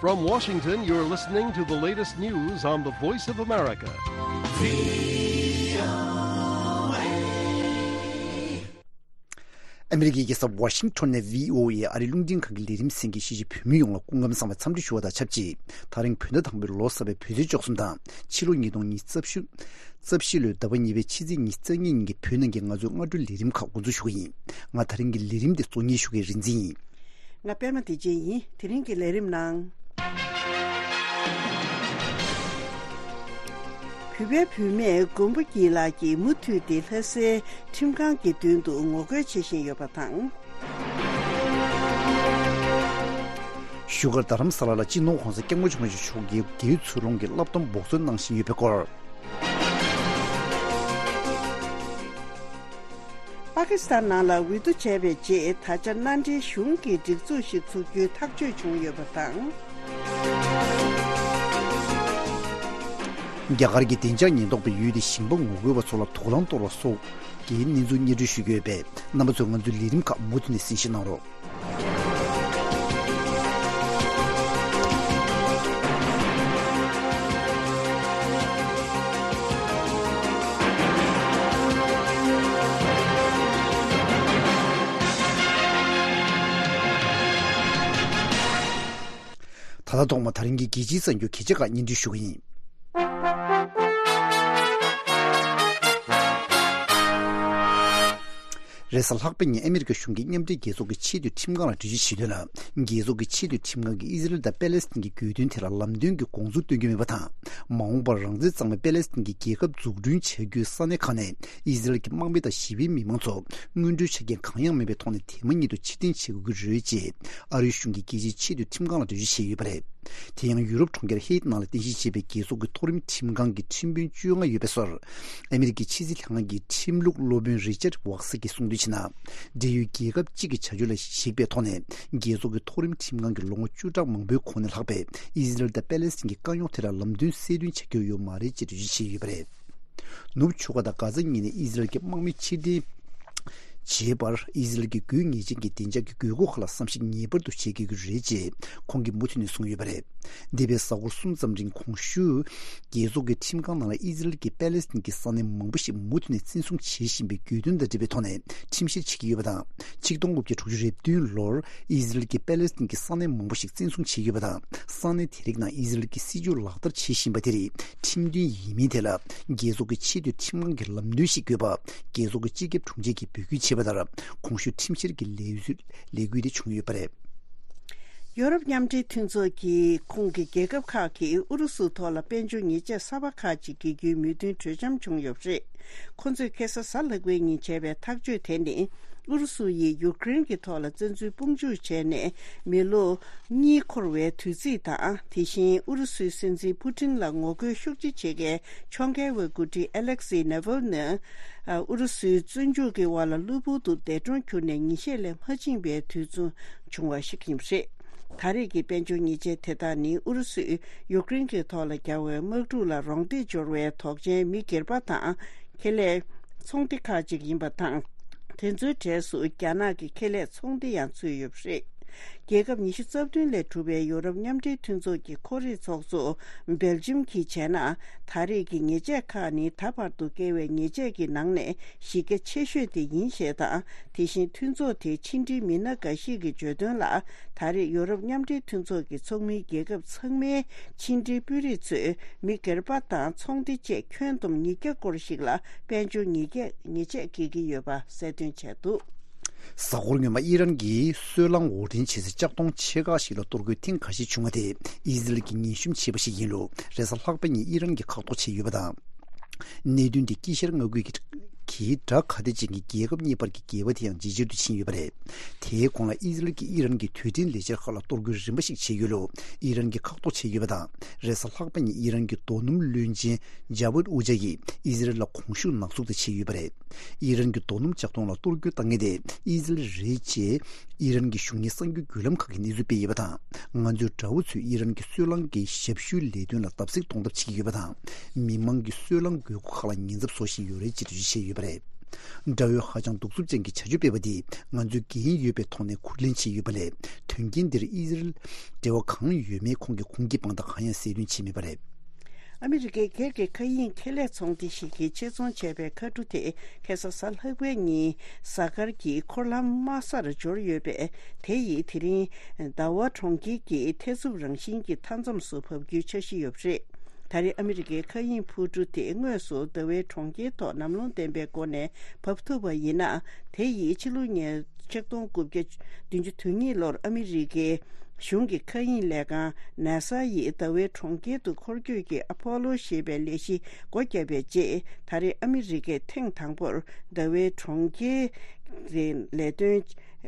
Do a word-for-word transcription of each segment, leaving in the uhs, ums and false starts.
From Washington, you're listening to the latest news on the Voice of America. ཨ་མི་རི་ཀའི་རྒྱལ་ས་ཝ་ཤིང་ཊོན་ནས་བྷི་ཨོ་ཨེ་ཨ་རིའི་རླུང་འཕྲིན་ཁང་གི་ལས་རིམ་གསན་མཁན་གཞིས་བྱེས་བོད་མི་ཡོངས་ལ་སྐུ་ཁམས་བཟང་བའི་འཚམས་འདྲི་ཞུ་བ་དང་ཆབས་ཅིག་དེ་རིང་བོད་ཟླ་དང་པོའི་ལོ་གསར་པའི་བོད་ཚེས་བཅུ་གསུམ་དང་ཕྱི་ལོ་ཉིས་སྟོང་ཉི་ཤུ་རྩ་བཞི། རྩ་བཞི་ལོའི་ཟླ་བ་གཉིས་པའི་ཕྱི་ཚེས་ཉི་ཤུ་རྩ་གཉིས་ཉིན་གྱི་བོད་ནང་གི་ང་ཚོའི་སྔ་དྲོའི་ལས་རིམ་ཁག་འགོ་འཛུགས་ཞུ་གི་ཡིན། ང་དེ་རིང་གི་ལས་རིམ་འདི་གཙོ་གཉེར་ཞུ་མཁན་རིག་འཛིན་ཡིན། ང་པད་མ་བདེ་ཆེན་ཡིན། དེ་རིང་གི་ལས་རིམ་ནང་། བོད་པའི་བུད་མེད་མགོན་པོ་སྐྱིད་ལགས་ཀྱིས་མུ་མཐུད་དེ་ལྷ་སའི་ཁྲིམས་ཁང་གི་མདུན་དུ་ངོ་རྒོལ་བྱེད་བཞིན་ཡོད་པ་དང་། བཞུགས་སྒར་རྡ་རམ་ས་ལ་ལ་སྤྱི་ནོར་༸གོང་ས་༸སྐྱབས་མགོན་ཆེན་པོ་མཆོག་གིས་དགེ་ཚུལ་སློང་གི་བསླབ་སྡོམ་འབོགས་ཚོད་གནང་བཞིན་ཡོད་པའི་སྐོར། པ་ཀི་སི་ཐན་ནང་ལ་འོས་བསྡུ་བྱས་པའི་རྗེས་ད་ཆ་མནའ་འབྲེལ་གཞུང་གི་སྒྲིག་འཛུགས་ཤིག་འཛུགས་རྒྱུའི་ཐག་གཅོད་བྱུང་ཡོད་པ་དང་། རྒྱ་གར་གྱི་བདེ་འཇགས་ཉེན་རྟོག་པས་ཡུལ་དེའི་ཞིང་པ་ངོ་རྒོལ་བ་ཚོ་ལ་དུག་རླངས་གཏོར་བ་སོགས་ཀྱི་གནས་ཚུལ་སྙན་སྒྲོན་ཞུས་ཡོད་པས། རྣམ་པ་ཚོས་ང་ཚོའི་ལས་རིམ་ཁག་མུ་མཐུད་ནས་གསན་བཞེས་གནང་རོགས། ད་ལྟ་ཐོག་མ་དེ་རིང་གི་རྒྱལ་སྤྱིའི་གསར་འགྱུར་གལ་ཆེ་ཁག་སྙན་སྒྲོན་ཞུ་གི་ཡིན། རེས་གཟའ་ལྷག་པའི་ཉིན་ཨ་མི་རི་ཀ་གཞུང་གིས་མཉམ་འབྲེལ་རྒྱལ་ཚོགས་ཀྱི་ཆེས་མཐོའི་ཁྲིམས་ཁང་ལ་འགྲེལ་བརྗོད་བྱེད་དོན་ལ། རྒྱལ་ཚོགས་ཀྱི་ཆེས་མཐོའི་ཁྲིམས་ཁང་གིས་ཨི་ཟི་རེལ་དང་པེ་ལེ་སི་ཐན་གྱི་དགོས་འདུན་དེ་ལ་ལམ་སྟོན་གྱི་དགོངས་ཚུལ་སྟོན་གྱི་མེད་པ་དང་། མ་འོངས་པར་རང་བཙན་གཙང་མའི་པེ་ལེ་སི་ཐན་གྱི་རྒྱལ་ཁབ་འཛུགས་སྐྲུན་བྱ་རྒྱུའི་ས་གནས་ཁག་ནས་ཨི་ཟི་རེལ་གྱི་དམག་མི་དང་ཞི་བའི་མི་མང་ཚོ་སྔོན་འགྲོའི་ཆ་རྐྱེན་གང་ཡང་མེད་པའི་ཐོག་ནས་དེ་མ་ཉིད་དུ་ཕྱིར་འཐེན་བྱེད་དགོས་ཀྱི་རེད་ཅེས་ཨ་རིའི་གཞུང་གིས་རྒྱལ་སྤྱིའི་ཆེས་མཐོའི་ཁྲིམས་ཁང་ལ་འགྲེལ་བརྗོད་བྱས་ཡོད་པ་རེད། དེ་ཡང་ཡུ་རོབ་གྲོང་ཁྱེར་ཧེ་ཏི་ནང་ལ་རྟེན་གཞི་བྱས་པའི་རྒྱལ་ཚོགས་ཀྱི་མཐོ་རིམ་ཁྲིམས་ཁང་གི་ཁྲིམས་དཔོན་བཅོ་ལྔ་ཡོད་པའི་སོར། ཨ་མི་རི་ཀའི་ཕྱི་སྲིད་ལྷན་ཁང་གི་ཁྲིམས་ལུགས་སློབ་དཔོན་རི་ཅར་ཝག་སི་གིས་གསུངས་དོན་བྱས་ན། འབྲེལ་ཡོད་རྒྱལ་ཁབ་གཅིག་གི་བྱ་སྤྱོད་ལ་གཞིགས་པའི་ཐོག་ནས་རྒྱལ་ཚོགས་ཀྱི་མཐོ་རིམ་ཁྲིམས་ཁང་གིས་ལོ་ངོ་བཅུ་ཕྲག་མང་པོའི་གོང་ནས་ལྷག་པའི་ཨི་ཟི་རེལ་དང་པེ་ལེ་སི་ཐན་གྱི་དཀའ་རྙོག་དེ་ལ་ལམ་སྟོན་གསལ་སྟོན་བྱ་རྒྱུ་ཡོད་མ་རེད་ཅེས་འགྲེལ་བརྗོད་བྱས་ཡོད་པ་རེད། ནུབ་ཕྱོགས་ཁ་དང་གྷ་ཛ་གཉིས་ནས་ཨི་ཟི་རེལ་གྱི་དམག་མི་ཕྱིར་འཐེན་བྱེད་པར་ཨི་ཟི་རེལ་གྱི་དགོས་ངེས་ཅན་གྱི་བདེ་འཇགས་ཀྱི་དགོས་མཁོ་ཁག་ལ་བསམ་གཞིག་ངེས་པར་དུ་བྱེད་དགོས་ཀྱི་རེད་ཅེས་ཁོང་གིས་མུ་མཐུད་ནས་གསུངས་ཡོད་པ་རེད། འདས་པའི་གཟའ་འཁོར་གསུམ་ཙམ་རིང་གོང་ཞུས། རྒྱལ་ཚོགས་ཀྱི་ཁྲིམས་ཁང་ནང་ལ་ཨི་ཟི་རེལ་གྱིས་པེ་ལེ་སི་ཐན་གྱི་ས་གནས་མང་པོ་ཞིག་མུ་མཐུད་ནས་བཙན་བཟུང་བྱེད་བཞིན་པའི་གྱོད་དོན་དང་འབྲེལ་བའི་ཐོག་ནས་ཁྲིམས་བཤེར་བྱེད་ཀྱི་ཡོད་པ་དང་། ཆིག་སྟོང་དགུ་བརྒྱ་དྲུག་ཅུ་རེ་བདུན་ལོར་ཨི་ཟི་རེལ་གྱིས་པེ་ལེ་སི་ཐན་གྱི་ས་གནས་མང་པོ་ཞིག་བཙན་བཟུང་བྱས་ཡོད་པ་དང་། ས་གནས་དེ་རིགས་ནང་ཨི་ཟི་རེལ་གྱི་སྲིད་ཇུས་ལག་བསྟར་བྱེད་བཞིན་པ་དེ་རིགས་ཁྲིམས་མཐུན་ཡིན་མིན་ཐད་ལ་རྒྱལ་ཚོགས་ཀྱི་ཆེས་མཐོའི་ཁྲིམས་ཁང་གི་ལམ་སྟོན་ཞིག་དགོས་པ་རྒྱལ་ཚོགས་ཀྱི་སྤྱི་ཁྱབ་དྲུང་ཆེ་གིས་འབོད་སྐུལ་བྱས་པ་ལྟར། གོང་ཞུས་ཁྲིམས་བཤེར་གྱི་ལས་ལས་འགུལ་དེ་བྱུང་ཡོད་པ་རེད། ཡོ་རོབ་མཉམ་འབྲེལ་མཐུན་ཚོགས་ཀྱི་ཁོངས་ཀྱི་རྒྱལ་ཁབ་ཁག་གིས་ཨུ་རུ་སུའི་ཐོག་ལ་དཔལ་འབྱོར་ཉེས་ཆད་གསར་པ་ཁག་ཅིག་འགེལ་རྒྱུའི་མོས་མཐུན་གྲོས་འཆམ་བྱུང་ཡོད་པ་རེད། ཁོ་ཚོས་ཁ་སང་གཟའ་ལྷག་པའི་ཉིན་བྱས་པའི་ཐག་གཅོད་དེ་ནི། ཨུ་རུ་སུ་ཡིས་ཡུཀ་རེན་གྱི་ཐོག་ལ་བཙན་འཛུལ་དཔུང་འཇུག་བྱས་ནས་མི་ལོ་གཉིས་འཁོར་བའི་དུས་ཚིགས་དང་། དེ་བཞིན་ཨུ་རུ་སུའི་སྲིད་འཛིན་པུ་ཏིན་ལ་ངོ་རྒོལ་ཤུགས་ཆེ་བྱེད་མཁན་ཕྱོགས་འགལ་བའི་འགོ་ཁྲིད་ཨ་ལེག་སི་ནེ་ཝལ་ནི། ཨུ་རུ་སུའི་བཙོན་འཇུག་གི་འོག་ལ་གློ་བུར་དུ་འདས་གྲོངས་གྱུར་ནས་ཉིན་ཤས་ལས་མ་ཕྱིན་པའི་དུས་ཚོད་བྱུང་བ་ཞིག་ཡིན་པ་རེད། ད་རེས་ཀྱི་དཔལ་འབྱོར་ཉེས་ཆད་དེ་དག་ནི་ཨུ་རུ་སུས་ཡུཀ་རེན་གྱི་ཐོག་ལ་བརྒྱབ་པའི་དམག་འཁྲུག་ལ་རོགས་འདེགས་འབྱོར་བའི་དོགས་ཅན་མི་སྒེར་པ་དང་ཁེ་ལས་ཚོང་སྡེ་ཁག་ཅིག་ཡིན་པ་དང་། དེ་ཚོའི་གྲས་སུ་རྒྱ་ནག་གི་ཁེ་ལས་ཚོང་སྡེ་ཡང་ཚུད་ཡོད་པ་རེད། རྒྱལ་ཁབ་ཉི་ཤུ་རྩ་བདུན་ལས་གྲུབ་པའི་ཡོ་རོབ་མཉམ་འབྲེལ་མཐུན་ཚོགས་ཀྱི་ཁོར་ཡུག་ཚོགས་གཙོ་སྦེལ་ཇམ་གྱིས་བྱས་ན། ད་རེས་ཀྱི་ཉེས་ཆད་ཁག་ནི་ད་བར་དུ་བཀལ་བའི་ཉེས་ཆད་ཀྱི་ནང་ནས་གཞི་རྒྱ་ཆེ་ཤོས་དེ་ཡིན་ཞེས་དང་། དེ་བཞིན་མཐུན་ཚོགས་དེའི་ཕྱི་འབྲེལ་མི་སྣ་འགའ་ཞིག་གིས་བརྗོད་དོན་ལ། ད་རེས་ཡོ་རོབ་མཉམ་འབྲེལ་མཐུན་ཚོགས་ཀྱི་ཚོགས་མིའི་རྒྱལ་ཁབ་ཚང་མའི་ཕྱི་འབྲེལ་དཔོན་རིགས་ཚོས་མི་སྒེར་པ་དང་ཚོང་སྡེ་བཅས་ཁྱོན་བསྡོམས་ཉིས་བརྒྱ་སྐོར་ཞིག་ལ་དཔལ་འབྱོར་ཉེས་ཆད་ཉེས་ཆད་འགེལ་གྱི་ཡོད་པ་གསལ་སྟོན་བྱས་འདུག། གཟའ་འཁོར་སྔོན་མ་ཨི་རན་གྱིས་སོལ་རླངས་འོར་འདྲེན་བྱེད་སའི་ལྕགས་མདོང་ཆེ་ཁག་ཞིག་ལ་གཏོར་རྒོལ་ཐེངས་འགའ་ཞིག་བྱུང་བ་དེ་ཨི་ཟི་རལ་གྱིས་ངན་ཤུམ་བྱས་པ་ཞིག་ཡིན་ལུགས་རེས་གཟའ་ལྷག་པ་ཉིན་ཨི་རན་གྱིས་ཁག་ཐོག་བྱས་ཡོད་པ་དང་། གནད་དོན་དེ་དཀྱིལ་ཤར་མངའ་ཁུལ་གྱི་དགྲ་ཁ་གཏད་ཅན་གྱི་རྒྱལ་ཁབ་གཉིས་བར་གྱི་འགལ་བ་དེ་ཡང་ཇེ་ཆེར་དུ་ཕྱིན་ཡོད་པ་རེད། དེའི་གོང་ལ་ཨི་ཟི་རལ་གྱིས་ཨི་རན་གྱི་རྡུལ་ཕྲན་ལས་འཆར་ཁག་ལ་གཏོར་རྒོལ་རིམ་པ་ཞིག་བྱས་ཡོད་ལུགས་ཨི་རན་གྱིས་ཁག་ཐོག་བྱས་ཡོད་པ་དང་། རེས་གཟའ་ལྷག་པ་ཉིན་ཨི་རན་གྱི་རྡོ་སྣུམ་བློན་ཆེན་ཇ་བུད་ཨུ་ཇ་ཡིས་ཨི་ཟི་རལ་ལ་གོང་ཞུས་ནག་འཛུགས་དེ་བྱས་ཡོད་པ་རེད། ཨི་རན་གྱི་རྡོ་སྣུམ་ལྕགས་མདོང་ལ་གཏོར་རྒོལ་བཏང་མཁན་དེ་ཨི་ཟི་རལ་རེད་ཅེས་ཨི་རན་གྱི་གཞུང་གཉེར་གསར་འགྱུར་བརྒྱུད་ལམ་ཁག་གིས་གནས་ཚུལ་སྤེལ་ཡོད་པ་དང་། ང་ཚོའི་དགྲ་བོ་ཚོས་ཨི་རན་གྱི་སོལ་རླངས་ཀྱི་ཞབས་ཞུའི་ལས་དོན་ལ་བརྡབ་གསིག་གཏོང་ཐབས་བྱེད་ཀྱི་ཡོད་པ་དང་། མི་མང་གི་སོལ་རླངས་དགོས་མཁོ་ཁག་ལ་ཉེན་ཚབས་བཟོ་བཞིན་ཡོད་རེད་ཅེས་འགྲེལ་བརྗོད་བྱས་ཡོད་པ་རེད། དགྲ་བོས་ཧ་ཅང་གདུག་རྩུབ་ཅན་གྱི་བྱ་སྤྱོད་སྤེལ་བ་འདིས་ང་ཚོས་འགན་ཡོད་པའི་ཐོག་ནས་ཁུར་ལེན་བྱས་ཡོད་པ་ལས། དོན་རྐྱེན་འདིར་ཨི་ཟི་རལ་འབྲེལ་བ་གང་ཡོད་མེད་ཁོང་གིས་ཁུངས་སྐྱེལ་དཔང་རྟགས་གང་ཡང་གསལ་སྟོན་བྱས་མེད་པ་རེད། ཨ་མི་རི་ཀའི་སྒེར་གྱི་མཁའ་དབྱིངས་ཁེ་ལས་ཚོང་སྡེ་ཞིག་གིས་ཆེད་རྫོང་བྱས་པའི་མཁའ་གྲུ་དེ་ཁ་སང་གཟའ་ལྷག་པའི་ཉིན་གཟའ་སྐར་གྱི་འཁོར་ལམ་དམའ་སར་འབྱོར་ཡོད་པས། དེ་ཡིས་དེ་རིང་ཟླ་བ་གྲོང་ཁྱེར་གྱི་ཐེ་ཚོམ་རང་བཞིན་གྱི་མཐའ་མཚམས་སུ་བབས་རྒྱུའི་འཆར་གཞི་ཡོད་པ་རེད། ད་རེས་ཨ་མི་རི་ཀའི་མཁའ་དབྱིངས་འཕུར་གྲུ་དེ་དངོས་སུ་ཟླ་བའི་གྲོང་ཁྱེར་ཐོག་ནམ་ལངས་ལྡན་པའི་སྒོ་ནས་བབས་ཐུབ་པ་ཡིན་ན། དེ་ཡིས་ཕྱི་ལོ་ཉིས་ཆིག་སྟོང་དགུ་བརྒྱ་བདུན་ཅུ་དོན་གཉིས་ལོར་ཨ་མི་རི་ཀའི་གཞུང་གི་མཁའ་དབྱིངས་ལས་ཁང་ནཱ་ས་ཡིས་ཟླ་བའི་གྲོང་ཁྱེར་དུ་འཁོར་སྐྱོད་ཀྱི་ཨ་ཕོ་ལོ་ཞེས་པའི་ལས་གཞི་སྒོ་བརྒྱབ་པའི་རྗེས། ད་རེས་ཨ་མི་རི་ཀས་ཐེངས་དང་པོར་ཟླ་བའི་གྲོང་ཁྱེར་དེ་ལས་དོན་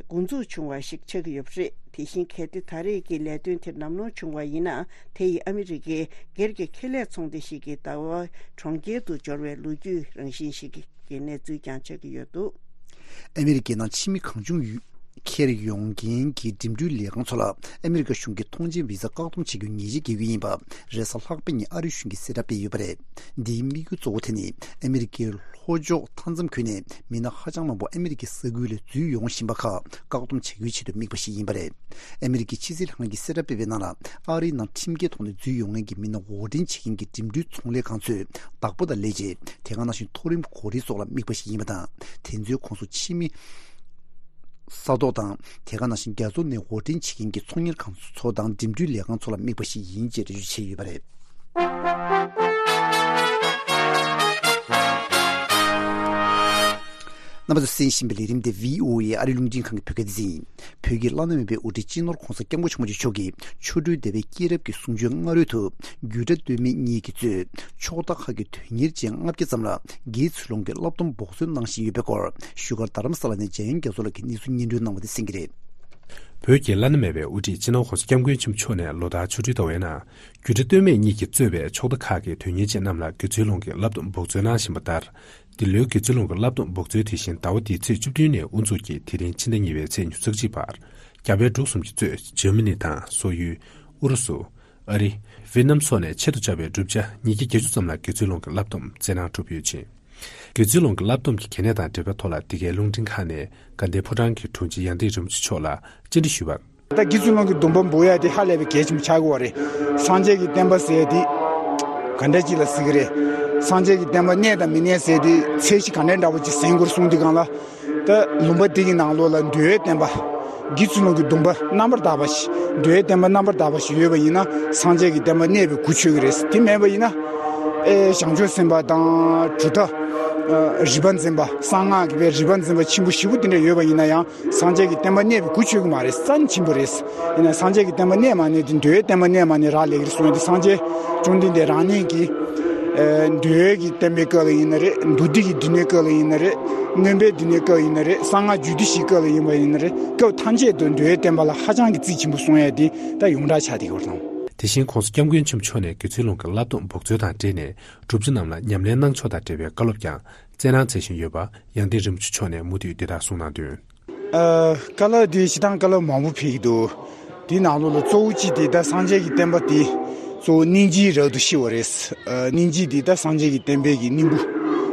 འགོ་འཛུགས་བྱུང་བ་ཞིག་ཆགས་ཀྱི་ཡོད་པ་རེད། དེ་བཞིན་གལ་ཏེ་ད་རེས་ཀྱི་ལས་དོན་དེ་ནམ་ལངས་བྱུང་བ་ཡིན་ན། དེ་ཡིས་ཨ་མི་རི་ཀའི་སྒེར་གྱི་ཁེ་ལས་ཚོང་སྡེ་ཞིག་གིས་ཟླ་བ་གྲོང་ཁྱེར་དུ་འབྱོར་བའི་ལོ་རྒྱུས་རང་བཞིན་ཞིག་གི་གནས་ཚུལ་ཀྱང་ཆགས་ཀྱི་ཡོད་འདུག་ཨ་མི་རི་ཀའི་ནང་ཕྱི་མི་གང་བྱུང་ཡུལ་ཁྱེར་ཡོང་མཁན་གྱི་འགྲིམ་འགྲུལ་ལས་ཁང་ཚོ་ལ་ཨ་མི་རི་ཀ་གཞུང་གིས་ཐོངས་མཆན་བི་ཟ་བཀག་སྡོམ་བྱེད་རྒྱུ་ཉེས་ཆད་འགེལ་གྱི་ཡིན་པ། རེས་གཟའ་ལྷག་པ་ཉིན་ཨ་རིའི་གཞུང་གིས་གསལ་བསྒྲགས་སྤེལ་ཡོད་པ་རེད། འདིའི་དམིགས་ཡུལ་གཙོ་བོ་དེ་ནི་ཨ་མི་རི་ཀའི་ལྷོ་ཕྱོགས་མཐའ་མཚམས་ཁུལ་ནས་མི་སྣ་ཧ་ཅང་མང་པོ་ཨ་མི་རི་ཀའི་ས་ཁུལ་ལ་འཛུལ་ཡོང་བཞིན་པ་ཁག་བཀག་སྡོམ་བྱ་རྒྱུའི་ཆེད་དུ་དམིགས་པ་ཞིག་ཡིན་པ་རེད། ཨ་མི་རི་ཀའི་ཕྱི་སྲིད་ལྷན་ཁང་གིས་གསལ་བསྒྲགས་སྤེལ་བའི་ནང་ལ། ཨ་རིའི་ནང་ཁྲིམས་འགལ་ཐོག་ནས་འཛུལ་ཡོང་མཁན་གྱི་མི་སྣ་འོར་འདྲེན་བྱེད་མཁན་གྱི་འགྲིམ་འགྲུལ་ཚོང་ལས་ཁང་ཚོས་བདག་པོ་དང་ལས་བྱེད། དེ་ག་ནང་བཞིན་མཐོ་རིམ་གོ་སྒྲིག་སོགས་ལ་དམིགས་པ་ཞིག་ཡིན་པ་དང་། དེ་ཚོའི་ཁོངས་སུ་ཕྱི་མི་ས་ཐོག་དང་། དེ་ག་ནང་བཞིན་རྒྱ་མཚོ་ནས་འོར་འདྲེན་བྱེད་མཁན་གྱི་ཚོང་གཉེར་ཁང་ཚོ་དང་འགྲིམ་འགྲུལ་ལས་ཁང་ཚོ་ལ་དམིགས་པ་ཞིག་ཡིན་ཅེས་འགྲེལ་བརྗོད་བྱས་ཡོད་པ་རེད། རྣམ་པ་ཚོས་གསན་བཞིན་པའི་ལས་རིམ་དེ་བྷི་ཨོ་ཨེ་ཨ་རི་རླུང་འཕྲིན་ཁང་གི་བོད་སྐད་སྡེ་ཚན་ཡིན། བོད་ཀྱི་བླ་ན་མེད་པའི་དབུ་ཁྲིད་སྤྱི་ནོར་༧གོང་ས་༧སྐྱབས་མགོན་ཆེན་པོ་མཆོག་གིས་ཆོ་འཕྲུལ་སྡེ་པའི་སྐྱེས་རབས་ཀྱི་གསུང་ཆོས་སྔ་རོལ་དུ། རྒྱུད་གྲྭ་སྟོད་སྨད་གཉིས་ཀྱིས་གཙོས་ཕྱོགས་མཐའ་ཁག་གི་དོན་གཉེར་ཅན་ལྔ་བརྒྱ་ཙམ་ལ་དགེ་ཚུལ་སློང་གི་བསླབ་སྡོམ་འབོགས་ཚོད་གནང་བཞིན་ཡོད་པའི་སྐོར། བཞུགས་སྒར་རྡ་རམ་ས་ལ་ནས་འཇམ་དབྱངས་རྒྱ་མཚོ་ལགས་ཀྱིས་གནས་ཚུལ་སྙན་སྒྲོན་གནང་བ་དེ་གསན་གྱི་རེད། བོད་ཀྱི་བླ་ན་མེད་པའི་དབུ་ཁྲིད་སྤྱི་ནོར་༧གོང་ས་༧སྐྱབས་མགོན་ཆེན་པོ་མཆོག་ནས་ལོ་ལྟར་ཆོ་འཕྲུལ་ཟླ་བའི་ནང་། རྒྱུད་གྲྭ་སྟོད་སྨད་གཉིས་ཀྱིས་གཙོས་པའི་ཕྱོགས་མཐའ་ཁག་གི་དོན་གཉེར་ཅན་རྣམས་ལ་དགེ་ཚུལ་སློང་གི་བསླབ་སྡོམ་འབོགས་ཚོད་གནང་བཞིན་པ་ལྟར། འདི་ལོའི་དགེ་ཚུལ་སློང་གི་བསླབ་སྡོམ་འབོགས་ཚོད་དེ་བཞིན་ཟླ་བ་འདིའི་ཚེས་བཅུ་བདུན་ནས་དབུ་འཛུགས་ཀྱིས་དེ་རིང་ཕྱི་ཟླ་གཉིས་པའི་ཚེས་ཉི་ཤུ་རྩ་གཅིག་བར། རྒྱ་བལ་འབྲུག་གསུམ་གྱིས་གཙོས་འཇར་མ་ནི་དང་སོག་ཡུལ། ཨུ་རུ་སུ། ཨ་རི། ཝེ་ཏི་ནམ་སོགས་ནས་ཆེད་དུ་བཅར་བའི་བསྒྲུབ་བྱ་ཉིས་བརྒྱ་བརྒྱད་ཅུ་ཙམ་ལ་དགེ་ཚུལ་སློང་གི་བསླབ་སྡོམ་སྩལ་གནང་གྲུབ་ཡོད་ཅིང་། དགེ་ཚུལ་སློང་གི་བསླབ་སྡོམ་གྱི་གལ་གནད་དང་འབྲེལ་བའི་ཐོག་ལ་འདི་གའི་རླུང་འཕྲིན་ཁང་ནས་དགའ་ལྡན་ཕོ་བྲང་གི་དྲུང་ཆེ་ཡང་སྟེང་རིན་པོ་ཆེ་མཆོག་ལ་བཅར་འདྲི་ཞུས་པར། ད་དགེ་ཚུལ་སློང་གི་སྡོམ་པ་འབོགས་ཡ་དེ་ཧ་ལས་པའི་གལ་ཆེན་པོ་ཆགས་ཀྱི་ཡོད་རེད། སངས་རྒྱས་ཀྱི་བསྟན་པ་ཟེར་ཡ་དེ་ག་འདྲ་ཅིག་ལ་ཟེར་གྱི་རེད། སངས་རྒྱས་ཀྱི་བསྟན་པ་གནས་དང་མི་གནས་ཟེར་དེ་ཚད་གཞི་ག་འདྲ་འདྲ་པོ་ཅིག་ཟིན་དགོས་གསུངས་དུས་སྒང་ལ། ད་ལུང་པ་འདི་གི་ནང་ལོགས་ལ་འདུལ་བའི་བསྟན་པ། དགེ་ཚུལ་སློང་གི་སྡོམ་པ་རྣམ་པར་དག་པ་ཞིག་འདུལ་བའི་བསྟན་པ་རྣམ་པར་དག་པ་ཞིག་ཡོད་པ་ཡིན་ན་སངས་རྒྱས་ཀྱི་བསྟན་པ་གནས་པའི་གུ་ཆོད་ཀྱི་རེད། དེ་མེད་པ་ཡིན་ན། ཨེ་བྱང་ཆུབ་སེམས་དཔའ་དང་གྲུབ་མཐའ། ཨ་རིག་པ་འཛིན་པ་གསང་སྔགས་ཀྱི་བའི་རིག་པ་འཛིན་པ་ཆེན་པོ་ཞེ་པོ་དེ་འདྲ་ཡོད་པ་ཡིན་ན་ཡང་། སངས་རྒྱས་ཀྱི་བསྟན་པ་གནས་པའི་གུ་ཆོད་ཀྱི་མ་རེད། རྩ་ནས་ཆེན་པོ་རེད། ཡིན་ན་སངས་རྒྱས་ཀྱི་བསྟན་པ་གནས་མ་གནས་དེ་འདུལ་བའི་བསྟན་པ་གནས་མ་གནས་རག་ལས་ཀྱི་རེད་གསུངས་ཡོད་དེ། སངས་རྒྱས་བཅོམ་ལྡན་འདས་རང་ཉིད་ཀྱིས་ཨེ་འདུལ་བའི་གི་བསྟན་པའི་སྐབས་ལ་ཡིན་ན་རེད། མདོ་སྡེ་གི་འདུལ་གནས་སྐབས་ལ་ཡིན་ན་རེད། མངོན་པའི་འདུལ་གནས་སྐབས་ལ་ཡིན་ན་རེད། གསང་སྔགས་རྒྱུད་སྡེ་བཞིའི་སྐབས་ལ་ཡིན་པ་ཡིན་ན་རེད། སྐབས་ཐམས་ཅད་དུ་འདུལ་བའི་བསྟན་པ་ལ་ཧ་ཅང་གི་རྩིས་ཆེན་པོ་གསུང་ཡ་དེ་ད་ཡོངས་གྲགས་ཆགས་བསྡད་ཡོད་རེད་དང་། དེ་བཞིན་༧གོང་ས་༧སྐྱབས་མགོན་ཆེན་པོ་མཆོག་ནས་དགེ་ཚུལ་སློང་གི་བསླབ་སྡོམ་འབོགས་ཚོད་དང་འབྲེལ་ནས་གྲུབ་ཆ་རྣམས་ལ་ཉམས་ལེན་གནང་ཕྱོགས་དང་འབྲེལ་བའི་བཀའ་སློབ་ཀྱང་། སྩལ་གནང་མཛད་བཞིན་ཡོད་པ་ཡང་སྟེང་རིན་པོ་ཆེ་མཆོག་ནས་མུ་མཐུད་འདི་ལྟར་གསུངས་གནང་དོན། ཨ་བཀའ་སློབ་འདི་སྤྱིར་བཏང་བཀའ་སློབ་མང་པོ་ཕེབས་ཀྱི་འདུག་དེའི་ནང་ལོགས་ལ་གཙོ་བོ་གཅིག་དེ་ད་སངས་རྒྱས་ཀྱི་བསྟན་པ་དེ་གཙོ་བོ་སྙིང་རྗེའི་རབ་ཏུ་ཤེས་པ་རེད། ཨ་སྙིང་རྗེ་འདི་ད་སངས་རྒྱས་ཀྱི་བསྟན་པའི་གི་སྙིང་པོ་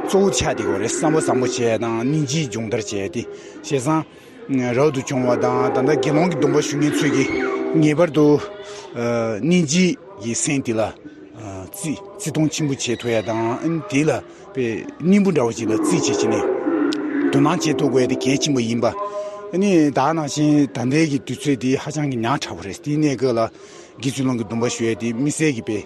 གཙོ་བོ་ཆགས་བསྡད་ཡོད་རེད། བསམ་པ་བཟང་པོ་བྱས་དང་སྙིང་རྗེ་སྦྱོང་བརྡར་བྱས་ཏེ་བྱས་ཙང་། རབ་ཏུ་བྱུང་བ་དང་ད་ལྟ་དགེ་སློང་གི་སྡོམ་པ་ཞུ་མཁན་ཚོས་ཀྱིས་ངེས་པར་དུ་ཨ་སྙིང་རྗེ་ཡི་སེམས་དེ་ལ་ཨ་བརྩི་བརྩི་མཐོང་ཆེན་པོ་བྱེད་ཐུབ་ཡ་དང་། ཨ་ནི་དེ་ལ་དཔེ་སྙིང་པོ་འདྲ་བོ་ཅིག་ལ་བརྩིས་བྱས་བྱས་ནས་དོ་སྣང་བྱེད་ཐུབ་དགོས་ཡ་དེ་གལ་ཆེན་པོ་ཡིན་པ། ཨ་ནི་ད་ནང་བཞིན་ད་ལྟའི་གི་དུས་ཚོད་དེ་ཧ་ཅང་གི་ཉག་ཕྲ་བོ་རེད། དེའི་གནས་སྐབས་ལ། དགེ་ཚུལ་སློང་གི་སྡོམ་པ་ཞུ་ཡས་དེ་དམིགས་བསལ་གྱི་དཔེ་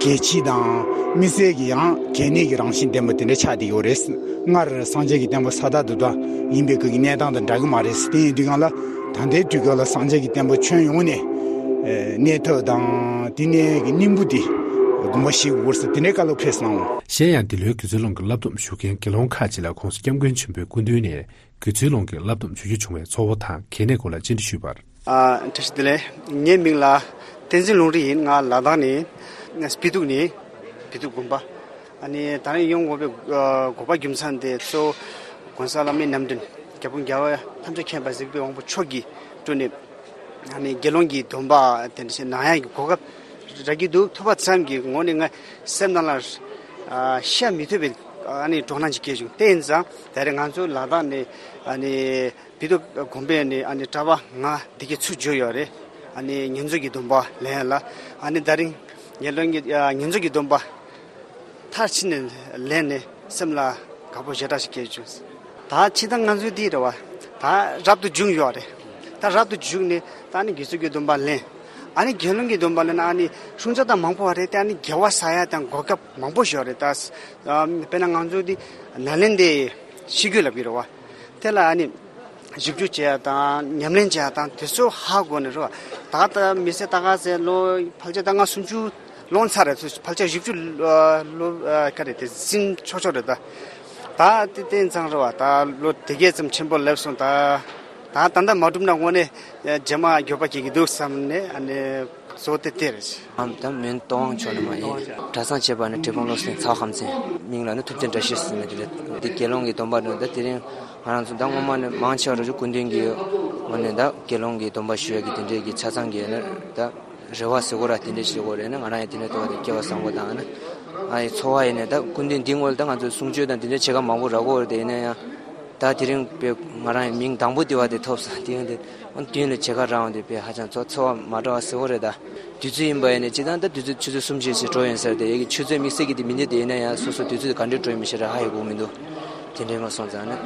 གལ་ཆེ་དང་དམིགས་བསལ་གྱི་ཡང་གལ་གནད་ཀྱི་རང་བཞིན་ལྡན་པ་དེ་འདྲ་ཆགས་བསྡད་ཡོད་རེད། སྔར་སངས་རྒྱས་ཀྱི་བསྟན་པ་ས་ཐག་རྡོ་ཐག་ཡིན་པའི་སྐབས་ཀྱི་གནས་སྟངས་དང་འདྲ་གི་མ་རེད། དེ་ཡིན་དུས་སྒང་ལ་ད་ལྟའི་དུས་སྐབས་ལ་སངས་རྒྱས་ཀྱི་བསྟན་པ་ཁྱོན་ཡོངས་ནས་གནས་ཐབས་དང་དེ་ནས་ཀྱི་སྙིང་པོ་དེ་དགོངས་པ་བཞེས་དགོས་ས་དེ་འདྲའི་བཀའ་སློབ་ཕེབས་སོང་། གཞན་ཡང་འདི་ལོའི་དགེ་ཚུལ་སློང་གི་བསླབ་སྡོམ་ཞུ་མཁན་དགེ་སློང་ཁག་ཅིག་ལ་༧གོང་ས་༧སྐྱབས་མགོན་ཆེན་པོའི་སྐུ་མདུན་ནས། དགེ་ཚུལ་སློང་གི་བསླབ་སྡོམ་ཞུ་རྒྱུ་བྱུང་བའི་ཚོར་བ་དང་གལ་གནད་སྐོར་ལ་བཅར་འདྲི་ཞུས་པར། ཨ། བཀྲ་ཤིས་བདེ་ལེགས། ངའི་མིང་ལ་བསྟན་འཛིན་ལུང་རིགས་ཡིན། ང་ལ་དྭགས་ནས་སྤི་ཏུག་ནས་སྤི་ཏུག་དགོན་པ། ཨ་ནི་ད་རེས་ཡོང་དགོས་པའི་ཨ་དགོས་པ་རྒྱུ་མཚན་དེ་གཙོ་བོ་གོང་ས་བླ་མའི་རྣམ་འདྲེན་རྒྱལ་བུ་རྒྱལ་བ་ཐམས་ཅད་མཁྱེན་པ་གཟིགས་པའི་དབང་པོ་མཆོག་གིས་སྤྲུལ་ནས་ཨ་ནི་དགེ་སློང་གི་སྡོམ་པ་དེ་འདྲ་ཞིག་གནང་ཡག་གི་གོ་སྐབས་རག་གི་འདུག་ཐུབ་པ་ཙམ་གྱི་ངོས་ནས་ང་སེམས་ནང་ལ་ཨ་བཤད་མི་ཐུབ་པའི་ ཨ་ནི་སྤྲོ་སྣང་ཅིག་སྐྱེས་བྱུང་། དེ་ཡིན་ཙང་ད་རེས་ང་ཚོ་ལ་དྭགས་ནས་ཨ་ནི་བི་ཏུ་དགོན་པའི་ནས་ཨ་ནི་གྲྭ་པ་ལྔ་འདི་གའི་ཚུར་འབྱོར་ཡོད་རེད། ཨ་ནི་བསྙེན་རྫོགས་ཀྱི་སྡོམ་པ་ལེན་ཡ་ལ། ཨ་ནི་ད་རིང་ངེད་ལོན་གྱི་ཨ་བསྙེན་རྫོགས་ཀྱི་སྡོམ་པ་མཐར་ཕྱིན་ནས་ལེན་ནས་སེམས་ལ་དགའ་པོ་ཞེ་དྲག་ཞིག་སྐྱེས་བྱུང་། ད་ཕྱི་ཟླ་ང་ཚོའི་འདི་རེད་བ། ད་རབ་ཏུ་བྱུང་ཡོད་རེད། ད་རབ་ཏུ་བྱུང་ནས་ད་ཨ་ནི་དགེ་ཚུལ་གྱི་སྡོམ་པ་ལེན། ཨ་ནི་དགེ་སློང་གི་སྡོམ་པ་ལེན་ན་ཨ་ནི་ཤུགས་ཆེ་དང་མང་པོ་བ་རེད་དེ། ཨ་ནི་དགེ་བ་བསགས་ཡ་དང་གོ་སྐབས་མང་པོ་ཞིག་ཡོད་རེད། ད་དཔེར་ན་ང་ཚོ་འདི་ནཱ་ལེནྡྲའི་ཤེས་རྒྱུད་ལབ་ཀྱི་རེད་བ། དེ་ལ་ཨ་ནི་ཞིབ་འཇུག་བྱེད་ཡ་དང་ཉམས་ལེན་བྱེད་ཡ་དང་དེ་ཚོ་ཧ་གོ་ནས་རེད་བ། ད་ལྟ་མི་ཚེ་ལྟ་ག་ཚེ་ལོ་ཕལ་ཆེར་ད་ང་སུམ་ཅུ་ལོངས་ཚར་རེད། ཕལ་ཆེར་བཞི་བཅུ་ལོ་ག་རེ་དེ་ཟིན་ཆོག་ཆོག་རེད། ད་ད་དེ་དེ་ཙང་རེད་བ། ད་ལོ་དེ་གས་ཙམ་ཆེན་པོ་སླེབས་སོང་། ད་ད་ད་ལྟ་མ་གྲུབ་ན་དངོས་གནས་རྗེས་མ་འགྱོད་པ་སྐྱེ་གི་འདུག་བསམ་ནས་ཨ་ནི་གཙོ་བོ་དེ་དེ་རེད། ཨམ་ད་མོན་རྟ་དབང་ཕྱོགས་ནས་མ་ཡིན། གྲྭ་ཚང་བྱས་པ་ནི་གྲྭ་སྤུན་བློ་སེང་ཚ་བ་ཁམས་ཚན། མིང་ལ་ནི་ཐུབ་བསྟན་བཀྲ་ཤིས་ཟེར་ནས་དེ་རེད། དེ་དགེ་སློང་གི་སྡོམ་པ་འདོན། ད་དེ་རིང་ང་རང་ཚོ་ད་སྔོན་མ་ནས་མང་ཆེ་བ་རུ་སྐུ་མདུན་གྱི་འོག་ནས་ད་དགེ་སློང་གི་སྡོམ་པ་ཞུ་ཡ་གི་དེ་འདྲས་ཀྱི་ཆ་ཚང་གི་ནི་ད་རེ་བ་ཟེར་དགོས་ར་དེ་འདྲས་ཞིག་དགོས་རེད་ན། ང་རང་ཡང་དེ་འདྲས་ཐོག་དེ་སྐལ་བ་བཟང་པོ་དང་ཨ་ནི་ཨ་ཡི་ཚོར་བ་ཡིན་ནས། ད་སྐུ་མདུན་འདི་སྔོན་ལ་ད་ང་ཚོ་གསུང་ཆོས་དང་དེ་འདྲས་བྱེད་ཀ་མང་པོ་རག་གི་ཡོད་རེད། དེ་ཡིན་ན་ཡང་ད་དེ་རིང་དཔེ་ང་རང་ཡང་མིང་དང་པོ་དེ་བ་དེ་ཐོབ་སོང་། དེ་ཡིན་དེ་ཨ་མདུན་ལ་བྱེད་ཀ་རག་འོང་དེ་དཔེ་ཧ་ཅང་ཚོ་ཚོར་བ་མ་འདྲ་བ་ཟེར་དགོས་རེད། ད་དུས་ཚོད་ཡིན་པ་ཡིན་ནས་སྤྱིར་བཏང་ད་དུས་ཚོད་ཆུ་ཚོད་གསུམ་བཞི་ཞིག་འགྲོ་ཡིན་ཟེར་དེ་ཡ་གི་ཆུ་ཚོད་དམིགས་བསལ་གྱི་དེ་མི་འདུག་དེ་ཡིན་ན་ཡང་སོ་སོ་དུས་ཚོད་ག་འདྲས་འགྲོ་ཡིན་མི་ཤེས་ར་ཧ་ཡ་གོ་མི་འདུག་དེ་འདྲས་མ་སོང་ཙང་ནི་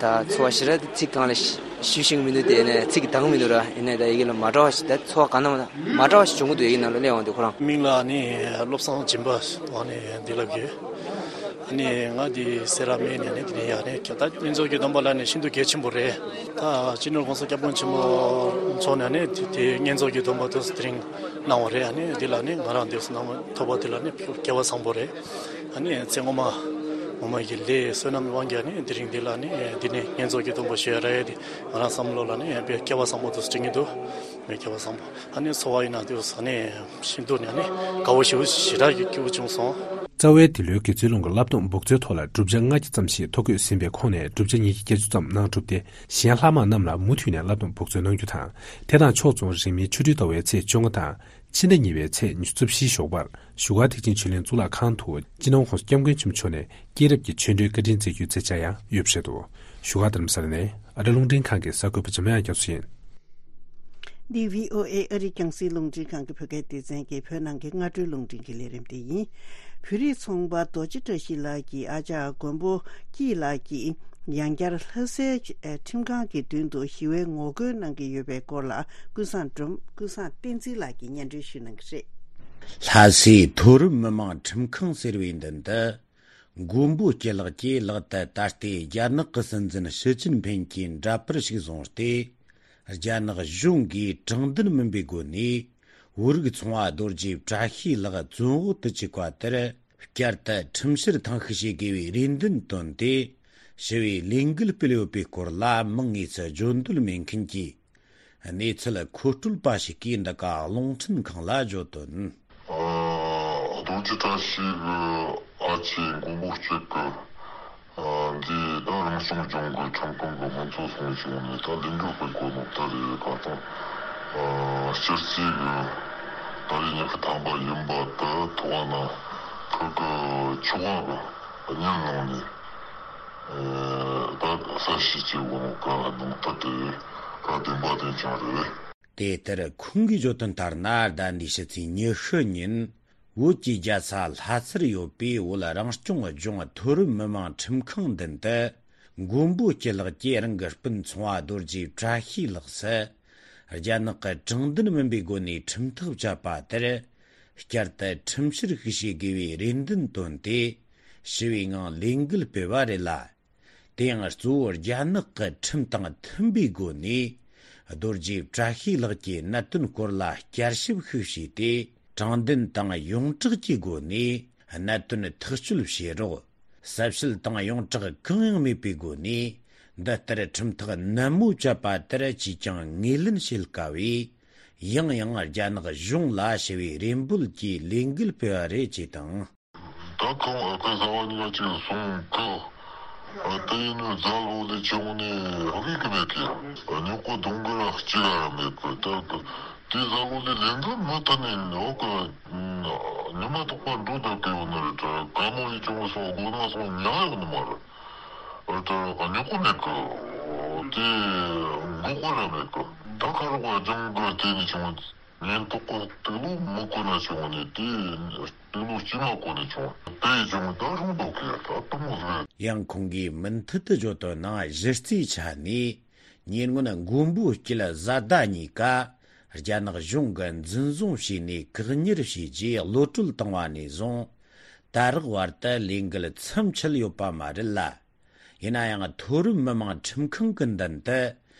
ད་ཚོར་བ་ཞེ་དྲག་དེ་ཚིག་སྒང་ལ་ཞུ་ཤེས་ཀྱི་མི་འདུག་དེ་ཡིན་ན་ཚིག་གི་འདང་མི་འདུག་ར། ཡིན་ནའི་ད་ཡ་གི་ལ་མ་འདྲ་བ་ཞིག་ད་ཚོར་བ་ག་ན་མ་འདྲ་བ་ཞིག་བྱུང་གི་འདུག་ཡ་གི་ནང་ལ་སླེབས་འོང་དེ་ཁོ་རང་། མིང་ལ་ནི་བློ་བཟང་སྦྱིན་པ་ཨ་ནི་འདི་ལབ་ཀྱི། ཨ་ནི་ང་འདི་སེ་ར་སྨད་ནས་ནི་འདི་ནས་ཡ་ནི་ད་བསྙེན་རྫོགས་ཀྱི་སྡོམ་པ་ལ་ནི་ཤིན་ཏུ་གལ་ཆེན་པོ་རེད། ད་སྤྱི་ནོར་༸གོང་ས་༸སྐྱབས་མགོན་ཆེན་པོ་མཆོག་ནས་ནི་དེ་དེ་བསྙེན་རྫོགས་ཀྱི་སྡོམ་པ་དེ་དེ་རིང་གནང་བ་རེད། ཨ་ནི་འདི་ལ་ནི་ང་རང་འདི་གནང་ཐོབ་པ་དེ་ལ་ནི་སྐལ་བ་བཟང་པོ་རེད། ཨ་ནི་ཚེ་སྔོན་མ་ངོ་མ་གི་ལས་བསོད་ནམས་དབང་གིས་ནི་དེ་རིང་འདི་ལ་ནི་འདི་ནས་བསྙེན་རྫོགས་ཀྱི་སྡོམ་པ་ཞུ་ཡ་རེད། ང་རང་བསམ་བློ་ལ་ནི་དཔེ་སྐལ་བ་བཟང་པོ་དེ་དྲན་གྱི་འདུག་མི་སྐལ་བ་བཟང་པོ། ཨ་ནི་འཚོ་བ་ཡིན་ན་དེ་ས་ནས་ཤིན་ཏུ་ནས་ནི་དགའ་བོ་ཞེ་པོ་ཞེ་དྲག་གི་སྐྱིད་པོ་བྱུང་སོང་། རྩ་བའི་འདི་ལོའི་དགེ་ཚུལ་སློང་གི་བསླབ་སྡོམ་འབུག་ཚོད་ཐོག་ལ་བསྒྲུབ་བྱ་ལྔ་བཅུ་ཙམ་ཞིག་ཐོ་འགོད་ཟིན་པའི་ཁོངས་ནས་བསྒྲུབ་བྱ་ཉི་ཤུ་བརྒྱད་ཅུ་ཙམ་གནང་གྲུབ་སྟེ། གཞན་ལྷག་མ་རྣམས་ལ་མུ་མཐུད་ནས་བསླབ་སྡོམ་འབུག་ཚོད་གནང་རྒྱུ་དང་། དེ་དང་ཕྱོགས་མཚུངས་རིང་མིན་ཆོ་འཕྲུལ་ཟླ་བའི་ཚེས་བཅོ་ལྔ་དང་། ཕྱི་ཟླ་གཉིས་པའི་ཚེས་ཉི་ཤུ་རྩ་བཞིའི་ཞོགས་པར་བཞུགས་སྒར་ཐེག་ཆེན་ཆོས་གླིང་གཙུག་ལག་ཁང་དུ་སྤྱི་ནོར་༸གོང་ས་༸སྐྱབས་མགོན་ཆེན་པོ་མཆོག་ནས་སྐྱེས་རབས་ཀྱི་ཆོས་འབྲེལ་བཀའ་དྲིན་སྩལ་རྒྱུའི་མཛད་འཆར་ཡང་ཡོད་པ་རེད་འདུག་བཞུགས་སྒར་རྡ་རམ་ས་ལ་ནས་ཨ་རི་རླུང་འཕྲིན་ཁང་གི་གསར་འགོད་པ་འཇམ་དབྱངས་རྒྱ་མཚོ་ཡིན། འདི་བྷི་ཨོ་ཨེ་ཨ་རིའི་རྒྱང་སྲིང་རླུང་འཕྲིན་ཁང་གི་བོད་སྐད་སྡེ་ཚན་གྱི་བོད་ནང་གི་སྔ་དྲོའི་རླུང་འཕྲིན་གྱི་ལས་རིམ་དེ་ཡིན། བོད་རིགས་ཚོང་པ་རྡོ་རྗེ་བཀྲ་ཤིས་ལགས་ཀྱི་ཨ་ཅག་མགོན་པོ་སྐྱིད་ལགས་ཀྱིས་ཡང་བསྐྱར་ལྷ་སའི་ཁྲིམས་ཁང་གི་མདུན་དུ་ཞི་བའི་ངོ་རྒོལ་གནང་གི་ཡོད་པའི་སྐོར་ལ། ཀུན་བཟང་སྒྲོལ། ཀུན་བཟང་བསྟན་འཛིན་ལགས་ཀྱིས་སྙན་སྒྲོན་ཞུ་གནང་གི་རེད། ལྷ་སའི་མཐོ་རིམ་མི་དམངས་ཁྲིམས་ཁང་ཟེར་བའི་མདུན་དུ། མགོན་པོ་སྐྱིད་ལགས་ཀྱིས་ལག་ཏུ་ད་ལྟའི་རྒྱ་ནག་གི་སྲིད་འཛིན་ཞི་ཅིན་ཕིན་གྱི་འདྲ་པར་ཞིག་བཟུང་སྟེ། རྒྱ་ནག་གཞུང་གིས་དྲང་བདེན་མིན་པའི་སྒོ་ནས་བོད་རིགས་ཚོང་བ་རྡོ་རྗེ་བཀྲ་ཤིས་ལགས་བཙོན་འོག་ཏུ་བཅུག་པ་དེར། བསྐྱར་དུ་ཁྲིམས་བཤེར་ཐེངས་ཤིག་བྱེད་དགོས་པའི་རེ་འདུན་བཏོན་ཏེ། ཞི་བའི་ལས་འགུལ་སྤེལ་ཡོད་པའི་སྐོར་ལ་མིང་དངོས་སུ་བརྗོད་འདོད་མེད་མཁན་གྱི་གནས་ཚུལ་མཁོ་སྤྲོད་པ་ཞིག་གིས་འདི་ག་རླུང་འཕྲིན་ཁང་ལ་བརྗོད་དོན། ཨ། རྡོ་རྗེ་བཀྲ་ཤིས་ཀྱི་ཨ་ཅེ་མགོན་པོ་སྐྱིད་ཀྱི་ཨ་འདི་ད་རང་སྐྱོང་ལྗོངས་ཀྱི་ཁྲིམས་ཁང་གི་ཧོན་ཚོ་སོང་བྱུང་ནས་ད་ལས་འགུལ་སྤེལ་དགོས་ནོ་ད་རེད། ག་ད་ཨ་སྤྱིར་རྩིས་ཀྱི་ད་རེས་ཉི་ཤུ་ཐམ་པ་ཡིན་པ་དེ་ཐོག་ན་ཁོ་གི་ཆུ་ཁང་གི་བརྙན་བླངས་ནས། ཨེ། ད་གསལ་བཤད་བྱེད་དགོས་ནོ་ག་ནང་ད་དེ་ག་བདེན་པ་དེ་ཀྱང་རེད། དེ་ལྟར་ཁོང་གིས་བརྗོད་དོན་ལྟར་ན། ཟླ་འདིའི་ཕྱི་ཚེས་ཉི་ཤུ་ཉིན་བོད་ཀྱི་རྒྱལ་ས་ལྷ་སར་ཡོད་པའི་བོད་རང་སྐྱོང་ལྗོངས་མཐོ་རིམ་མི་དམངས་ཁྲིམས་ཁང་མདུན་དུ། མགོན་པོ་སྐྱིད་ལགས་ཀྱིས་རང་གི་སྤུན་ཚོང་བ་རྡོ་རྗེ་བཀྲ་ཤིས་ལགས་སུ། རྒྱ་ནག་གི་དྲང་བདེན་མིན་པའི་སྒོ་ནས་ཁྲིམས་ཐག་བཅད་པ་དེར། བསྐྱར་དུ་ཁྲིམས་བཤེར་ཞིག་བྱེད་དགོས་པའི་རེ་འདུན་བཏོན་ཏེ། ཞི་བའི་ངང་ལས་འགུལ་སྤེལ་བ་རེད་ལ། དེ་ཡང་གཙོ་བོ་རྒྱ་ནག་གི་ཁྲིམས་དང་མཐུན་པའི་སྒོ་ནས། རྡོ་རྗེ་བཀྲ་ཤིས་ལགས་ཀྱི་གནད་དོན་སྐོར་ལ་བསྐྱར་ཞིབ་ཤིག་བྱས་ཏེ། དྲང་བདེན་དང་ཡོངས་གྲགས་ཀྱི་སྒོ་ནས་གནད་དོན་ཐག་གཅོད་བྱེད་རོགས། གསལ་བཤད་དང་ཡོངས་གྲགས་གང་ཡང་མེད་པའི་སྒོ་ནས། འདི་ལྟར་ཁྲིམས་ཐག་ནན་མོ་བཅད་པ་དེར་ཅིས་ཀྱང་ངོས་ལེན་བྱེད་དཀའ་བས། ཡང་ཡང་རྒྱ་ནག་གཞུང་ལ་ཞི་བའི་རེ་འབོད་ཀྱི་ལས་འགུལ་སྤེལ་བ་རེད་ཅེས་དང་། ད་ཁོང་ཨ་ཁུ་ཟླ་བ་གཉིས་ཀ་ཅིག་སོང་གི། ཨ་དེ་ཡིན་ནོ་རྫ་ལོ་ལས་བྱུང་ནས་དབུས་གི་མེད་གི། ཉོ་གོ་གདོང་གི་ར་གཅིག་ར་མེད་གི། ད་གི་དེ་རྫ་ལོ་ལས་ལེན་གི་མི་ཐུབ་ནས་ནོ་གི། ཉི་མ་ཐོག་པ་འགྲོ་དང་དེ་ཡོད་ན་རེད་དྲ་ག་མོ་ཡི་ཅུང་སོང་དགོས་ན་སོང་ཉག་ཡོད་ནི་མ་རེད། ཨ་ད་ཉོ་གོ་མེད་གི། དེ་འགོག་གོ་ར་མེད་གི། ད་ཁ་རོག་ག་ཅུང་གི་དེ་ནི་ཅུང་ཉན་ཐོག་གི་དུག་ལོག་མི་གོ་ན་ཅུང་ནི་དེ་དུག་ལོག་ཅི་མ་གོ་ནི་ཅུང་དེ་ཅུང་ད་རུང་འདོག་གི་ད་དུ་མོ་རེད། ཡང་ཁོང་གིས་མུ་མཐུད་དུ་བརྗོད་དོན་ནང་གཞི་རྩའི་ཆ་ནས། ཉེ་སྔོན་མགོན་པོ་སྐྱིད་བཟའ་ཟླ་གཉིས་ཀ་རྒྱ་ནག་གཞུང་གིས་འཛིན་བཟུང་བྱས་ནས་བཀག་ཉར་བྱས་རྗེས་གློད་གྲོལ་བཏང་བ་ནས་བཟུང་ད་རག་བར་དུ་ལས་འགུལ་མཚམས་ཆད་ཡོད་པ་མ་རེད་ལ། ཡིན་ན་ཡང་མཐོ་རིམ་མི་དམངས་ཁྲིམས་ཁང་གི་མདུན་དུ་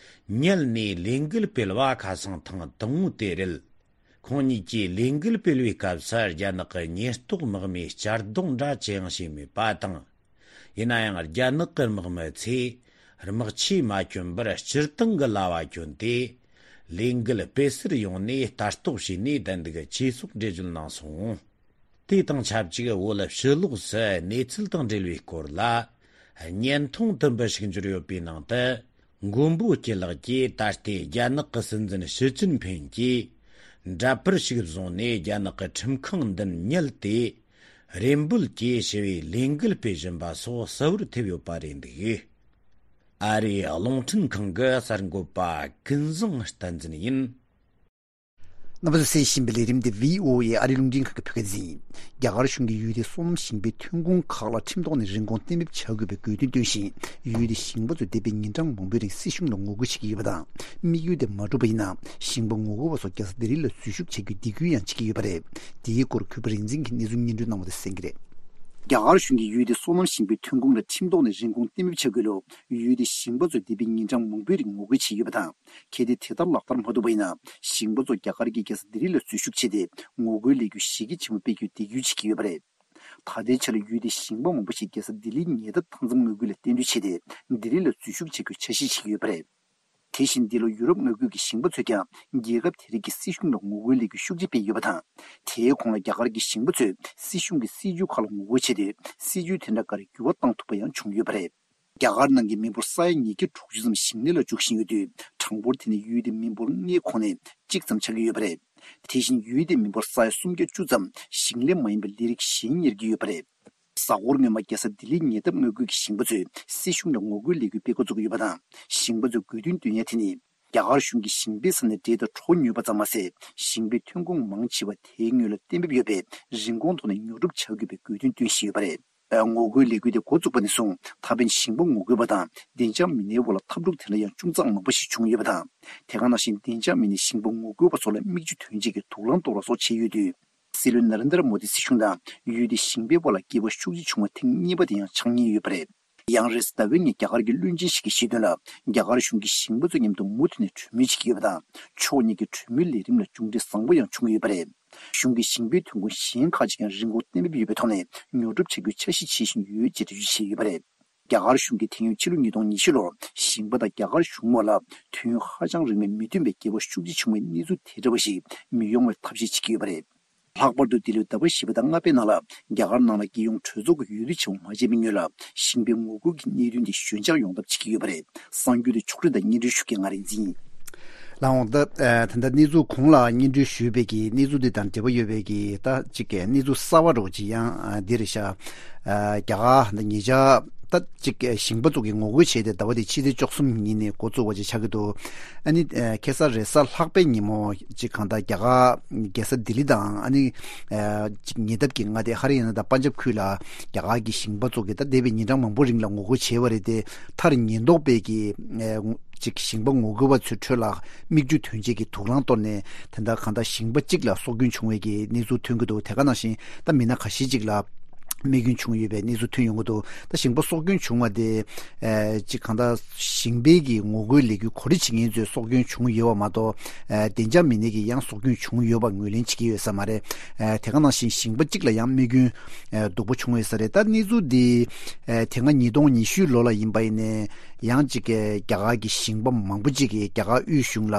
ཉལ་ནས་ལས་འགུལ་སྤེལ་བ་ཁ་སང་ཐེངས་དང་པོ་དེ་རེད། ཁོང་གཉིས་ཀྱིས་ལས་འགུལ་སྤེལ་བའི་སྐབས་སུ་རྒྱ་ནག་གི་ཉེན་རྟོག་དམག་མིས་གཅར་རྡུང་འདྲ་ཅི་ཡང་བྱས་མེད་པ་དང་། ཡིན་ན་ཡང་རྒྱ་ནག་གི་དམག་མི་ཚོས་དམག་ཆས་མ་གྱོན་པར་སྤྱིར་བཏང་གི་ལྭ་བ་གྱོན་ཏེ། ལས་འགུལ་སྤེལ་སར་ཡོང་ནས་ལྟ་རྟོག་བྱས་ནས་བསྡད་འདུག་ཅེས་སོགས་འགྲེལ་བརྗོད་གནང་སོང་། དེ་དང་ཆབས་ཅིག་བོད་ཕྱི་ལོགས་སུ་གནས་ཚུལ་དང་འབྲེལ་བའི་སྐོར་ལ། བརྙན་ཐུང་དུམ་བུ་ཞིག་འབྱོར་ཡོད་པའི་ནང་དུ། མགོན་པོ་སྐྱིད་ལགས་ཀྱིས་ད་ལྟའི་རྒྱ་ནག་གི་སྲིད་འཛིན་ཞི་ཅིན་ཕིན་གྱིས་འདྲ་པར་ཞིག་བཟུང་ནས་རྒྱ་ནག་གི་ཁྲིམས་ཁང་མདུན་ཉལ་ཏེ། རེ་འབོད་ཀྱིས་ཞི་བའི་ལས་འགུལ་སྤེལ་བཞིན་པ་སོགས་གསལ་བོར་ཐེབས་ཡོད་པ་རེད་འདུག། ཨ་རིའི་རླུང་འཕྲིན་ཁང་གི་གསར་འགོད་པ་ཀུན་བཟང་བསྟན་འཛིན་ཡིན། རྣམ་པ་ཚོས་གསན་བཞིན་པའི་ལས་རིམ་འདི་བྷི་ཨོ་ཨེ་ཨ་རིའི་རླུང་འཕྲིན་ཁང་གི་བོད་སྐད་སྡེ་ཚན་ཡིན། རྒྱ་གར་གཞུང་གིས་ཡུལ་དེའི་སོ་ནམ་ཞིང་པའི་ཐོན་ཁུངས་ཁག་ལ་ཁྲིམས་ཐོག་ནས་རིན་གོང་གཏན་འབེབས་བྱ་དགོས་པའི་དགོས་འདུན་བཏོན་ཞིང་། ཡུལ་དེའི་ཞིང་པ་ཚོས་འདས་པའི་ཉིན་གྲངས་མང་པོའི་རིང་སྲིད་གཞུང་ལ་ངོ་རྒོལ་བྱེད་ཀྱི་ཡོད་པ་དང་། དམིགས་ཡུལ་དེ་མ་འགྲུབ་པ་ཡིན་ན། ཞིང་པ་ངོ་རྒོལ་བ་ཚོ་རྒྱལ་ས་ལྡི་ལི་ལ་འཛུལ་ཞུགས་བྱ་རྒྱུའི་སྡིགས་སྐུལ་ཡང་བྱེད་ཀྱི་ཡོད་པ་རེད། དེའི་སྐོར་གུས་པ་རིག་འཛིན་གྱིས་གནས་ཚུལ་སྙན་སྒྲོན་གནང་བ་དེ་གསན་གྱི་རེད། རྒྱ་གར་གཞུང་གིས་ཡུལ་དེའི་སོ་ནམ་ཞིང་པའི་ཐོན་ཁུངས་ལ་ཁྲིམས་ཐོག་ནས་རིན་གོང་གཏན་འབེབས་བྱ་དགོས་ལུགས་ཡུལ་དེའི་ཞིང་པ་ཚོས་འདས་པའི་ཉིན་གྲངས་མང་པོའི་རིང་ངོ་རྒོལ་བྱས་ཡོད་པ་དང་། གལ་ཏེ་དེ་ལྟར་ལག་བསྟར་མ་ཐུབ་པ་ཡིན་ན། ཞིང་པ་ཚོ་རྒྱ་གར་གྱི་རྒྱལ་ས་ལྡི་ལི་ལ་འཛུལ་ཞུགས་བྱས་ཏེ། ངོ་རྒོལ་ལས་འགུལ་གཞི་རྒྱ་ཆེན་པོ་སྤེལ་རྒྱུའི་འདེད་སྐྱོར་བྱེད་ཀྱི་ཡོད་པ་རེད། ད་ལྟའི་ཆར་ཡུལ་དེའི་ཞིང་པ་མང་པོ་ཞིག་རྒྱལ་ས་ལྡི་ལིའི་ཉེ་འདབས་མཐའ་མཚམས་མངའ་ཁུལ་ལ་གཏན་སྡོད་བྱས་ཏེ། ལྡི་ལི་ལ་འཛུལ་ཞུགས་བྱ་རྒྱུའི་འཆར་གཞི་བྱེད་ཀྱི་ཡོད་པ་རེད། དེ་བཞིན་འདི་ལོ་ཡུ་རོབ་མངའ་ཁུལ་གྱི་ཞིང་པ་ཚོས་ཀྱང་རྒྱལ་ཁབ་དེ་རིགས་ཀྱི་སྲིད་གཞུང་ལ་ངོ་རྒོལ་ལས་འགུལ་ཤུགས་ཆེ་སྤེལ་ཡོད་པ་དང་། དེའི་གོང་ལ་རྒྱ་གར་གྱི་ཞིང་པ་ཚོས་སྲིད་གཞུང་གི་སྲིད་ཇུས་ཁག་ལ་ངོ་རྒོལ་བྱས་ཏེ། སྲིད་ཇུས་དེ་འདྲ་འགའ་རེ་འགྱུར་བ་བཏང་ཐུབ་པ་ཡང་བྱུང་ཡོད་པ་རེད། རྒྱ་གར་ནང་གི་མི་འབོར་ས་ཡ་ཉིས་བརྒྱ་དྲུག་ཅུ་ཙམ་ཞིང་ལས་ལ་འཇུག་བཞིན་ཡོད་དུས། གྲངས་འབོར་དེ་ནི་ཡུལ་དེའི་མི་འབོར་ལྔའི་ཁོངས་ནས་གཅིག་ཙམ་ཆགས་ཀྱི་ཡོད་པ་རེད། དེ་བཞིན་ཡུལ་དེའི་མི་འབོར་ས་ཡ་སུམ་བརྒྱ་བཅུ་ཙམ་ཞིང་ལས་མ་ཡིན་པའི་ལས་རིགས་གཞན་གཉེར་གྱི་ཡོད་པ་རེད། གཟའ་འཁོར་སྔོན་མ་རྒྱལ་ས་ལྡི་ལིའི་ཉེ་འདབས་མངའ་ཁུལ་གྱི་ཞིང་པ་ཚོས་སྲིད་གཞུང་ལ་ངོ་རྒོལ་ལས་འགུལ་སྤེལ་འགོ་བཙུགས་ཀྱི་ཡོད་པ་དང་། ཞིང་པ་ཚོས་དགོས་འདུན་བཏོན་ཡ་དེ་ནི། རྒྱ་གར་གཞུང་གིས་ཞིང་པའི་ས་ནས་འབྲས་དང་གྲོ་ཉོས་པ་ཙམ་མ་ཟད། ཞིང་པའི་ཐོན་ཁུངས་མང་ཆེ་བ་དེའི་སྔོན་ལ་གཏན་འབེབས་ཡོད་པའི་རིན་གོང་ཐོག་ནས་ཉོ་སྒྲུབ་བྱ་དགོས་པའི་དགོས་འདུན་བཏོན་བཞིན་ཡོད་པ་རེད། ངོ་རྒོལ་ལས་འགུལ་དེ་འགོ་བཙུགས་པ་ནས་བཟུང་ད་ཕན་ཞིང་པ་ངོ་རྒོལ་བ་དང་བདེ་འཇགས་མི་སྣའི་དབར་ལ་འཐབ་འཁྲུག་དེ་འདྲ་ཡང་ཅུང་ཙམ་མང་པོ་ཞིག་བྱུང་ཡོད་པ་དང་། དེ་ག་ནང་བཞིན་བདེ་འཇགས་མི་སྣས་ཞིང་པ་ངོ་རྒོལ་བ་ཚོ་ལ་མིག་ཆུ་ཐོན་ཆེད་ཀྱི་དུག་རླངས་གཏོར་བ་སོགས་བྱས་ཡོད་དུས། སྲིད་བློན་ན་རེན་དྲ་མོ་དི་སྲིད་གཞུང་དང་ཡུལ་དེའི་ཞིང་པའི་དབར་ལ་འགལ་བ་ཤུགས་ཆེ་བྱུང་བ་ཐེངས་གཉིས་པ་དེ་ཡང་ཆགས་ཉེན་ཡོད་པ་རེད། ཡང་རེས་ཟླ་བའི་ཉིན་རྒྱ་གར་གྱི་བློན་ཆེན་ཞིག་གིས་བཤད་དོན་ལ། རྒྱ་གར་གཞུང་གིས་ཞིང་པ་ཚོ་མཉམ་དུ་མུ་མཐུད་ནས་གྲོས་མོལ་བྱེད་ཀྱི་ཡོད་པ་དང་། ཕྱོགས་གཉིས་ཀྱི་གྲོས་མོལ་ལས་རིམ་ལ་མཇུག་འབྲས་བཟང་པོ་ཡང་བྱུང་ཡོད་པ་རེད། གཞུང་གིས་ཞིང་པའི་ཐོན་ཁུངས་གཞན་ཁག་ཅིག་ཀྱང་རིན་གོང་གཏན་འབེབས་ཡོད་པའི་ཐོག་ནས་ཉོ་སྒྲུབ་བྱ་རྒྱུའི་འཆར་གཞི་བྱེད་བཞིན་ཡོད་ཅེས་འགྲེལ་བརྗོད་བྱས་ཡོད་པ་རེད། རྒྱ་གར་གཞུང་གིས་དེ་སྔོན་ཕྱི་ལོ་ཉིས་སྟོང་ཉི་ཤུ་ལོར་ཞིང་པ་དང་རྒྱ་གར་གཞུང་བར་ལ་དུས་ཡུན་ཧ་ཅང་རིང་བའི་མི་མཐུན་པའི་འགལ་བ་ཤུགས་ཆེ་བྱུང་བའི་གནས་ཚུལ་དེ་འདྲ་བ་ཞིག་མི་ཡོང་བའི་ཐབས་ཤེས་བྱེད་ཀྱི་ཡོད་པ་རེད། ལྷག་པར་དུ་འདི་ལོའི་ཟླ་བ་བཞི་པ་དང་ལྔ་པའི་ནང་ལ་རྒྱ་གར་ནང་ལ་རྒྱལ་ཡོངས་གྲོས་ཚོགས་ཀྱི་འོས་བསྡུ་ཆེན་མོ་མ་བྱས་པའི་སྔོན་ལ་ཞིང་པའི་ངོ་རྒོལ་གྱི་གནད་དོན་དེ་ཞོད་འཇགས་ཡོང་ཐབས་བྱེད་ཀྱི་ཡོད་པ་རེད། གསར་འགྱུར་དེ་ཕྱོགས་སྒྲིག་དང་སྙན་སྒྲོན་ཞུ་མཁན་ང་རིག་འཛིན་ཡིན། ལགས་འོང་། ད་ད་ལྟ་གནས་ཚུལ་གོང་ལ་སྙན་སྒྲོན་ཞུས་པའི་གི་གནས་ཚུལ་འདི་དང་འབྲེལ་བ་ཡོད་པའི་གི་ད་ཅིག་གི་གནས་ཚུལ་གསར་བ་རོ་ཅིག་ཡང་འདི་རེད་ཤག་རྒྱ་གར་ད་ཉེ་ཆར་ད་ཅིག་ཞིང་པ་ཚོ་གི་ངོ་རྒོལ་བྱས་ཏེ་ཟླ་བ་འདི་ཕྱི་ཚེས་བཅུ་གསུམ་ཉིན་ནས་འགོ་བཙུགས་པ་ཅིག་ཆགས་ཀྱི་འདུག་ཨ་ནི་ཁ་སང་རེས་གཟའ་ལྷག་པའི་ཉིན་མོ་ཅིག་གང་ལྟར་རྒྱ་གར་རྒྱལ་ས་ལྡི་ལི་དང་ཨ་ནི་ཅིག་ཉེ་འདབས་ཀྱི་མངའ་སྡེ་ཧ་རི་ཡ་ན་དང་པན་ཇབ་ཁུལ་ལ་རྒྱ་གར་གྱི་ཞིང་པ་ཚོ་གིས་ད་འདས་པའི་ཉིན་གྲངས་མང་པོ་རིང་ལ་ངོ་རྒོལ་བྱས་པ་རེད་དེ། མཐར་ཉེན་རྟོག་པས་ཀྱིས་ཅིག་ཞིང་པ་ངོ་རྒོལ་བ་ཚོའི་ཁྲོད་ལ་མིག་ཆུ་ཐོན་ཆེད་ཀྱི་དུག་རླངས་གཏོར་ནས་དེ་འདྲ་གང་ལྟར་ཞིང་པ་གཅིག་ལ་སྲོག་སྐྱོན་བྱུང་བའི་གི་གནས་ཚུལ་ཐོན་གྱི་འདུག་དེ་ག་ནང་བཞིན་ད་མི་སྣ་ཁ་ཤས་ཅིག་ལ་རྨས་སྐྱོན་བྱུང་ཡོད་པའི་གནས་ཚུལ་ཐོན་ཡོང་གི་འདུག་ད་ཞིང་པ་སྲོག་སྐྱོན་བྱུང་བ་དེ་ཅིག་གང་ལྟར་ཞིང་པའི་གི་ངོ་རྒོལ་ལས་འགུལ་གོ་སྒྲིག་བྱེད་མཁན་ཚོས་སྲོག་སྐྱོན་བྱུང་ཡོད་པ་མ་གཏོགས། བདེ་འཇགས་མི་སྣས་ཀྱིས་ཡང་སྲོག་སྐྱོན་བྱུང་ཡོད་པ་ངོས་ལེན་བྱེད་ཀྱི་ཡོད་ས་མ་རེད། དེ་ག་ནང་བཞིན་ཞིང་པ་གཅིག་ལ་ཡང་རྨས་སྐྱོན་སྡུག་པོ་བྱུང་ཡོད་ས་རེད། ད་གནས་ཚུལ་འདི་དེ་སྔ་ཉིས་སྟོང་ཉི་ཤུ་ལོ་ལ་ཡིན་པ་ཡིན་ནའི་ཡང་ཅིག་རྒྱ་གར་གྱི་ཞིང་པ་མང་པོ་ཅིག་གིས་རྒྱ་གར་དབུས་གཞུང་ལ་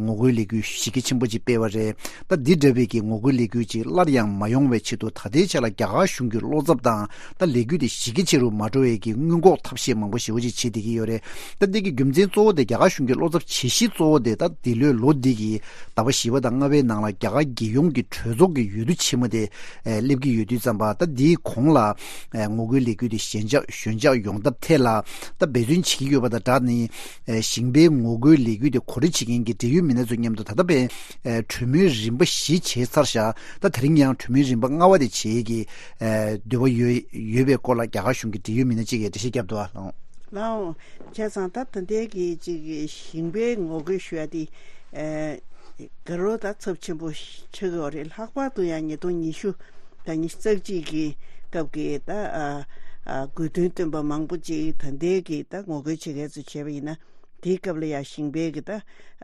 ངོ་རྒོལ་ལས་འགུལ་གཞི་རྒྱ་ཆེན་པོ་ཅིག་སྤེལ་བ་རེད། ད་འདི་འདྲ་བའི་གི་ངོ་རྒོལ་ལས་འགུལ་ཅིག་སླར་ཡང་མ་ཡོང་བའི་ཆེད་དུ་ད་ལྟའི་ཆ་ལ་རྒྱ་གར་གཞུང་ གཞུང་གི་བློ་འཚབ་དང་། ད་ལས་འགུལ་དེ་གཞི་རྒྱ་ཆེ་རུ་མ་འགྲོ་བའི་གི་སྔོན་འགོག་ཐབས་ཤེས་མང་པོ་ཞེ་པོ་ཅིག་བྱེད་བསྡད་ཀྱི་ཡོད་རེད། ད་འདི་གི་རྒྱུ་མཚན་གཙོ་བོ་དེ། རྒྱ་གར་གཞུང་གི་བློ་འཚབ་བྱེད་གཞི་གཙོ་བོ་དེ། ད་འདི་ལོའི་ལོ་འདི་གི་ཟླ་བ་བཞི་པ་དང་ལྔ་པའི་ནང་ལ་རྒྱ་གར་རྒྱལ་ཡོངས་ཀྱི་གྲོས་ཚོགས་ཀྱི་འོས་བསྡུ་ཆེན་མོ་དེ་ཨེ་སླེབས་ཀྱི་ཡོད་དུས་ཙམ་པ། ད་འདིའི་གོང་ལ་ཨེ་ངོ་རྒོལ་ལས་འགུལ་དེ་ཞན་ཆགས་ཞན་ཆགས་ཡོང་ཐབས་ཐད་ལ་ད་འབད་བརྩོན་བྱེད་ཀྱི་ཡོད་པ་དང་སྦྲགས་ནས། ཨེ་ཞིང་པའི་ངོ་རྒོལ་ལས་འགུལ་དེ་གོ་སྒྲིག་བྱེད་མཁན་གྱི་འབྲེལ་ཡོད་མི་སྣ་ཚོ་མཉམ་དུ་ད་ལྟ་བར་ཨེ་གྲོས་མོལ་རིམ་པ་བཞི་བྱས་ཚར་བཞག་ད་དེ་རིང་ཡང་གྲོས་མོལ་རིམ་པ་ལྔ་པ་དེ་བྱེད་ཀྱི་ཨེ་འདོད་པ་ཡོད་ཡོད་པའི་སྐོར་ལ་རྒྱ་གར་གཞུང་གི་འབྲེལ་ཡོད་མི་སྣ་གཅིག་གིས་འགྲེལ་བཤད་བརྒྱབ་འདུག་ཨ་ལགས། ལགས་འོང་། བྱས་ཙང་ད་ད་ལྟའི་གི་ཅིག་ཞིང་པའི་ངོ་རྒོལ་ཞུ་ཡ་དེ་ཨེ་དགའ་རབ་ད་ཚབས་ཆེན་པོ་ཆགས་ཀྱི་ཡོད་རེད། ལྷག་པར་དུ་ཡང་ཉིས་སྟོང་ཉི་ཤུ་དང་ཉི་ཤུ་རྩ་གཅིག་གི་སྐབས་ཀྱི་ད་ཨ་ཨ་དགོས་འདུན་བཏོན་པ་མང་པོ་ཅིག་ད་ལྟའི་གི་ད་ངོ་རྒོལ་བྱེད་མཁན་ཚོས་བྱས་པ་ཡིན་ན། དེའི་སྐབས་ལ་ཡང་ཞིང་པའི་གི་ད་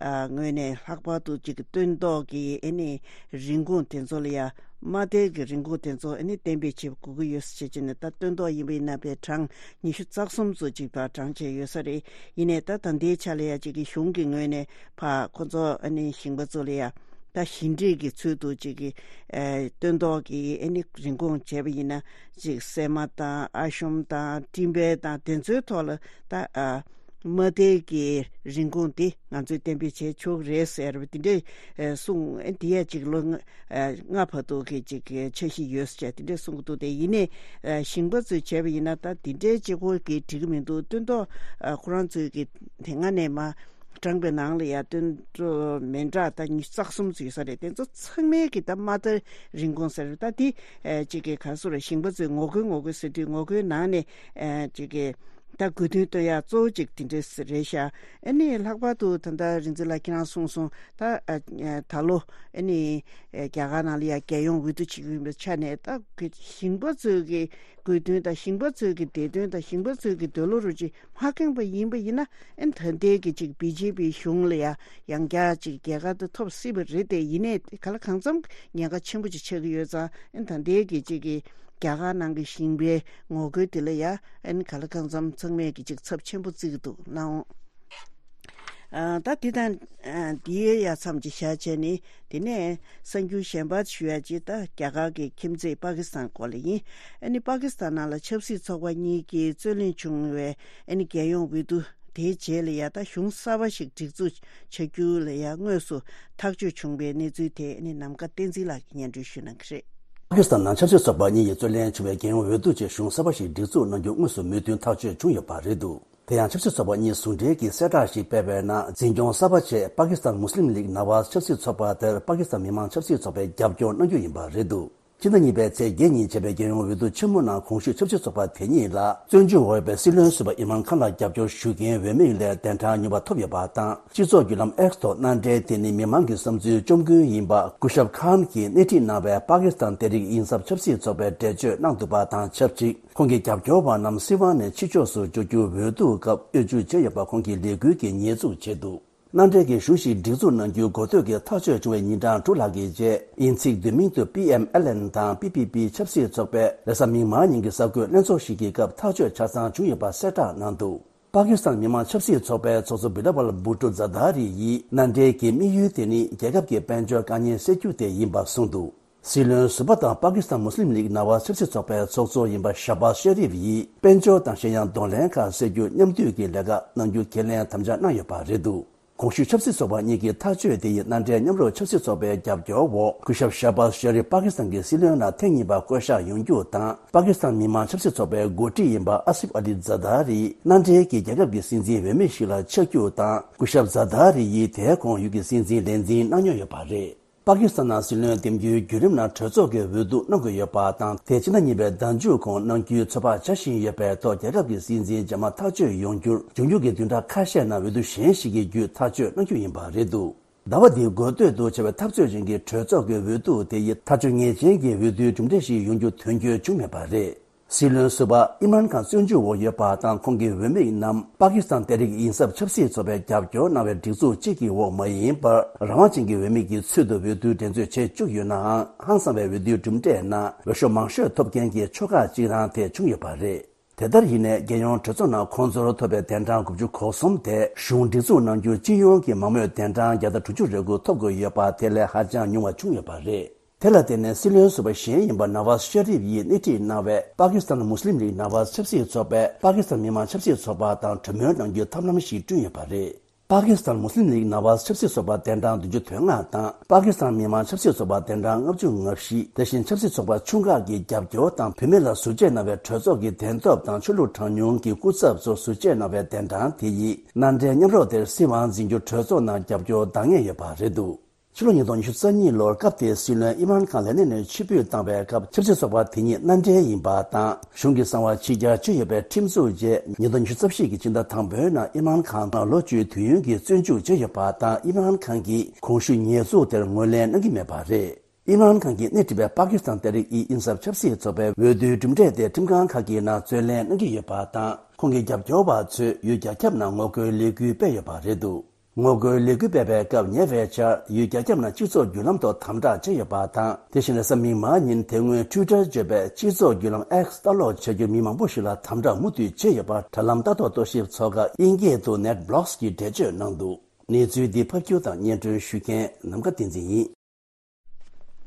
ཨ་ངོས་ནས་ལྷག་པར་དུ་ཅིག་གི་སྟོན་ཐོག་གི་ཨ་ནི་རིན་གོང་དེ་ཚོ་ལ་ཡང་། མ་མཐའི་གི་རིན་གོང་དེ་ཚོ་ཨ་ནི་གཏན་འབེབས་བྱེད་དགོས་ཀྱི་ཡོད་ཟེར་བྱས་ནས། ད་སྟོན་ཐོག་ཡིན་པ་ཡིན་ན་པའི་གྲངས་ཉི་ཤུ་རྩ་གསུམ་ཙམ་ཅིག་ཕར་བགྲངས་བྱས་ཡོད་ས་རེད། ཡིན་ནའི་ད་ད་ལྟའི་ཆ་ལ་ཡང་ཅིག་གི་གཞུང་གི་ངོས་ནས་ཕར་ཁོ་ཚོ་ཨ་ནི་ཞིང་པ་ཚོ་ལ་ཡང་ད་ཞིང་འབྲེལ་གྱི་ཚུལ་དུ་ཅིག་གི་ཨ་སྟོན་ཐོག་གི་ཨ་ནི་རིན་གོང་བྱས་པ་ཡིན་ན། ཅིག་སྲན་མ་དང་ཨ་ཤོམ་དང་སྤྲིན་བལ་དང་དེ་ཚོའི་ཐོག་ལ་ད་ཨ་མ་མཐའི་གི་རིན་གོང་དེ་ང་ཚོས་གཏན་འབེབས་བྱས་ཆོག་གི་རེད་ཟེར་བ་དེ་འདྲས་ཨ་གསུངས། ཨ་དེ་ཡང་ཅིག་ལོ་ལྔ་ཨ་ལྔ་བར་དུ་གི་ཅིག་གི་འཆར་གཞི་ཡོད་ཟེར་དེ་འདྲས་གསུང་གི་འདུག་དེ་ཡིན་ནའི་ཨ་ཞིང་པ་ཚོས་བྱས་པ་ཡིན་ན་ད་དེ་འདྲས་གཅིག་པོ་གིས་འགྲིག་གི་མི་འདུག་སྟོན་ཐོག་ཨ་ཁོ་རང་ཚོས་གི་དེ་སྔ་ནས་མར་བགྲངས་པའི་ནང་ལ་ཡང་སྟོན་ཐོག་མི་འདྲ་ད་ཉི་ཤུ་རྩ་གསུམ་ཙམ་ཡོད་ས་རེད། དེ་ཚོ་ཚང་མའི་གི་ད་མ་མཐའ་རིན་གོང་ཟེར་ད་དེ་ཨ་ཅིག་གི་ག་རེ་ཟེར། ཞིང་པ་ཚོས་ངོ་རྒོལ་ངོ་རྒོལ་ཟེར་དུས་ངོ་རྒོལ་ནང་ནས་ཨ་ཅིག་གི་ད་དགོས་འདུན་བཏོན་ཡ་གཙོ་བོ་གཅིག་དེ་འདྲས་རེད་ཤག་ཨ་ནི་ལྷག་པར་དུ་ད་ལྟ་རིག་འཛིན་ལགས་ཁྱེད་རང་གསུངས་སོང་། ད་ཨ་ཨ་ད་ལོ་ཨ་ནི་ཨ་རྒྱ་གར་ནང་ལ་ཡ་རྒྱལ་ཡོངས་འོས་བསྡུ་བྱེད་ཀྱི་ཡིན་པའི་ཆ་ནས། ད་གི་ཞིང་པ་ཚོའི་གི་དགོས་འདུན་དང་ཞིང་པ་ཚོའི་གི་བདེ་དོན་དང་ཞིང་པ་ཚོའི་གི་འདོད་བློ་རུ་ཅིག་མ་ཁེངས་པ་ཡིན་པ་ཡིན་ན། ཨ་ནི་ད་ལྟའི་གི་ཅིག་བི་ཇེ་པི་གཞུང་ལ་ཡ་ཡང་བསྐྱར་ཅིག་རྒྱལ་ཁ་དེ་ཐོབ་སྲིད་པ་རེད། དེ་ཡིན་ནའི་ག་ལ་གང་འཚམ་ཉེན་ཁ་ཆེན་པོ་ཅིག་ཆགས་ཀྱི་ཡོད་ཙང་། ཨ་ནི་ད་ལྟའི་གི་ཅིག་གི་རྒྱ་གར་ནང་གི་ཞིང་པའི་ངོ་རྒོལ་དེ་ལ་ཡ་ཨ་ནི་ག་ལ་གང་འཚམ་ཚང་མས་ཀྱི་ཅིག་ཚབས་ཆེན་པོ་བརྩི་གི་འདུག་ལགས་འོང་། ཨ་ད་དེ་དང་ཨ་དེའི་ཡ་མཚམས་ཅིག་བཞག་བྱས་ནས། དེ་ནས་གསར་འགྱུར་གཞན་པ་ཞུ་ཡ་ཅིག་ད་རྒྱ་གར་གྱི་ཁྱིམ་མཚེས་པ་ཀི་སི་ཐན་སྐོར་ལ་ཡིན། ཨ་ནི་པ་ཀི་སི་ཐན་ནང་ལ་ཆབ་སྲིད་ཚོགས་པ་གཉིས་ཀྱིས་རྩོད་གླེང་བྱུང་བའི་ཨ་ནི་རྒྱལ་ཡོངས་འོས་བསྡུ། དེའི་རྗེས་ལ་ཡ་ད་གཞུང་གསར་པ་ཞིག་སྒྲིག་འཛུགས་བྱ་རྒྱུ་ལ་ཡ་དངོས་སུ་ཐག་གཅོད་བྱུང་བའི་གནས་ཚུལ་དེ་ནི་ནམ་མཁའ་བསྟན་འཛིན་ལགས་ཀྱིས་སྙན་སྒྲོན་ཞུ་གནང་གི་རེད། པ་ཀི་སི་ཐན་ནང་ཆབ་སྲིད་ཚོགས་པ་གཉིས་ཀྱི་རྩོད་གླེང་བྱུང་བའི་རྒྱལ་ཡོངས་འོས་བསྡུ་ཆེད་གཞུང་གསར་པ་ཞིག་སྒྲིག་འཛུགས་གནང་རྒྱུ་དངོས་སུ་མོས་མཐུན་ཐག་གཅོད་བྱུང་ཡོད་པ་རེད་འདུག་དེ་ཡང་ཆབ་སྲིད་ཚོགས་པ་གཉིས་ཟུང་འབྲེལ་གྱིས་གསལ་བསྒྲགས་ཤིག་སྤེལ་བའི་ནང་། འཛིན་སྐྱོང་གསར་པ་ཆེད་པ་ཀི་སི་ཐན་མུ་སི་ལིམ་ལིག་ནཱ་ཝཱཛ་ཆབ་སྲིད་ཚོགས་པ་དེར་པ་ཀི་སི་ཐན་མི་མང་ཆབ་སྲིད་ཚོགས་པས་རྒྱབ་སྐྱོར་གནང་རྒྱུ་ཡིན་པ་རེད་འདུག་ཕྱི་ཟླ་གཉིས་པའི་ཚེས་བརྒྱད་ཉིན་བྱས་པའི་རྒྱལ་ཡོངས་འོས་བསྡུ་ཆེན་མོ་ནང་གོང་ཞུས་ཆབ་སྲིད་ཚོགས་པ་དེ་གཉིས་ལ་བཙོན་འཇུག་འོག་ཡོད་པའི་སྲིད་བློན་ཟུར་པ་ཨིམ་རཱན་ཁཱན་ལ་རྒྱབ་སྐྱོར་ཞུ་མཁན་འོས་མི་ལས་གདན་གྲངས་ཉུང་བ་ཐོབ་ཡོད་པ་དང་། སྤྱི་ཚོགས་བརྒྱུད་ལམ་ཨེགས་ཐོག་མནའ་འབྲེལ་དེ་ནི་མི་མང་གི་བསམ་ཚུལ་བཅོམ་མགོན་ཡིན་པ་སྐུ་ཞབས་ཁཱན་གྱིས་སྣེ་ཁྲིད་གནང་བའི་པ་ཀི་སི་ཐན་ཏེ་རིག་ཨིན་སབ་ཆབ་སྲིད་ཚོགས་པས་འགྲེལ་བརྗོད་གནང་འདུག་པ་དང་ཆབས་ཅིག་ཁོང་གི་རྒྱབ་སྐྱོར་བ་རྣམས་སྲིད་དབང་ནས་ཕྱི་ཕྱོགས་སུ་འབྱོར་རྒྱུ་འོས་བསྡུ་སྐབས་དབུས་སྒྱུར་བྱས་ཡོད་པ་ཁོང་གི་ལས་འགུལ་གྱིས་ཉེས་འཛུགས་བྱས་འདུག་མནའ་འབྲེལ་གྱི་གཞུང་ཞིག་སྒྲིག་འཛུགས་གནང་རྒྱུ་འགོ་སྟོད་ཀྱི་ཐག་གཅོད་བྱུང་བའི་ཉིན་གྲངས་དྲུག་ལྷག་གི་རྗེས། དབྱིན་ཚིག་བསྡུས་མིང་དུ་པི་ཨེམ་ཨེལ་ཨེན་དང་པི་པི་པི་ཆབ་སྲིད་ཚོགས་པས་རེས་གཟའ་མིག་དམར་ཉིན་གྱི་གསར་འགོད་ལྷན་ཚོགས་ཤིག་གི་སྐབས་ཐག་གཅོད་ཆ་ཚང་བྱུང་ཡོད་པ་གསལ་བསྒྲགས་གནང་འདུག་པ་ཀི་སི་ཐན་མི་མང་ཆབ་སྲིད་ཚོགས་པའི་ཚོགས་གཙོ་བི་ལ་ཝལ་བྷུ་ཊོ་ཛར་དཱ་རི་ཡིས། མནའ་འབྲེལ་གྱི་དམིགས་ཡུལ་དེ་ནི་རྒྱལ་ཁབ་ཀྱི་དཔལ་འབྱོར་དཀའ་ངལ་སེལ་རྒྱུ་དེ་ཡིན་པ་གསུངས་འདུག་སྲིད་བློན་ཟུར་པ་དང་པ་ཀི་སི་ཐན་མུ་སི་ལིམ་ལིག་ནཱ་ཝཱཛ་ཆབ་སྲིད་ཚོགས་པའི་ཚོགས་གཙོ་ཡིན་པ་ཤ་བཱཛ་ཤ་རིབ་ཡིས། དཔལ་འབྱོར་དང་གཞན་ཡང་གདོང་ལེན་ཁག་སེལ་རྒྱུ་མཉམ་འདུས་ཀྱི་ལས་ཀ་གནང་རྒྱུ་ཁས་ལེན་དམ་བཅའ་གནང་ཡོད་པ་རེད་འདུག་གོང་ཞུས་ཆབ་སྲིད་ཚོགས་པ་གཉིས་ཀྱི་ཐག་གཅོད་དེ་ཡིས་མནའ་འབྲེལ་མཉམ་རུབ་ཆབ་སྲིད་ཚོགས་པའི་རྒྱབ་སྐྱོར་འོག་སྐུ་ཞབས་ཤ་བཱཛ་ཤ་རིབ་པ་ཀི་སི་ཐན་གྱི་སྲིད་བློན་ལ་ཐེངས་གཉིས་པ་བསྐོ་གཞག་ཡོང་རྒྱུ་དང་། པ་ཀི་སི་ཐན་མི་མང་ཆབ་སྲིད་ཚོགས་པའི་འགོ་ཁྲིད་ཡིན་པ་ཨ་སིབ་ཨ་ལི་ཛར་དཱ་རི་མནའ་འབྲེལ་གྱི་རྒྱལ་ཁབ་ཀྱི་སྲིད་འཛིན་འོས་མི་ཞིག་ལ་ཆགས་རྒྱུ་དང་། སྐུ་ཞབས་ཛར་དཱ་རི་ཡིས་དེའི་གོང་ཡུལ་གྱི་སྲིད་འཛིན་ལས་འཛིན་གནང་མྱོང་ཡོད་པ་རེད། པ་ཀི་སི་ཐན་ནང་སྲིད་བློན་འདེམས་རྒྱུའི་བརྒྱུད་རིམ་ནང་གྲོས་ཚོགས་ཀྱིས་འོས་བསྡུ་གནང་དགོས་ཡོད་པ་དང་། དེ་ཕྱི་ཟླ་གཉིས་པའི་ཟླ་མཇུག་གོང་གནང་རྒྱུའི་ཚོད་དཔག་བྱ་བཞིན་ཡོད་པའི་ཐོག་རྒྱལ་ཁབ་ཀྱི་སྲིད་འཛིན་རྗེས་མ་ཐག་གཅོད་ཡོང་རྒྱུར་འབྱུང་འགྱུར་གྱི་བདུན་ཕྲག་ཁ་ཤས་ནང་འོས་བསྡུ་གཞན་ཞིག་གི་བརྒྱུད་ཐག་གཅོད་གནང་རྒྱུ་ཡིན་པ་རེད་འདུག་ཟླ་བ་འདིའི་འགོ་སྟོད་དུ་བྱས་པའི་འཐབ་རྩོད་ཅན་གྱི་གྲོས་ཚོགས་ཀྱི་འོས་བསྡུ་དེ་ཡིས་ཐག་གཅོད་ངེས་ཅན་གྱི་འོས་བསྡུའི་གྲུབ་འབྲས་ཤིག་ཡོང་རྒྱུ་དོན་འཁྱོལ་བྱུང་མེད་པ་རེད། སྲིད་བློན་ཟུར་པ་ཨིམ་རཱན་ཁཱན་བཙོན་འཇུག་འོག་ཡོད་པ་དང་། ཁོང་གི་འོས་མི་རྣམས་པ་ཀི་སི་ཐན་ཏེ་རིག་ཨིན་སབ་ཆབ་སྲིད་ཚོགས་པས་རྒྱབ་སྐྱོར་གནང་བའི་སྒྲིག་འཛུགས་གཅིག་གི་འོག་མ་ཡིན་པར། རང་དབང་ཅན་གྱི་འོས་མི་གི་ཚུལ་དུ་འོས་བསྡུ་འགྲན་རྩོད་བྱེད་བཅུག་ཡོད་ནའང་། ཧང་སང་བའི་འོས་བསྡུའི་གྲུབ་འབྲས་ནང་འོས་ཤོག་མང་ཤོས་ཐོབ་མཁན་གྱི་ཆོལ་ཁ་གཅིག་རང་དེ་བྱུང་ཡོད་པ་རེད། དེ་ལྟར་ཡིན་ནའི། རྒྱལ་ཡོངས་གྲོས་ཚོགས་ནང་ཁོང་ཚོར་ཐོབ་པའི་གདན་གྲངས་དགུ་བཅུ་གོ་གསུམ་དེ། གཞུང་སྒྲིག་འཛུགས་གནང་རྒྱུར་སྤྱི་ཡོངས་ཀྱི་མང་མོས་གདན་གྲངས་བརྒྱ་དང་དྲུག་ཅུ་རེ་དགུ་ཐོབ་དགོས་ཡོད་པ་དེ་ལས་ཧ་ཅང་ཉུང་བ་བྱུང་ཡོད་པ་རེད། དེ་ལ་བརྟེན་ནས་སྲིད་བློན་ཟུར་པ་གཞན་ཡིན་པ་ནཱ་ཝཱཛ་ཤ་རིབ་ཡིས་སྣེ་ཁྲིད་གནང་བའི་པ་ཀི་སི་ཐན་མུ་སི་ལིམ་ལིག་ནཱ་ཝཱཛ་ཆབ་སྲིད་ཚོགས་པས་པ་ཀི་སི་ཐན་མི་དམངས་ཆབ་སྲིད་ཚོགས་པ་དང་གྲོས་མོལ་གནང་རྒྱུའི་ཐབས་ལམ་ཞིག་བསྐྲུན་ཡོད་པ་རེད། པ་ཀི་སི་ཐན་མུ་སི་ལིམ་ལིག་ནཱ་ཝཱཛ་ཆབ་སྲིད་ཚོགས་པ་གདན་གྲངས་བདུན་ཅུ་དོན་ལྔ་དང་། པ་ཀི་སི་ཐན་མི་དམངས་ཆབ་སྲིད་ཚོགས་པ་གདན་གྲངས་ལྔ་བཅུ་ང་བཞི། དེ་བཞིན་ཆབ་སྲིད་ཚོགས་པ་ཆུང་ཁག་གི་རྒྱབ་སྐྱོར་དང་བུད་མེད་ལ་ཟུར་བཅད་གནང་བའི་གྲོས་ཚོགས་ཀྱི་གདན་ཐོབ་དང་ཆོས་ལུགས་གྲངས་ཉུང་གི་སྐུ་ཚབ་ཚོ་ཟུར་བཅད་གནང་བའི་གདན་གྲངས་དེ་ཡིས་མནའ་འབྲེལ་མཉམ་རོགས་དེར་སྲིད་དབང་འཛིན་རྒྱུར་གྲོས་ཚོགས་ནང་རྒྱབ་སྐྱོར་འདང་ངེས་ཡོད་པ་རེད་འདུག་ཕྱི་ལོ་ཉིས་སྟོང་ཉི་ཤུ་རྩ་གཉིས་ལོར་སྐབས་དེའི་སྲིད་བློན་ཨི་མ་རན་ཁཱན་ལས་གནས་ནས་ཕྱིར་འབུད་བཏང་བའི་སྐབས་ཆབ་སྲིད་ཚོགས་པ་དེ་ཉིད་མནའ་འབྲེལ་ཡིན་པ་དང་གཞུང་གི་གསང་བ་ཕྱི་གྱར་བྱས་ཡོད་པའི་ཁྲིམས་འཛུགས་རྗེས་ཉིས་སྟོང་ཉི་ཤུ་རྩ་བཞི་གི་ཕྱི་ཟླ་དང་པོའི་ནང་ཨི་མ་རན་ཁཱན་ལ་ལོ་བཅུའི་དུས་ཡུན་གྱི་བཙོན་འཇུག་བྱས་ཡོད་པ་དང་ཨི་མ་རན་ཁཱན་གྱིས་གོང་ཞུས་ཉེས་འཛུགས་དེར་ངོས་ལེན་གནང་གི་མེད་པ་རེད། ཨི་མ་རན་ཁཱན་གྱིས་སྣེ་ཁྲིད་པའི་པ་ཀི་སི་ཐན་ཏེ་རིག་ཨི་ཨིན་སབ་ཆབ་སྲིད་ཚོགས་པའི་འོས་བསྡུའི་གྲུབ་འབྲས་དེ་ཁྲིམས་ཁང་ཁག་གི་ནང་རྩོད་ལེན་གནང་གི་ཡོད་པ་དང་ཁོང་གི་རྒྱབ་སྐྱོར་བ་ཚོས་ཡུལ་རྒྱ་ཁྱབ་ནང་ངོ་རྒོལ་ལས་འགུལ་སྤེལ་ཡོད་པ་རེད་འདུག་ངོ་རྒོལ་ལས་འགུལ་སྤེལ་བའི་སྐབས་ཉེ་བའི་ཆར་ཡུལ་རྒྱ་ཁྱབ་ནང་སྤྱི་ཚོགས་བརྒྱུད་ལམ་ཐོག་དམ་དྲག་བྱས་ཡོད་པ་དང་། དེ་བཞིན་རེས་གཟའ་མིག་དམར་ཉིན་དེ་སྔོན་ཊུའི་ཊར་བརྗོད་པའི་སྤྱི་ཚོགས་བརྒྱུད་ལམ་ཨེགས་ལྟ་ཀློག་བྱ་རྒྱུར་མི་མང་པོ་ཞིག་ལ་དམ་དྲག་མུ་མཐུད་བྱས་ཡོད་པར་དྲ་ལམ་ལྟ་རྟོག་རྟོག་ཞིབ་ཚོགས་ཁག་ཨིན་སྐད་དུ་ནེཊ་བྷི་ལོག་སི་གིས་འགྲེལ་བརྗོད་གནང་འདུག་གནས་ཚུལ་འདི་ཕབ་སྒྱུར་དང་སྙན་སྒྲོན་ཞུ་མཁན་ནམ་མཁའ་བསྟན་འཛིན་ཡིན།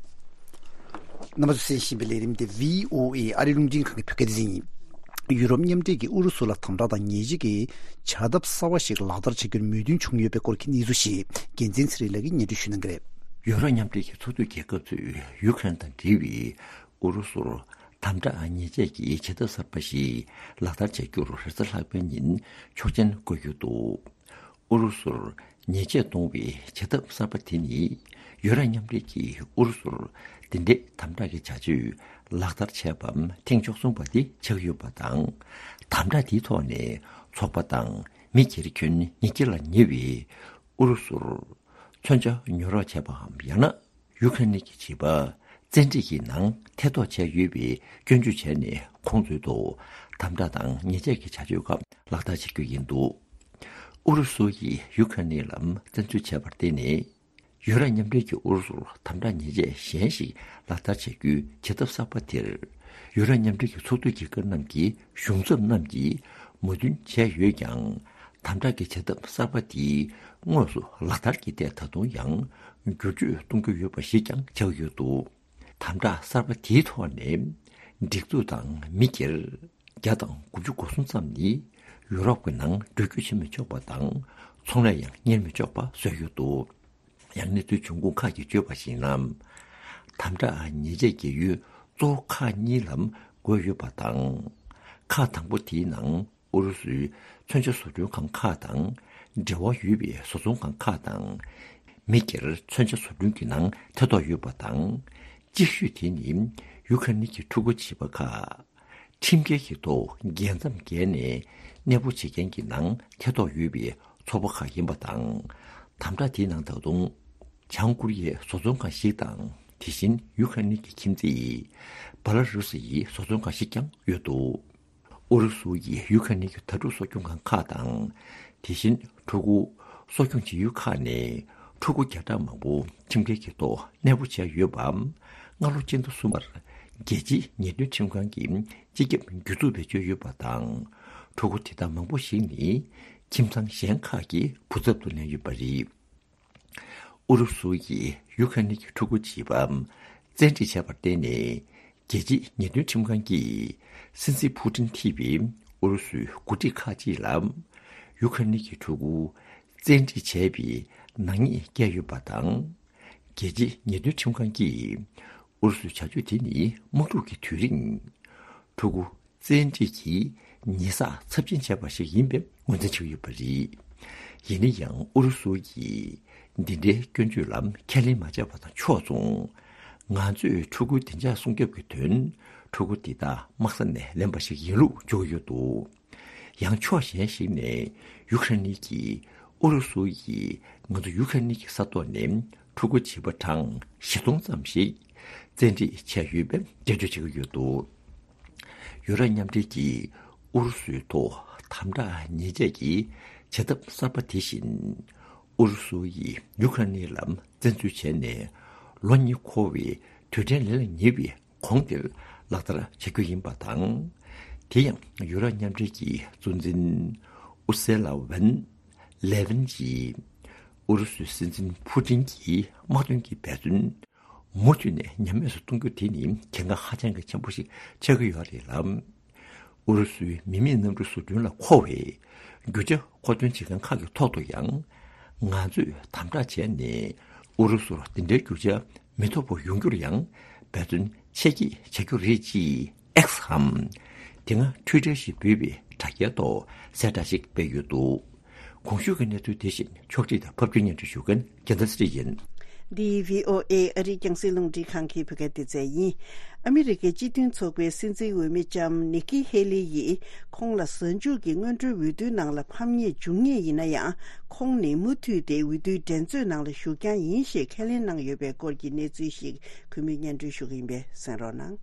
རྣམ་པ་ཚོས་གསན་བཞིན་པའི་ལས་རིམ་དེ་བྷི་ཨོ་ཨེ་ཨ་རིའི་རླུང་འཕྲིན་ཁང་གི་བོད་སྐད་སྡེ་ཚན་ཡིན། ཡུ་རོབ་མཉམ་འབྲེལ་གྱིས་ཨུ་རུ་སུ་ལ་དམ་དྲག་དང་ཉེས་ཆད་ཀྱི་བྱ་ཐབས་གསར་བ་ཞིག་ལག་བསྟར་བྱ་རྒྱུར་མོས་མཐུན་བྱུང་ཡོད་པའི་སྐོར་གྱི་གནས་ཚུལ་ཞིག་རྒྱལ་མཚན་ཚེ་རིང་ལགས་ཀྱིས་སྙན་སྒྲོན་ཞུ་གནང་གི་རེད། ཡུ་རོབ་མཉམ་འབྲེལ་གྱི་ཚོགས་འདུའི་རྒྱལ་ཁབ་ཚོས་ཡུ་ཁ་རེན་དང་འབྲེལ་བའི་ཨུ་རུ་སུར་དམ་དྲག་ཉེས་ཆད་ཀྱི་བྱ་ཐབས་གསར་པ་ཞིག་ལག་བསྟར་བྱ་རྒྱུར་རེས་གཟའ་ལྷག་པའི་ཉིན་ཆོག་མཆན་བཀོད་ཡོད་འདུག་ཨུ་རུ་སུར་ཉེས་ཆད་གཏོང་བའི་བྱ་ཐབས་གསར་པ་དེ་ནི་ཡུ་རོབ་མཉམ་འབྲེལ་གྱིས་ཨུ་རུ་སུར་འདི་འདྲའི་དམ་དྲག་གི་བྱ་སྤྱོད་ལག་བསྟར་བྱས་པ་ཐེངས་བཅུ་གསུམ་པ་དེ་ཆགས་ཡོད་པ་དང་། དམ་དྲག་དེའི་ཐོག་ནས་ཚོགས་པ་དང་མི་སྒེར་ཁྱོན་ཉིས་བརྒྱ་ལ་ཉེ་བའི་ཨུ་རུ་སུར་མཚོན་ཆ་ཉོ་རོགས་བྱས་པའམ་ཡང་ན། ཡུ་ཁ་རེན་གྱི་བྱིས་པ་བཙན་ཁྲིད་ཀྱི་ནང་ཐེ་གཏོགས་བྱས་ཡོད་པའི་སྐྱོན་བརྗོད་བྱས་ནས་ཁོང་ཚོའི་ཐོག་དམ་དྲག་དང་ཉེས་ཆད་ཀྱི་བྱ་སྤྱོད་ཁག་ལག་བསྟར་བྱེད་རྒྱུ་ཡིན་འདུག་ཨུ་རུ་སུ་ཡིས་ཡུ་ཁ་རེན་ལ་བཙན་འཛུལ་བྱས་པར་བརྟེན་ནས། ཡུ་རོབ་མཉམ་འབྲེལ་གྱིས་ཨུ་རུ་སུར་དམ་དྲག་ཉེས་ཆད་གཞན་ཞིག་ལག་བསྟར་བྱ་རྒྱུའི་བྱ་ཐབས་གསར་པ་དེར། ཡུ་རོབ་མཉམ་འབྲེལ་གྱི་ཚོགས་འདུའི་རྒྱལ་ཁབ་རྣམས་ཀྱི་གཞུང་ཚབ་རྣམས་ཀྱིས་མོས་མཐུན་བྱས་ཡོད་ཀྱང་། དམ་དྲག་གི་བྱ་ཐབས་གསར་པ་དེའི་དངོས་སུ་ལག་བསྟར་གྱི་ཐད་ད་དུང་ཡང་བསྒྱུར་བཅོས་གཏོང་རྒྱུ་ཡོད་པ་ཞིག་ཀྱང་ཆགས་ཡོད་འདུག་དམ་དྲག་གསར་པ་དེའི་ཐོག་ནས་སྒྲིག་འཛུགས་དང་མི་སྒེར་བརྒྱ་དང་དགུ་བཅུ་གོ་གསུམ་ཙམ་ནི་ཡུ་རོབ་ཀྱི་ནང་འགྲུལ་སྐྱོད་བྱེད་མི་ཆོག་པ་དང་ཚོང་ལས་ཡང་གཉེར་མི་ཆོག་པ་བཟོས་ཡོད་འདུག་ཡང་གནས་ཚུལ་འབྱུང་ཁུངས་ཁག་གིས་བརྗོད་པར་གཞིགས་ན། དམ་དྲག་ཉེས་ཆད་ཀྱི་ཡུལ་གཙོ་བོ་ཁག་གཉིས་ལ་བགོས་ཡོད་པ་དང་། ཁག་དང་པོ་དེའི་ནང་ཨུ་རུ་སུའི་མཚོན་ཆ་བཟོ་སྐྲུན་ཁང་ཁག་དང་འབྲེལ་བ་ཡོད་པའི་བཟོ་ཚོང་ཁང་ཁག་དང་། མི་སྒེར་མཚོན་ཆ་བཟོ་སྐྲུན་གྱི་ནང་ཐེ་གཏོགས་ཡོད་པ་དང་། གཅིག་ཤོས་དེ་ནི་ཡུ་ཁ་རེན་གྱི་ཕྲུ་གུ་བྱིས་པ་ཁག་ཁྲིམས་འགལ་གྱི་ཐོག་རྒྱལ་མཚམས་བརྒལ་ནས་གནས་སྤོ་བྱེད་མཁན་གྱི་ནང་ཐེ་གཏོགས་ཡོད་པའི་ཚོགས་པ་ཁག་ཡིན་པ་དང་། དམ་དྲག་དེའི་ནང་ད་དུང་བྱང་ཀོ་རི་ཡའི་བཟོ་ཚོང་ཁང་ཞིག་དང་། དེ་བཞིན་ཡུ་ཁ་རེན་གྱི་ཁྱིམ་མཚེས་བྷ་ལ་རུ་སི་ཡི་བཟོ་ཚོང་ཁང་ཞིག་ཀྱང་ཡོད་འདུག་ཨུ་རུ་སུ་ཡིས་ཡུ་ཁ་རེན་གྱི་དྭ་ཕྲུག་གསོ་སྐྱོང་ཁང་ཁག་དང་། དེ་བཞིན་ཕྲུ་གུ་གསོ་སྐྱོང་བྱེད་ཡུལ་ཁག་ནས་ཕྲུ་གུ་བརྒྱ་ཕྲག་མང་པོ་ཁྲིམས་འགལ་གྱི་ཐོག་གནས་སྤོ་བྱས་ཡོད་པ། སྔ་ལོ་སྤྱི་ཟླ་གསུམ་པར་རྒྱལ་སྤྱིའི་ཉེས་དོན་ཁྲིམས་ཁང་གིས་སྤྱི་ཁྱབ་གྱོད་འཛུགས་བེད་སྤྱོད་ཡོད་པ་དང་། ཕྲུ་གུ་དེ་དག་མང་པོ་ཞིག་ནི་ཁྱིམ་ཚང་གཞན་ཁག་གི་བུ་ཚབ་ཏུ་ལེན་ཡོད་པ་རེད། ཨུ་རུ་སུ་ཡིས་ཡུ་ཁ་རེན་གྱི་ཕྲུ་གུ་བྱིས་པ་བཙན་ཁྲིད་བྱས་པར་བརྟེན་ནས། རྒྱལ་སྤྱིའི་ཉེས་དོན་ཁྲིམས་ཁང་གིས་སྲིད་འཛིན་ཕུ་ཏིན་ཁྲིད་པའི་ཨུ་རུ་སུའི་འགོ་ཁྲིད་ཁག་ཅིག་ལ་ཡུ་ཁ་རེན་གྱི་ཕྲུ་གུ་བཙན་ཁྲིད་བྱས་པའི་ནག་ཉེས་བཀལ་ཡོད་པ་དང་། རྒྱལ་སྤྱིའི་ཉེས་དོན་ཁྲིམས་ཁང་གིས་ཨུ་རུ་སུའི་བྱ་སྤྱོད་དེ་ནི་དམག་འཁྲུག་གི་དུས་རིང་ཕྲུ་གུ་བཙན་ཁྲིད་ཀྱིས་ཉེས་བསགས་ཚབས་ཆེན་བྱས་པ་ཞིག་ཡིན་པའི་ངོས་འཛིན་བྱས་ཡོད་པ་རེད། ཡིན་ན་ཡང་ཨུ་རུ་སུ་ཡིས་འདི་འདྲའི་སྐྱོན་བརྗོད་ལ་ཁས་ལེན་མ་བྱས་པ་དང་ཕྱོགས་མཚུངས། ང་ཚོས་ཕྲུ་གུའི་བདེ་འཇགས་སྲུང་སྐྱོབ་ཀྱི་དོན་ཕྲུ་གུ་འདི་དག་དམག་ས་ནས་ལེན་པ་ཞིག་ཡིན་ལུགས་བརྗོད་ཡོད་འདུག་ཡང་ཕྱོགས་གཞན་ཞིག་ནས་ཡུ་ཁ་རེན་གྱིས་ཨུ་རུ་སུ་ཡིས་ང་ཚོ་ཡུ་ཁ་རེན་གྱི་ས་ཐོག་ནས་ཕྲུ་གུ་བྱིས་པ་གྲངས་བཞི་སྟོང་ཙམ་ཞིག་བཙན་ཁྲིད་བྱས་ཡོད་པའི་འགྲེལ་བརྗོད་བྱེད་ཀྱི་ཡོད་འདུག་ཡུ་རོབ་མཉམ་འབྲེལ་གྱིས་ཨུ་རུ་སུའི་ཐོག་དམ་དྲག་ཉེས་ཆད་ཀྱི་བྱ་ཐབས་གསར་པ་དེ་བཞིན། ཨུ་རུ་སུ་ཡིས་ཡུ་ཁ་རེན་ལ་བཙན་འཛུལ་བྱས་ནས་ལོ་གཉིས་འཁོར་བའི་དུས་དྲན་ལས་ལ་ཉེ་བའི་གོང་དེར་ལག་བསྟར་བྱ་རྒྱུ་ཡིན་པ་དང་། དེ་ཡང་ཡུ་རོབ་མཉམ་འབྲེལ་གྱི་གཙོ་འཛིན་ཨུར་སེ་ལ་ཝན་ལེ་ཝན་གྱིས་ཨུ་རུ་སུའི་སྲིད་འཛིན་ཕུ་ཏིན་གྱི་དམག་དོན་གྱི་འབད་བརྩོན། མུ་མཐུད་ནས་ཉམས་དམས་སུ་གཏོང་རྒྱུ་དེ་ནི་གལ་འགངས་ཧ་ཅང་གི་ཆེན་པོ་ཞིག་ཆགས་ཀྱི་ཡོད་རེད་ལ། ཨུ་རུ་སུའི་མི་མེད་གནམ་གྲུ་བཟོ་སྐྲུན་ལ་མཁོ་བའི་རྒྱུ་ཆ་མཁོ་འདོན་བྱེད་མཁན་ཁག་གི་ཐོག་ཏུ་ཡང་ང་ཚོས་དམ་དྲག་བྱས་ནས་ཨུ་རུ་སུར་དེ་འདྲའི་རྒྱུ་ཆ་མི་ཐོབ་པ་ཡོང་རྒྱུར་ཡང་འབད་བརྩོན་ཆེ་བསྐྱེད་བྱ་རྒྱུ་རེད་ཅེས་ཨེགས་འམ། དེ་སྔ་ཊུའི་ཊར་ཞེས་འབོད་པའི་དྲ་རྒྱའི་ཐོག་གསལ་བསྒྲགས་ཤིག་སྤེལ་ཡོད་འདུག། གོང་ཞུས་ཀྱི་གནས་ཚུལ་དེ་བཞིན་ཕྱོགས་སྒྲིག་དང་ཕབ་སྒྱུར་སྙན་སྒྲོན་ཞུ་མཁན་རྒྱལ་མཚན་ཚེ་རིང་ཡིན། འདི་བྷི་ཨོ་ཨེ་ཨ་རིའི་རྒྱང་སྲིང་རླུང་འཕྲིན་ཁང་གི་བོད་སྐད་སྡེ་ཚན་ཡིན། ཨ་མི་རི་ཀའི་སྤྱི་མཐུན་ཚོགས་པའི་སྲིད་འཛིན་འོས་མི་ལྕམ་ནིག་ཀི་ཧེ་ལི་ཡིས་ཁོང་ལ་གཟའ་མཇུག་གི་སྔོན་འགྲོའི་འོས་བསྡུའི་ནང་ལ་ཕམ་ཉེས་བྱུང་ངེས་ཡིན་ན་ཡང་། ཁོང་ནི་མུ་མཐུད་དེ་འོས་བསྡུའི་འགྲན་རྩོད་ནང་ལ་ཞུགས་རྐྱང་ཡིན་ཞེས་ཁས་ལེན་གནང་ཡོད་པའི་སྐོར་གྱི་གནས་ཚུལ་ཞིག་གུས་མོས་སྙན་སྒྲོན་ཞུ་གི་ཡིན་པས་གསན་རོགས་གནང་།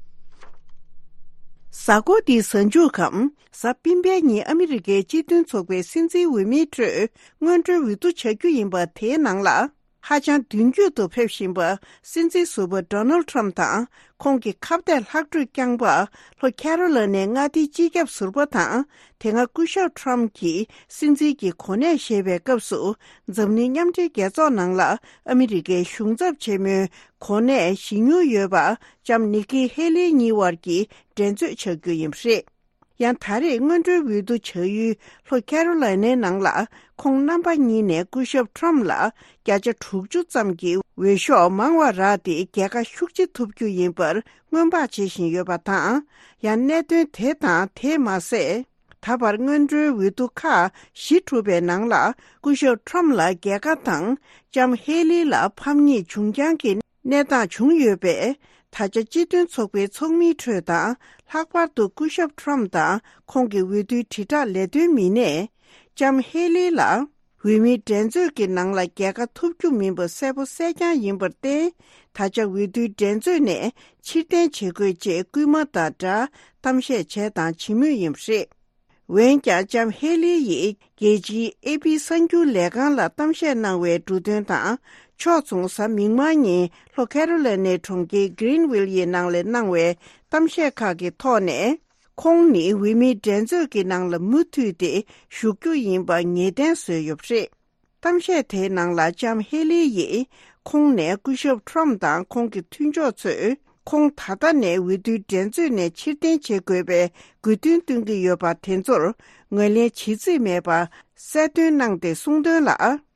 གཟའ་འཁོར་འདིའི་གཟའ་མཇུག་གམ་གཟའ་སྤེན་པའི་ཉིན་ཨ་མི་རི་ཀའི་སྤྱི་མཐུན་ཚོགས་པའི་སྲིད་འཛིན་འོས་མིའི་ཁྲོད་སྔོན་འགྲོའི་འོས་བསྡུ་བྱ་རྒྱུ་ཡིན་པ་དེའི་ནང་ལ། ཧ་ཅང་མདུན་སྐྱོད་དུ་ཕེབས་བཞིན་པ་སྲིད་འཛིན་ཟུར་པ་ཌོ་ནལ་ཊམ་དང་ཁོང་གི་ཁ་གཏད་ལྷག་འཕྲོས་བསྐྱངས་པ་ལྷོ་ཁེ་རོ་ལ་ནའི་མངའ་སྡེའི་སྤྱི་ཁྱབ་ཟུར་པ་དང་དེ་སྔ་སྐུ་ཞབས་ཊམ་གྱིས་སྲིད་འཛིན་གྱི་གོ་གནས་བཞེས་པའི་སྐབས་སུ་འཛམ་གླིང་མཉམ་འབྲེལ་རྒྱལ་ཚོགས་ནང་ལ་ཨ་མི་རི་ཀའི་གཞུང་ཚབ་ཆེན་མོའི་གོ་གནས་བཞེས་མྱོང་ཡོད་པ་ལྕམ་ནིག་ཀི་ཧེ་ལི་གཉིས་དབར་གྱི་འགྲན་རྩོད་བྱ་རྒྱུ་ཡིན་པ་རེད། ཡང་ད་རེས་སྔོན་འགྲོའི་འོས་བསྡུ་བྱ་ཡུལ་ལྷོ་ཁེ་རོ་ལ་ནའི་ནང་ལ་ཁོང་རྣམ་པ་གཉིས་ནས་སྐུ་ཞབས་ཊམ་ལ་བརྒྱ་ཆ་དྲུག་ཅུ་ཙམ་གྱི་འོས་ཤོག་མང་བ་རག་སྟེ་རྒྱལ་ཁ་ཤུགས་ཆེ་ཐོབ་རྒྱུ་ཡིན་པར་སྔོན་དཔག་བྱེད་བཞིན་ཡོད་པ་དང་། ཡང་གནད་དོན་དེ་དང་དེ་མ་ཟད། ད་བར་སྔོན་འགྲོའི་འོས་བསྡུ་ཁག་བཞི་གྲུབ་པའི་ནང་ལ་སྐུ་ཞབས་ཊམ་ལ་རྒྱལ་ཁ་དང་ལྕམ་ཧེ་ལི་ལ་ཕམ་ཉེས་བྱུང་རྐྱང་གི་གནས་སྟངས་བྱུང་ཡོད་པས། ད་ཆ་སྤྱི་མཐུན་ཚོགས་པའི་ཚོགས་མིའི་ཁྲོད་དང་ལྷག་པར་དུ་སྐུ་ཞབས་ཊམ་དང་ཁོང་གི་འོས་བསྡུའི་དྲིལ་བསྒྲགས་ལས་དོན་མི་སྣས་ལྕམ་ཧེ་ལི་ལ་འོས་མིའི་འགྲན་རྩོད་ཀྱི་ནང་ལ་རྒྱལ་ཁ་ཐོབ་རྒྱུ་མིན་པ་གསལ་པོ་གསལ་རྐྱང་ཡིན་པར་བརྟེན། ད་ཆ་འོས་བསྡུའི་འགྲན་རྩོད་ནས་ཕྱིར་འཐེན་བྱེད་དགོས་ཅེས་སྐུལ་མ་དང་སྦྲགས་གཏམ་བཤད་བྱས་དང་བྱེད་མུས་ཡིན་པ་རེད། འོན་ཀྱང་ལྕམ་ཧེ་ལི་ཡིས་རྒྱལ་སྤྱིའི་ཨེ་པི་གསར་འགྱུར་ལས་ཁང་ལ་གཏམ་བཤད་གནང་བའི་འབྲུ་དོན་དང་། ཕྱོགས་མཚུངས་གཟའ་མིག་དམར་ཉིན་ལྷོ་ཁེ་རོ་ལ་ནའི་གྲོང་ཁྱེར་གྷི་རིན་ཝིལ་ཡི་ནང་ལ་གནང་བའི་གཏམ་བཤད་ཁག་གི་ཐོག་ནས། ཁོང་ནི་འོས་མིའི་འགྲན་རྩོད་ཀྱི་ནང་ལ་མུ་མཐུད་དེ་ཞུགས་རྒྱུ་ཡིན་པ་ངེས་གཏན་བཟོས་ཡོད་པ་རེད། གཏམ་བཤད་དེའི་ནང་ལ་ལྕམ་ཧེ་ལི་ཡིས་ཁོང་ནས་སྐུ་ཞབས་ཊམ་དང་ཁོང་གི་མཐུན་ཕྱོགས་ཚོས་ཁོང་ད་ལྟ་ནས་འོས་བསྡུའི་འགྲན་རྩོད་ནས་ཕྱིར་འཐེན་བྱེད་དགོས་པའི་དགོས་འདུན་བཏོན་གྱི་ཡོད་པ་དེ་ཚོར་ངོས་ལེན་བྱེད་རྩིས་མེད་པ་གསལ་སྟོན་གནང་སྟེ་གསུངས་དོན་ལ།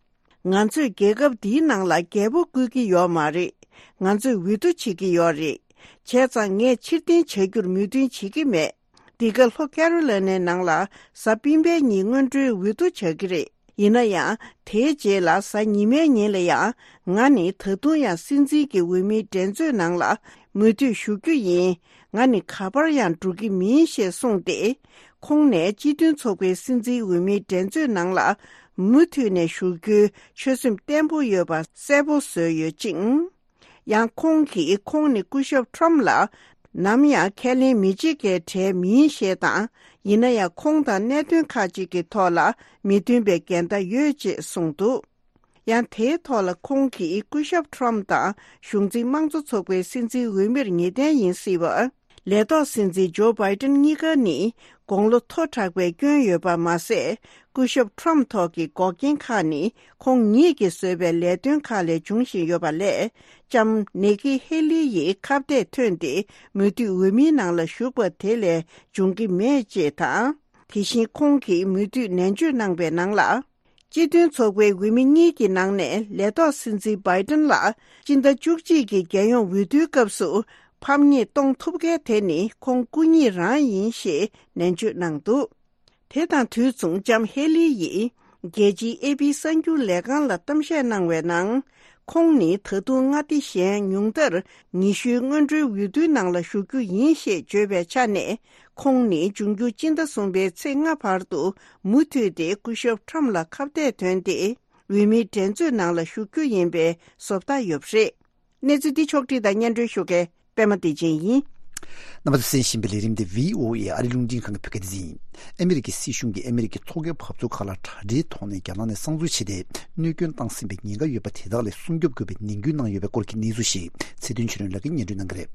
ང་ཚོས་རྒྱལ་ཁབ་འདིའི་ནང་ལ་རྒྱལ་པོ་བསྐོས་ཀྱི་ཡོད་མ་རེད། ང་ཚོས་འོས་བསྡུ་བྱེད་ཀྱི་ཡོད་རེད། བྱས་ཙང་ངས་ཕྱིར་འཐེན་བྱ་རྒྱུར་མོས་མཐུན་བྱེད་ཀྱི་མེད། འདི་ག་ལྷོ་ཁེ་རོ་ལ་ནའི་ནང་ལ་གཟའ་སྤེན་པའི་ཉིན་སྔོན་འགྲོའི་འོས་བསྡུ་བྱ་གི་རེད། ཡིན་ན་ཡང་དེའི་རྗེས་ལ་གཟའ་ཉི་མའི་ཉིན་ལ་ཡང་ང་ནི་ད་དུང་ཡང་སྲིད་འཛིན་གྱི་འོས་མིའི་འགྲན་རྩོད་ནང་ལ་མུ་མཐུད་ཞུགས་རྒྱུ་ཡིན། ང་ནི་ག་པར་ཡང་འགྲོ་གི་མིན་ཞེས་གསུངས་ཏེ། ཁོང་ནས་སྤྱི་མཐུན་ཚོགས་པའི་སྲིད་འཛིན་འོས་མིའི་འགྲན་རྩོད་ནང་ལ་མུ་མཐུད་ནས་ཞུགས་རྒྱུའི་ཆོད་སེམས་བརྟན་པོ་ཡོད་པ་གསལ་པོ་བཟོས་ཡོད་ཅིང་། ཡང་ཁོང་གིས་ཁོང་ནི་སྐུ་ཞབས་ཊམ་ལ་ནམ་ཡང་ཁས་ལེན་མི་བྱེད་མཁན་གྲས་མིན་ཞེས་དང་། ཡིན་ན་ཡང་ཁོང་དང་གནད་དོན་ཁག་ཅིག་གི་ཐོག་ལ་མི་མཐུན་པའི་འགལ་ཟླ་ཡོད་ཅེས་གསུངས་འདུག། ཡང་དེའི་ཐོག་ལ་ཁོང་གིས་སྐུ་ཞབས་ཊམ་དང་གཞུང་འཛིན་དམངས་གཙོ་ཚོགས་པའི་སྲིད་འཛིན་འོས་མིར་ངེས་གཏན་ཡིན་སྲིད་པ། ལས་ཐོག་སྲིད་འཛིན་ཇོ་བྷའི་ཏན་གཉིས་ཀ་ནི་དགུང་ལོ་མཐོ་དྲགས་པའི་སྐྱོན་ཡོད་པ་མ་ཟད། སྐུ་ཞབས་ཊམ་ཐོག་གི་འགོག་རྐྱེན་ཁག་ནི་ཁོང་ཉིད་ཀྱིས་བཟོས་པའི་ལས་དོན་ཁག་ལས་འབྱུང་བཞིན་ཡོད་པ་ལས། ལྕམ་ནེ་ཀི་ཧེ་ལི་ཡིས་ཁ་གཏད་ཐོན་ཏེ་མུ་མཐུད་འོས་མིའི་ནང་ལ་ཞུགས་པ་དེ་ལས་འབྱུང་གི་མེད་ཅེས་དང་། དེ་བཞིན་ཁོང་གིས་མུ་མཐུད་ནན་བརྗོད་གནང་པའི་ནང་ལ། སྤྱི་མཐུན་ཚོགས་པའི་འོས་མི་གཉིས་ཀྱི་ནང་ནས་ལས་ཐོག་སྲིད་འཛིན་བྷའི་ཏན་ལ་སྤྱི་ཟླ་བཅུ་གཅིག་གི་རྒྱལ་ཡོངས་འོས་བསྡུའི་སྐབས་སུ་ཕམ་ཉེས་གཏོང་ཐུབ་མཁན་དེ་ནི་ཁོང་སྐུ་ཉིད་རང་ཡིན་ཞེས་ནན་བརྗོད་གནང་འདུག། དེ་དང་དུས་མཚུངས་ལྕམ་ཧེ་ལི་ཡིས་རྒྱལ་སྤྱིའི་ཨེ་པི་གསར་འགྱུར་ལས་ཁང་ལ་གཏམ་བཤད་གནང་བའི་ནང་། ཁོང་ནི་ད་དུང་མངའ་སྡེ་གཞན་ཉུང་མཐར་ཉི་ཤུའི་སྔོན་འགྲོའི་འོས་བསྡུའི་ནང་ལ་ཞུགས་རྒྱུ་ཡིན་ཞེས་བརྗོད་པའི་ཆ་ནས། ཁོང་ནི་འབྱུང་འགྱུར་སྤྱི་ཟླ་གསུམ་པའི་ཚེས་ལྔ་བར་དུ་མུ་མཐུད་དེ་སྐུ་ཞབས་ཊམ་ལ་ཁ་གཏད་ཐོན་ཏེ། འོས་མིའི་འགྲན་རྩོད་ནང་ལ་ཞུགས་རྒྱུ་ཡིན་པའི་བཟོ་ལྟ་ཡོད་པ་རེད། གནས་ཚུལ་འདི་ཕྱོགས་བསྒྲིགས་དང་སྙན་སྒྲོན་ཞུ་མཁན་པད་མ་བདེ་ཆེན་ཡིན། རྣམ་པ་ཚོས་གསན་བཞིན་པའི་ལས་རིམ་འདི་བྷི་ཨོ་ཨེ་ཨ་རི་རླུང་འཕྲིན་ཁང་གི་བོད་སྐད་སྡེ་ཚན་ཡིན། ཨ་མི་རི་ཀའི་སྲིད་གཞུང་གིས་ཨ་མི་རི་ཀའི་ཐོག་ཁའི་འཐབ་རྩོད་ཁག་ལ་དྲ་སྦྲེལ་ཐོག་ནས་རྒྱ་ནག་ནས་གསང་འཛུལ་བྱས་ཏེ། གནོད་སྐྱོན་བཏང་ཟིན་པའི་ཉེན་ཁ་ཡོད་པ་དེ་དག་ལས་སྲུང་སྐྱོབ་དགོས་པའི་ནན་སྐུལ་གནང་ཡོད་པའི་སྐོར་གྱི་གནས་ཚུལ་ཞིག་ཚེ་བརྟན་ཆོས་སྒྲོན་ལགས་ཀྱིས་སྙན་སྒྲོན་གནང་གི་རེད།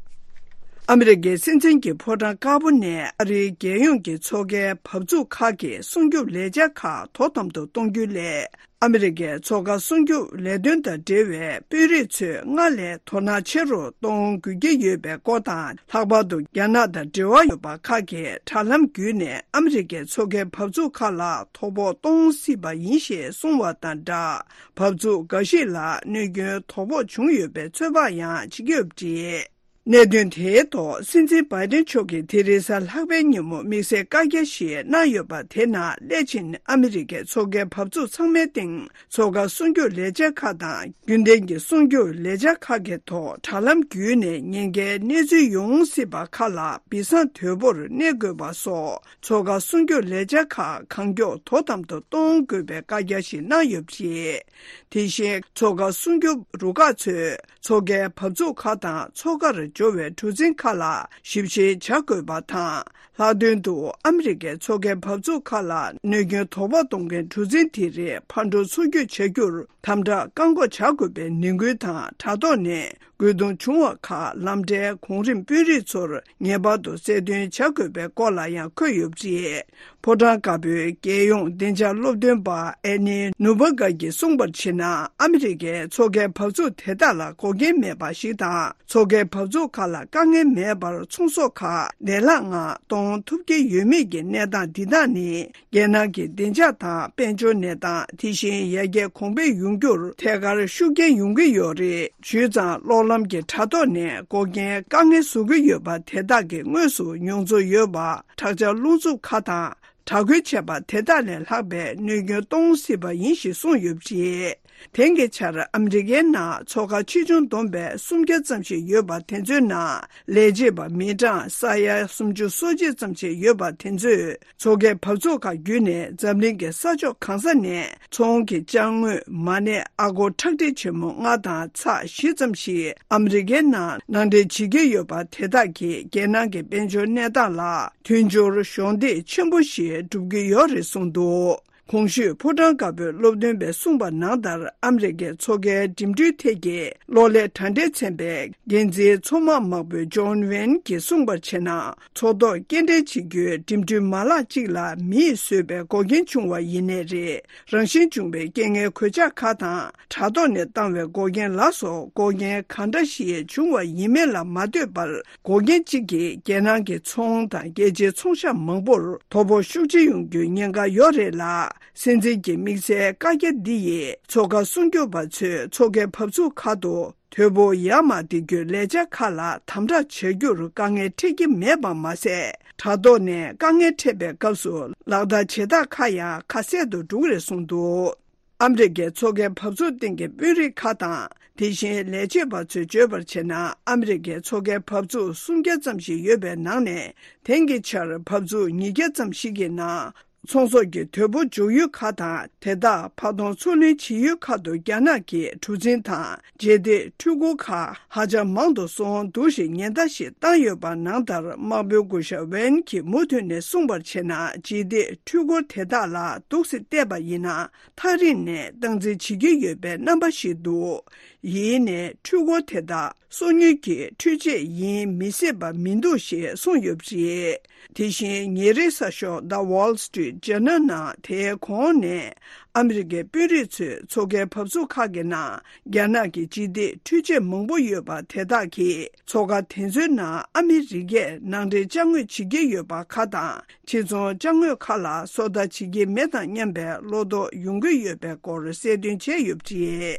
ཨ་མི་རི་ཀའི་སྲིད་འཛིན་གྱི་ཕོ་བྲང་དཀར་པོ་ནས་ཨ་རིའི་རྒྱལ་ཡོངས་ཀྱི་མཚོ་ཁའི་བབས་ཚུགས་ཁག་གི་སྲུང་སྐྱོབ་ལས་འཆར་ཁག་དོ་དམ་དུ་གཏོང་རྒྱུའི་སླད། ཨ་མི་རི་ཀའི་མཚོ་ཁ་སྲུང་སྐྱོབ་ལས་དོན་དང་འབྲེལ་བའི་དཔོན་རིགས་ཚོས་སྔར་ལས་དོ་སྣང་ཆེ་རུ་གཏོང་དགོས་ཀྱི་ཡོད་པའི་སྐོར་དང་། ལྷག་པར་དུ་རྒྱ་ནག་དང་འབྲེལ་བ་ཡོད་པ་ཁག་གིས་དྲ་ལམ་བརྒྱུད་ནས་ཨ་མི་རི་ཀའི་མཚོ་ཁའི་བབས་ཚུགས་ཁག་ལ་དོ་ཕོག་གཏོང་སྲིད་པ་ཡིན་ཞེས་གསུངས་བ་དང་སྦྲགས། བབས་ཚུགས་འགའ་ཞིག་ལ་གནོད་སྐྱོན་དོ་ཕོག་བྱུང་ཡོད་པའི་ཚོད་དཔག་ཡང་བྱེད་ཀྱི་ཡོད་པ་རེད། གནད་དོན་དེའི་ཐོག་སྲིད་འཛིན་བྷའི་ཏིན་མཆོག་གིས་དེ་རིང་གཟའ་ལྷག་པའི་ཉིན་མོ་དམིགས་བསལ་བཀའ་རྒྱ་ཞིག་གནང་ཡོད་པ་དེ་ནང་སླད་ཕྱིན་ཨ་མི་རི་ཀའི་མཚོ་ཁའི་བབས་ཚུགས་ཚང་མའི་སྟེང་མཚོ་ཁ་སྲུང་སྐྱོབ་ལས་འཆར་ཁག་དང་རྒྱུན་ལྡན་གྱི་སྲུང་སྐྱོབ་ལས་འཆར་ཁག་གི་ཐོག་དྲ་ལམ་བརྒྱུད་ནས་ཉེན་ཁའི་གནས་ཚུལ་ཡོང་སྲིད་པ་ཁག་ལ་སྦས་གསང་དོད་པོར་གནས་དགོས་པ་སོགས་མཚོ་ཁ་སྲུང་སྐྱོབ་ལས་འཆར་ཁག་གང་མགྱོགས་དོ་དམ་དུ་གཏོང་དགོས་པའི་བཀའ་རྒྱ་ཞིག་གནང་ཡོད་པ་རེད། དེ་བཞིན་མཚོ་ཁ་སྲུང་སྐྱོབ་རུ་ཁག་ཚོས་མཚོ་ཁའི་བབས་ཚུགས་ཁག་དང་མཚོ་ཁར་འབྱོར་བའི་གྲུ་གཟིངས་ཁག་ལ་ཞིབ་བཤེར་བྱ་དགོས་པ་དང་། ལྷག་དོན་དུ་ཨ་མི་རི་ཀའི་མཚོ་ཁའི་བབས་ཚུགས་ཁག་ལ་གནོད་སྐྱོན་དོ་ཕོག་གཏོང་མཁན་གྲུ་གཟིངས་དེ་རིགས་ཕར་འགྲོ་ཚུར་སྐྱོད་བྱ་རྒྱུར་དམ་དྲག་བཀག་འགོག་བྱ་དགོས་པའི་ནན་སྐུལ་དང་། དྲ་ཐོག་ནས་རྒོལ་རྡུང་བྱུང་བ་ཁག་ལམ་འཕྲལ་གོང་རིམ་དཔོན་རིགས་ཚོར་ངེས་པར་དུ་གསལ་སྟོན་བྱ་དགོས་པའི་སྐོར་ལ་ཡང་འཁོད་ཡོད་པ་རེད། ཕོ་བྲང་དཀར་པོའི་རྒྱལ་ཡོངས་བདེ་འཇགས་སློབ་སྟོན་པ་ཨེ་ནི་ནུ་བྷ་ག་གིས་གསུངས་པར་བྱས་ན། ཨ་མི་རི་ཀའི་མཚོ་ཁའི་བབས་ཚུགས་དེ་དག་ལ་འགོག་རྐྱེན་མེད་པ་ཞིག་དང་། མཚོ་ཁའི་བབས་ཚུགས་ཁག་ལ་དཀའ་ངལ་མེད་པར་ཚོང་ཟོག་ཁག་བདེ་བླག་ངང་གཏོང་ཐུབ་ཀྱི་ཡོད་མེད་ཀྱི་གནས་སྟངས་འདི་དག་ནི། རྒྱལ་ནང་གི་བདེ་འཇགས་དང་དཔལ་འབྱོར་གནས་སྟངས། དེ་བཞིན་ཡར་རྒྱས་གོང་འཕེལ་ཡོང་རྒྱུར་ཐད་ཀར་ཤུགས་རྐྱེན་ཡོང་གི་ཡོད་རེད། བྱས་ཙང་གློག་ལམ་གྱི་དྲ་ཐོག་ནས་འགོག་རྐྱེན་དཀའ་ངལ་བཟོ་གི་ཡོད་པ་དེ་དག་གི་དངོས་སུ་མྱོང་ཚོར་ཡོད་པ། དྲག་ཆར་རླུང་འཚུབ་ཁག་དང་དྲག་རྒོལ་བྱས་པ་དེ་དག་ལས་ལྷག་པའི་གནོད་སྐྱོན་གཏོང་སྲིད་པ་ཡིན་ཞེས་གསུངས་ཡོད་པ་རེད། དེང་གི་ཆར་ཨ་མི་རི་ཀའི་ནང་མཚོ་ཁ་ཆེ་ཆུང་བསྡོམས་པས་སུམ་བརྒྱ་ཙམ་ཞིག་ཡོད་པ་དེ་ཚོའི་ནང་ལས་བྱེད་པ་མི་གྲངས་ས་ཡ་སུམ་ཅུ་སོ་གཅིག་ཙམ་ཞིག་ཡོད་པ་དེ་ཚོས། མཚོ་ཁའི་བབས་ཚུགས་ཁག་བརྒྱུད་ནས་འཛམ་གླིང་གི་ས་ཕྱོགས་གང་ས་ནས་ཚོང་གི་ཅ་དངོས། མ་གནས་ཨ་སྒོར་ཁྲག་ཁྲིག་ཆེན་མོ་ལྔ་དང་ཚེག་བཞི་ཙམ་ཞིག་ཨ་མི་རི་ཀའི་ནང་ནང་འདྲེན་བྱེད་ཀྱི་ཡོད་པ་དེ་དག་གིས་རྒྱལ་ནང་གི་དཔལ་འབྱོར་གནས་སྟངས་ལ་མཐུན་སྦྱོར་གཞོགས་འདེགས་ཆེན་པོ་ཞིག་སྒྲུབ་ཀྱི་ཡོད་རེད་གསུངས་འདུག་གོང་ཞུས་ཕོ་བྲང་དཀར་པོའི་སློབ་སྟོན་པས་གསུངས་པ་ནང་ལྟར། ཨ་མི་རི་ཀའི་མཚོ་ཁའི་འགྲིམ་འགྲུལ་ཐད་ཀྱི་གློག་ཀླད་དྲ་འབྲེལ་ཚན་པའི་འགན་འཛིན་མཚོ་དམག་དམག་དཔོན་ཇོན་ཝན་གྱིས་གསུངས་པར་བྱས་ན། མཚོ་ཐོག་སྐྱེལ་འདྲེན་བྱེད་རྒྱུའི་འགྲིམ་འགྲུལ་མ་ལག་ཅིག་ལ་མིས་བཟོས་པའི་འགོག་རྐྱེན་བྱུང་བ་ཡིན་ནའི་རེད། རང་བཞིན་བྱུང་བའི་རྐྱེན་ངན་གོད་ཆག་ཁག་དང་། དྲ་ཐོག་ནས་བཏང་བའི་འགོག་རྐྱེན་ལ་སོགས་འགོག་རྐྱེན་གང་འདྲ་ཞིག་བྱུང་བ་ཡིན་མིན་ལ་མ་ལྟོས་པར། འགོག་རྐྱེན་གཅིག་གིས་རྒྱལ་ནང་གི་ཚོང་དང་རྒྱལ་སྤྱིའི་ཚོང་ཤག་མང་པོར་དོ་ཕོག་ཤུགས་ཆེ་ཡོང་རྒྱུའི་ཉེན་ཁ་ཡོད་རེད་ལ། སྲིད་འཛིན་གྱི་དམིགས་བསལ་བཀའ་རྒྱ་འདི་ཡིས་མཚོ་ཁ་སྲུང་སྐྱོབ་པ་ཚོས་མཚོ་ཁའི་བབས་ཚུགས་ཁག་ཏུ་དོ་ཕོག་ཡར་མར་འདེད་རྒྱུའི་ལས་འཆར་ཁག་ལ་དམ་དྲག་བྱ་རྒྱུར་དཀའ་ངལ་འཕྲད་ཀྱི་མེད་པ་མ་ཟད། དྲ་ཐོག་ནས་དཀའ་ངལ་འཕྲད་པའི་སྐབས་སུ་ལག་བསྟར་བྱེད་སྟངས་ཁག་ཡང་ཁ་གསལ་དུ་འགྲོ་གི་རེད་གསུངས་འདུག་ཨ་མི་རི་ཀའི་མཚོ་ཁའི་བབས་ཚུགས་སྟེང་གི་དཔོན་རིགས་ཁག་དང་། དེ་བཞིན་ལས་བྱེད་པ་ཚོས་བརྗོད་པར་བྱས་ན། ཨ་མི་རི་ཀའི་མཚོ་ཁའི་བབས་ཚུགས་སུམ་བརྒྱ་ཙམ་ཞིག་ཡོད་པའི་ནང་ནས། དེང་གི་ཆར་བབས་ཚུགས་ཉིས་བརྒྱ་ཙམ་ཞིག་གི་ནང་ཚོང་ཟོག་གི་དོ་ཕོག་འཇོག་ཡུལ་ཁག་དང་། དེ་དག་ཕར་གཏོང་ཚུར་ལེན་བྱེད་ཡུལ་ཁག་ཏུ་རྒྱ་ནག་གི་གྲུ་གཟིངས་དང་། རྗེས་འདེད་འཕྲུལ་འཁོར་ཁག་ཧ་ཅང་མང་དུ་སོང་འདུག་ཞེས་ཉེན་བརྡ་ཞིག་བཏང་ཡོད་པ་ནང་ལྟར། དམག་དཔོན་སྐུ་ཞབས་ཝེན་གྱིས་མུ་མཐུད་ནས་གསུངས་པར་བྱས་ན། རྗེས་འདེད་འཕྲུལ་འཁོར་དེ་དག་ལ་འདུག་སེ་བལྟས་པ་ཡིན་ན། ཐག་རིང་ནས་སྟངས་འཛིན་བྱེད་ཀྱི་ཡོད་པའི་རྣམ་པ་ཞིག་འདུག་ཡིན་ནའི་འཕྲུལ་འཁོར་དེ་དག་སོ་ཉུལ་གྱི་འཕྲུལ་ཆས་ཡིན་མི་སྲིད་པ་མི་འདུག་ཞེས་གསུངས་ཡོད་པ་རེད། དེ་བཞིན་ཉིན་རེའི་གསར་ཤོག་The Wall Street Journal ནང་དེའི་གོང་ནས། ཨ་མི་རི་ཀའི་དཔོན་རིགས་ཚོས་མཚོ་ཁའི་བབས་ཚུགས་ཁག་གི་ནང་རྒྱ་ནག་གི་རྗེས་འདེད་འཕྲུལ་ཆས་མང་པོ་ཡོད་པ་དེ་དག་གིས། མཚོ་ཁ་དེ་ཚོའི་ནང་ཨ་མི་རི་ཀས་ནང་འདྲེན་ཅ་དངོས་བྱེད་ཀྱི་ཡོད་པ་ཁག་དང་། ཕྱིར་ཚོང་ཅ་དངོས་ཁག་ལ་སོ་ལྟ་བྱེད་ཀྱི་མེད་དམ་སྙམ་པའི་བློ་དོགས་ཡོང་གི་ཡོད་པའི་སྐོར་གསལ་སྟོན་བྱས་ཡོད་པ་རེད།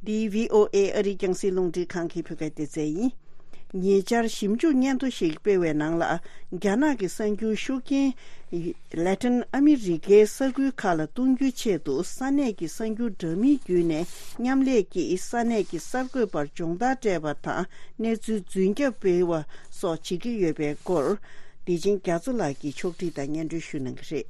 འདི་བྷི་ཨོ་ཨེ་ཨ་རིའི་རྒྱང་སྲིང་རླུང་འཕྲིན་ཁང་གི་བོད་སྐད་སྡེ་ཚན་ཡིན། ཉེ་ཆར་ཞིབ་འཇུག་སྙན་ཐོ་ཞིག་སྤེལ་བའི་ནང་ལ། རྒྱ་ནག་གི་གསར་འགྱུར་ཤུགས་རྐྱེན་ལེ་ཊིན་ཨ་མི་རི་ཀའི་ས་ཁུལ་ཁག་ལ་གཏོང་རྒྱུའི་ཆེད་དུ། ས་གནས་ཀྱི་གསར་འགྱུར་འདྲ་མིན་བརྒྱུད་ནས་མཉམ་ལས་ཀྱིས་ས་གནས་ཀྱི་གསར་འགོད་པར་སྦྱོང་བརྡར་སྤྲད་པ་དང་། གནས་ཚུལ་རྫུན་རྒྱབ་སྤེལ་བ་སོགས་བྱེད་ཀྱི་ཡོད་པའི་སྐོར། བདེ་ཆེན་རྒྱ་མཚོ་ལགས་ཀྱིས་ཕྱོགས་སྒྲིག་དང་སྙན་སྒྲོན་ཞུ་གནང་གི་རེད།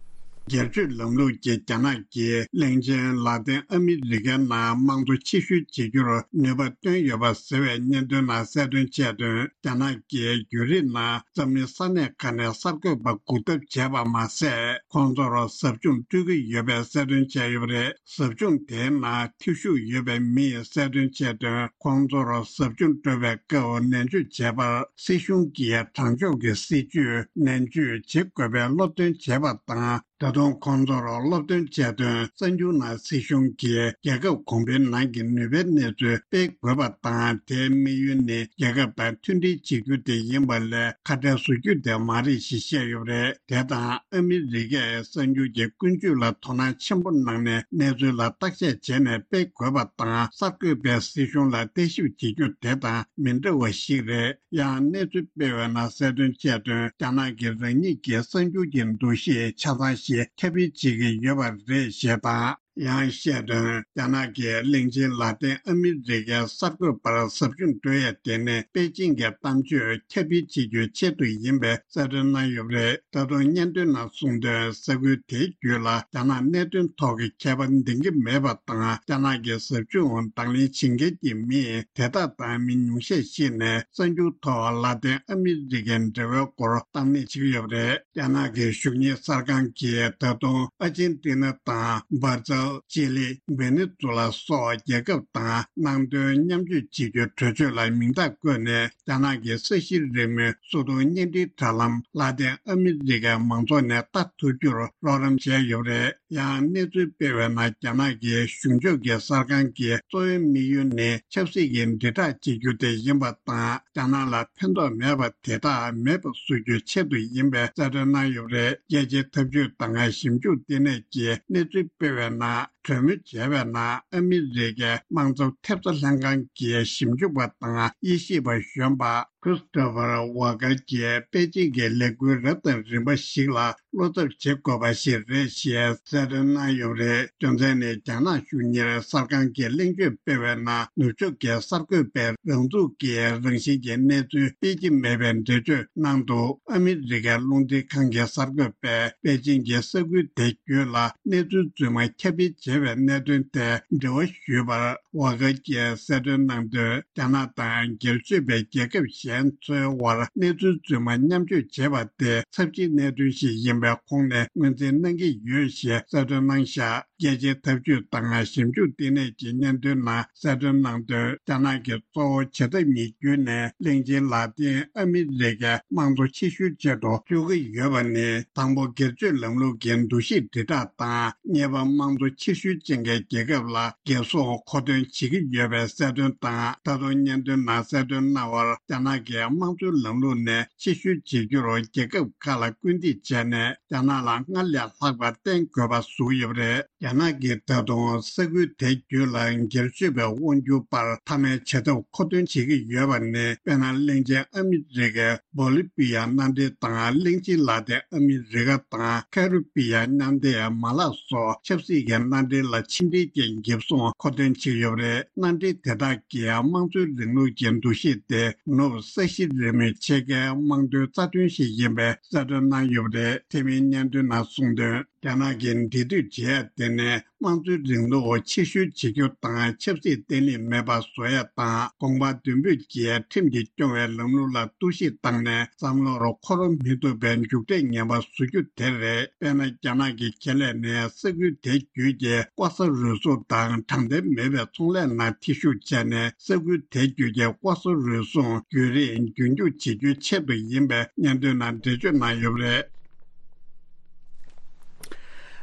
སྒེར་གཅོད་ལམ་ལུགས་ཀྱིས་རྒྱ་ནག་གིས་གླིང་ཆེན་ལ་ཏིན་ཨ་མི་རི་ཀའི་ནང་དམངས་གཙོ་ཕྱིར་བཤོལ་བྱེད་རྒྱུར་ནུས་པ་བཏོན་ཡོད་པ་ཟེར་བའི་སྙན་ཐོའི་ནང་གསལ་སྟོན་བྱས་དོན། རྒྱ་ནག་གིས་བརྒྱུད་རིམ་ནང་འཛམ་གླིང་ས་གནས་ཁག་ནས་གསར་འགོད་པ་སྒུག་ཐབས་བྱས་པ་མ་ཟད། ཁོང་ཚོར་ཟབ་སྦྱོང་སྤྲོད་ཀྱི་ཡོད་པའི་གསལ་སྟོན་བྱས་ཡོད་པ་རེད། ཟབ་སྦྱོང་དེའི་ནང་ཐེ་ཞུགས་ཡོད་པའི་མི་ཡིས་གསལ་སྟོན་བྱས་དོན། ཁོང་ཚོར་ཟབ་སྦྱོང་སྤྲོད་པའི་སྐབས་ནན་བརྗོད་བྱས་པར། སྲིད་གཞུང་གིས་དྲང་ཕྱོགས་ཀྱི་སྲིད་བྱུས་ནན་བརྗོད་བྱེད་དགོས་པའི་སློབ་སྟོན་བྱས་པ་དང་། ད་དུང་ཁོང་ཚོར་སློབ་སྟོན་བྱས་དོན། གསར་འགྱུར་ནང་སྲིད་གཞུང་གིས་རྒྱལ་ཁབ་གོང་བུའི་ནང་གི་ནུས་པའི་གནས་ཚུལ་སྤེལ་དགོས་པ་དང་། དེའི་དམིགས་ཡུལ་ནི་རྒྱལ་ཁབ་དང་མཐུན་སྒྲིལ་བྱེད་རྒྱུ་དེ་ཡིན་པ་ལས་ཁ་བྲལ་བཟོ་རྒྱུ་དེ་མ་རེད་ཞེས་བཤད་ཡོད་པ་རེད། དེ་དང་ཨ་མི་རི་ཀས་གསར་འགྱུར་གྱི་ཀུན་སྤྱོད་ལ་དོ་སྣང་ཆེན་པོ་གནང་ནས། གནས་ཚུལ་ལ་བརྟག་དཔྱད་བྱས་ནས་སྤེལ་དགོས་པ་དང་། གསར་འགོད་པས་སྲིད་གཞུང་ལ་བརྟག་ཞིབ་བྱེད་རྒྱུ་དེ་དང་མི་འདྲ་བ་ཞིག་རེད། ཡང་གནས་ཚུལ་སྤེལ་བའི་ནང་གསལ་སྟོན་བྱས་དོན། རྒྱ་ནག་གིས་རང་ཉིད་ཀྱི་གསར་འགྱུར་གྱི་འདུ་ཤེས་ཆ་ཚང་ཞིག་ཁྱབ་སྤེལ་བྱེད་ཀྱི་ཡོད་པ་རེད་ཞེས་དང་། ཡང་བཤད་དོན། རྒྱ་ནག་གིས་གླིང་ཆེན་ལ་ཏིན་ཨ་མི་རི་ཀའི་གསར་འགོད་པར་ཟབ་སྦྱོང་སྤྲོད་ཡས་དེ་ནི་པེ་ཅིང་གི་གཏམ་བརྗོད་ཁྱབ་སྤེལ་བྱེད་རྒྱུའི་ཆེད་དུ་ཡིན་པའི་གསལ་སྟོན་གནང་ཡོད་པ་རེད། ད་དུང་སྙན་ཐོའི་ནང་གསུངས་དོན། ས་ཁུལ་དེའི་བརྒྱུད་ལ་རྒྱ་ནག་གནད་དོན་ཐོག་གི་ཁྱད་པར་འདིང་གི་མེད་པ་དང་། རྒྱ་ནག་གི་ཟབ་སྦྱོང་དང་ལེན་བྱེད་མཁན་གྱི་མི་དེ་དག་དང་མི་ཉུང་ཤས་ཤིག་ནས་གསར་འགྱུར་ཐོག་ལ་ཏིན་ཨ་མི་རི་ཀའི་འབྲེལ་བའི་སྐོར་གཏམ་གླེང་བྱེད་ཀྱི་ཡོད་པ་རེད། རྒྱ་ནག་གི་གཞུང་གཉེར་གསར་ཁང་གིས་ད་དུང་ཨ་ཇེན་ཏི་ན་དང་འབར་ཛིལ། ཅི་ལི། ཝེ་ནེ་ཛུ་ལ་སོགས་རྒྱལ་ཁབ་དང་ནང་དོན་མཉམ་སྤྱོད་བྱེད་རྒྱུའི་གྲོས་ཆོད་ལ་མིང་རྟགས་བཀོད་ནས། རྒྱ་ནག་གི་ས་གཞིའི་རེས་མོས་སོ་བདུན་བརྙན་འཕྲིན་དྲ་ལམ་ལ་ཏིན་ཨ་མི་རི་ཀའི་མང་ཚོགས་ནས་ལྟ་ཐུབ་རྒྱུར་རོགས་རམ་བྱས་ཡོད་པ་རེད། ཡང་གནས་ཚུལ་སྤེལ་བའི་ནང་། རྒྱ་ནག་གི་གཞུང་ཕྱོགས་ཀྱི་གསར་ཁང་གི་གཙོ་བོའི་དམིགས་ཡུལ་ནི་ཆབ་སྲིད་ཀྱི་དྲིལ་བསྒྲགས་བྱེད་རྒྱུ་དེ་ཡིན་པ་དང་། རྒྱ་ནག་ལ་ཕན་ཐོགས་མེད་པ་དེ་དག་མེད་པ་བཟོ་རྒྱུའི་ཆེད་དུ་ཡིན་པའི་གསལ་སྟོན་གནང་ཡོད་པ་རེད། རྒྱལ་སྤྱིའི་འཐབ་ཇུས་དང་ཞིབ་འཇུག་ལྟེ་གནས་ཀྱིས་གནས་ཚུལ་སྤེལ་བའི་ནང་། གྲོས་མོལ་བྱས་པའི་ནང་། ཨ་མི་རི་ཀའི་དམངས་གཙོ་ཐེབས་རྩ་ལྷན་ཁང་གི་ཞིབ་འཇུག་པ་དང་དབྱེ་ཞིབ་པ་གཞོན་པ་ཁྲིས་ཏོ་ཕར་ཝ་ཀར་གྱིས་པེ་ཅིང་གི་ལས་འགུལ་རབ་དང་རིམ་པ་ཞིག་ལ་བློ་འཚབ་བྱེད་དགོས་པ་ཞིག་རེད་ཅེས་གསལ་སྟོན་གནང་ཡོད་པ་རེད། རྒྱུ་མཚན་ནི། རྒྱ་ནག་གཞུང་གཉེར་གསར་ཁང་གིས་གླེང་བརྗོད་སྤེལ་བའི་ནང་། ནུབ་ཕྱོགས་ཀྱི་གསར་འགོད་པས་རང་ཚུགས་ཀྱི་རང་བཞིན་གྱི་གནས་ཚུལ་སྤེལ་གྱི་མེད་པའི་འགྲེལ་བརྗོད་གནང་འདུག་ཨ་མི་རི་ཀའི་རླུང་འཕྲིན་ཁང་གི་གསར་འགོད་པས་པེ་ཅིང་གི་ས་ཁུལ་དེ་བརྒྱུད་ལ་གནས་ཚུལ་རྫུན་མ་ཁྱབ་སྤེལ་བྱས་པའི་གནད་དོན་དེ་འགྲེལ་བ་ཞུས་པར། ཝ་ཀར་གྱིས་གསལ་སྟོན་གནང་དོན། རྒྱ་ནག་དང་སྒེར་གཅོད་པའི་རྒྱལ་ཁབ་གཞན་ཚོའི་དབར་གནས་ཚུལ་རྫུན་མ་མཉམ་སྤྱོད་བྱེད་པ་དེ་ཚབས་ཆེའི་གནད་དོན་ཞིག་ཡིན་པའི་ཁོངས་ནས་ངོས་འཛིན་གནང་གི་ཡོད་ཞེས་གསལ་སྟོན་གནང་བཞག་རྒྱལ་སྤྱིའི་འཐབ་ཇུས་དང་ཞིབ་འཇུག་ལྟེ་གནས་ཀྱི་སྙན་ཐོའི་ནང་གསལ་སྟོན་གནང་དོན། རྒྱ་ནག་གིས་གཙོ་བོ་བྱེད་ཐབས་གཉིས་བརྒྱུད་ནས་གླིང་ཆེན་ལ་ཏིན་ཨ་མི་རི་ཀའི་དམངས་གཙོ་ཕྱིར་བཤོལ་ཆེད་དུ་བཅུག་གི་ཡོད་པ་ནི། དང་པོ། སྒེར་གཅོད་ལམ་ལུགས་ཀྱི་འདུ་ཤེས་དྲིལ་བསྒྲགས་དང་། གཉིས་པ། དམངས་གཙོ་ཕྱིར་བཤོལ་ཅན་གྱི་རྒྱལ་ཁབ་ལ་འགེབས་སྲུང་མཁོ་འདོན་བྱེད་ཀྱི་ཡོད་པའི་གསལ་སྟོན་དང་། ད་དུང་སྙན་ཐོའི་ནང་གསལ་སྟོན་གནང་བར། རྒྱ་ནག་གིས་དམངས་གཙོའི་ལམ་ལུགས་ནས་ཕྱིར་བཤོལ་བྱེད་རྒྱུར་རྒྱལ་ཁབ་ཁག་ལ་སྐུལ་འདེད་བྱས་ནས། རྒྱ་ནག་ལ་སྔར་ལས་ལྷག་པར་བརྟེན་དགོས་པ་བཟོས་ཡོད་པ་རེད། རྒྱ་ནག་གིས་ད་དུང་ས་ཁུལ་དེ་བརྒྱུད་ལ་སྒེར་གཅོད་པའི་དབང་སྒྱུར་པར་མཐའ་མའི་བྱ་ཐབས་མཁོ་འདོན་བྱེད་ཀྱི་ཡོད་པ་ནི། དཔེར་ན། གླིང་ཆེན་ཨ་མི་རི་ཀའི་བོ་ལི་བི་ཡ་མནའ་འབྲེལ་དང་། གླིང་ཆེན་ལ་ཏིན་ཨ་མི་རི་ཀ་དང་ཁ་རི་བི་ཡ་མནའ་འབྲེལ་མ་ལག་སོགས་ཆབ་སྲིད་ཀྱི་མནའ་འབྲེལ་ལ་ཕྱི་འབྲེལ་གྱི་འགེབས་སྲུང་མཁོ་འདོན་བྱེད་ཀྱི་ཡོད་པ་རེད། མནའ་འབྲེལ་དེ་དག་གིས་དམངས་གཙོའི་རིང་ལུགས་ཀྱི་འདུ་ཤེས་དེ་ནུབ་ས་གཞི་རེས་མོས་ཕྱེད་ཀའི་དམངས་དོན་རྩ་དོན་ཞིག་ཡིན་པའི་གསལ་སྟོན་གནང་ཡོད་པ་རེད། དེ་མིན་སྙན་ཐོའི་ནང་གསུངས་དོན། རྒྱ་ནག་གིས་འབྲེལ་མཐུད་བྱེད་ཡ་དེ་ནི་དམངས་གཙོའི་རིང་ལུགས་ཕྱིར་བཤོལ་བྱེད་རྒྱུ་དང་ཆབ་སྲིད་བརྟན་ལྷིང་མེད་པ་བཟོ་ཡ་དང་། གོང་འཕེལ་མདུན་སྤོས་ཀྱིས་ཁྲིམས་ཀྱིས་སྐྱོང་བའི་ལམ་ལུགས་ལ་གཏོར་བཤིག་བཏང་ནས་བསམ་བློར་འཁོར་མི་ཐུབ་པའི་མཇུག་འབྲས་ངན་པ་བཟོ་རྒྱུ་དེ་རེད། དཔེར་ན། རྒྱ་ནག་གི་ཁེ་ལས་ནས་ས་ཁུལ་དེ་བརྒྱུད་ཀྱི་ལྐོག་ཟ་རུལ་སུངས་དང་དྲང་བདེན་མེད་པའི་ཚོང་ལས་ནང་འཐེན་ཤུགས་བྱས་ནས། ས་ཁུལ་དེ་བརྒྱུད་ཀྱི་ལྐོག་ཟ་རུལ་སུངས་བརྒྱུད་རིམ་རྒྱུན་སྐྱོང་བྱེད་རྒྱུའི་ཆེད་དུ་ཡིན་པའི་སྙན་ཐོའི་ནང་འགྲེལ་བརྗོད་གནང་ཡོད་པ་རེད།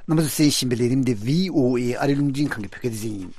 རྣམ་པ་ཚོས་གསན་བཞིན་པའི་ལས་རིམ་འདི་བྷི་ཨོ་ཨེ་ཨ་རིའི་རླུང་འཕྲིན་ཁང་གི་བོད་སྐད་སྡེ་ཚན་ཡིན།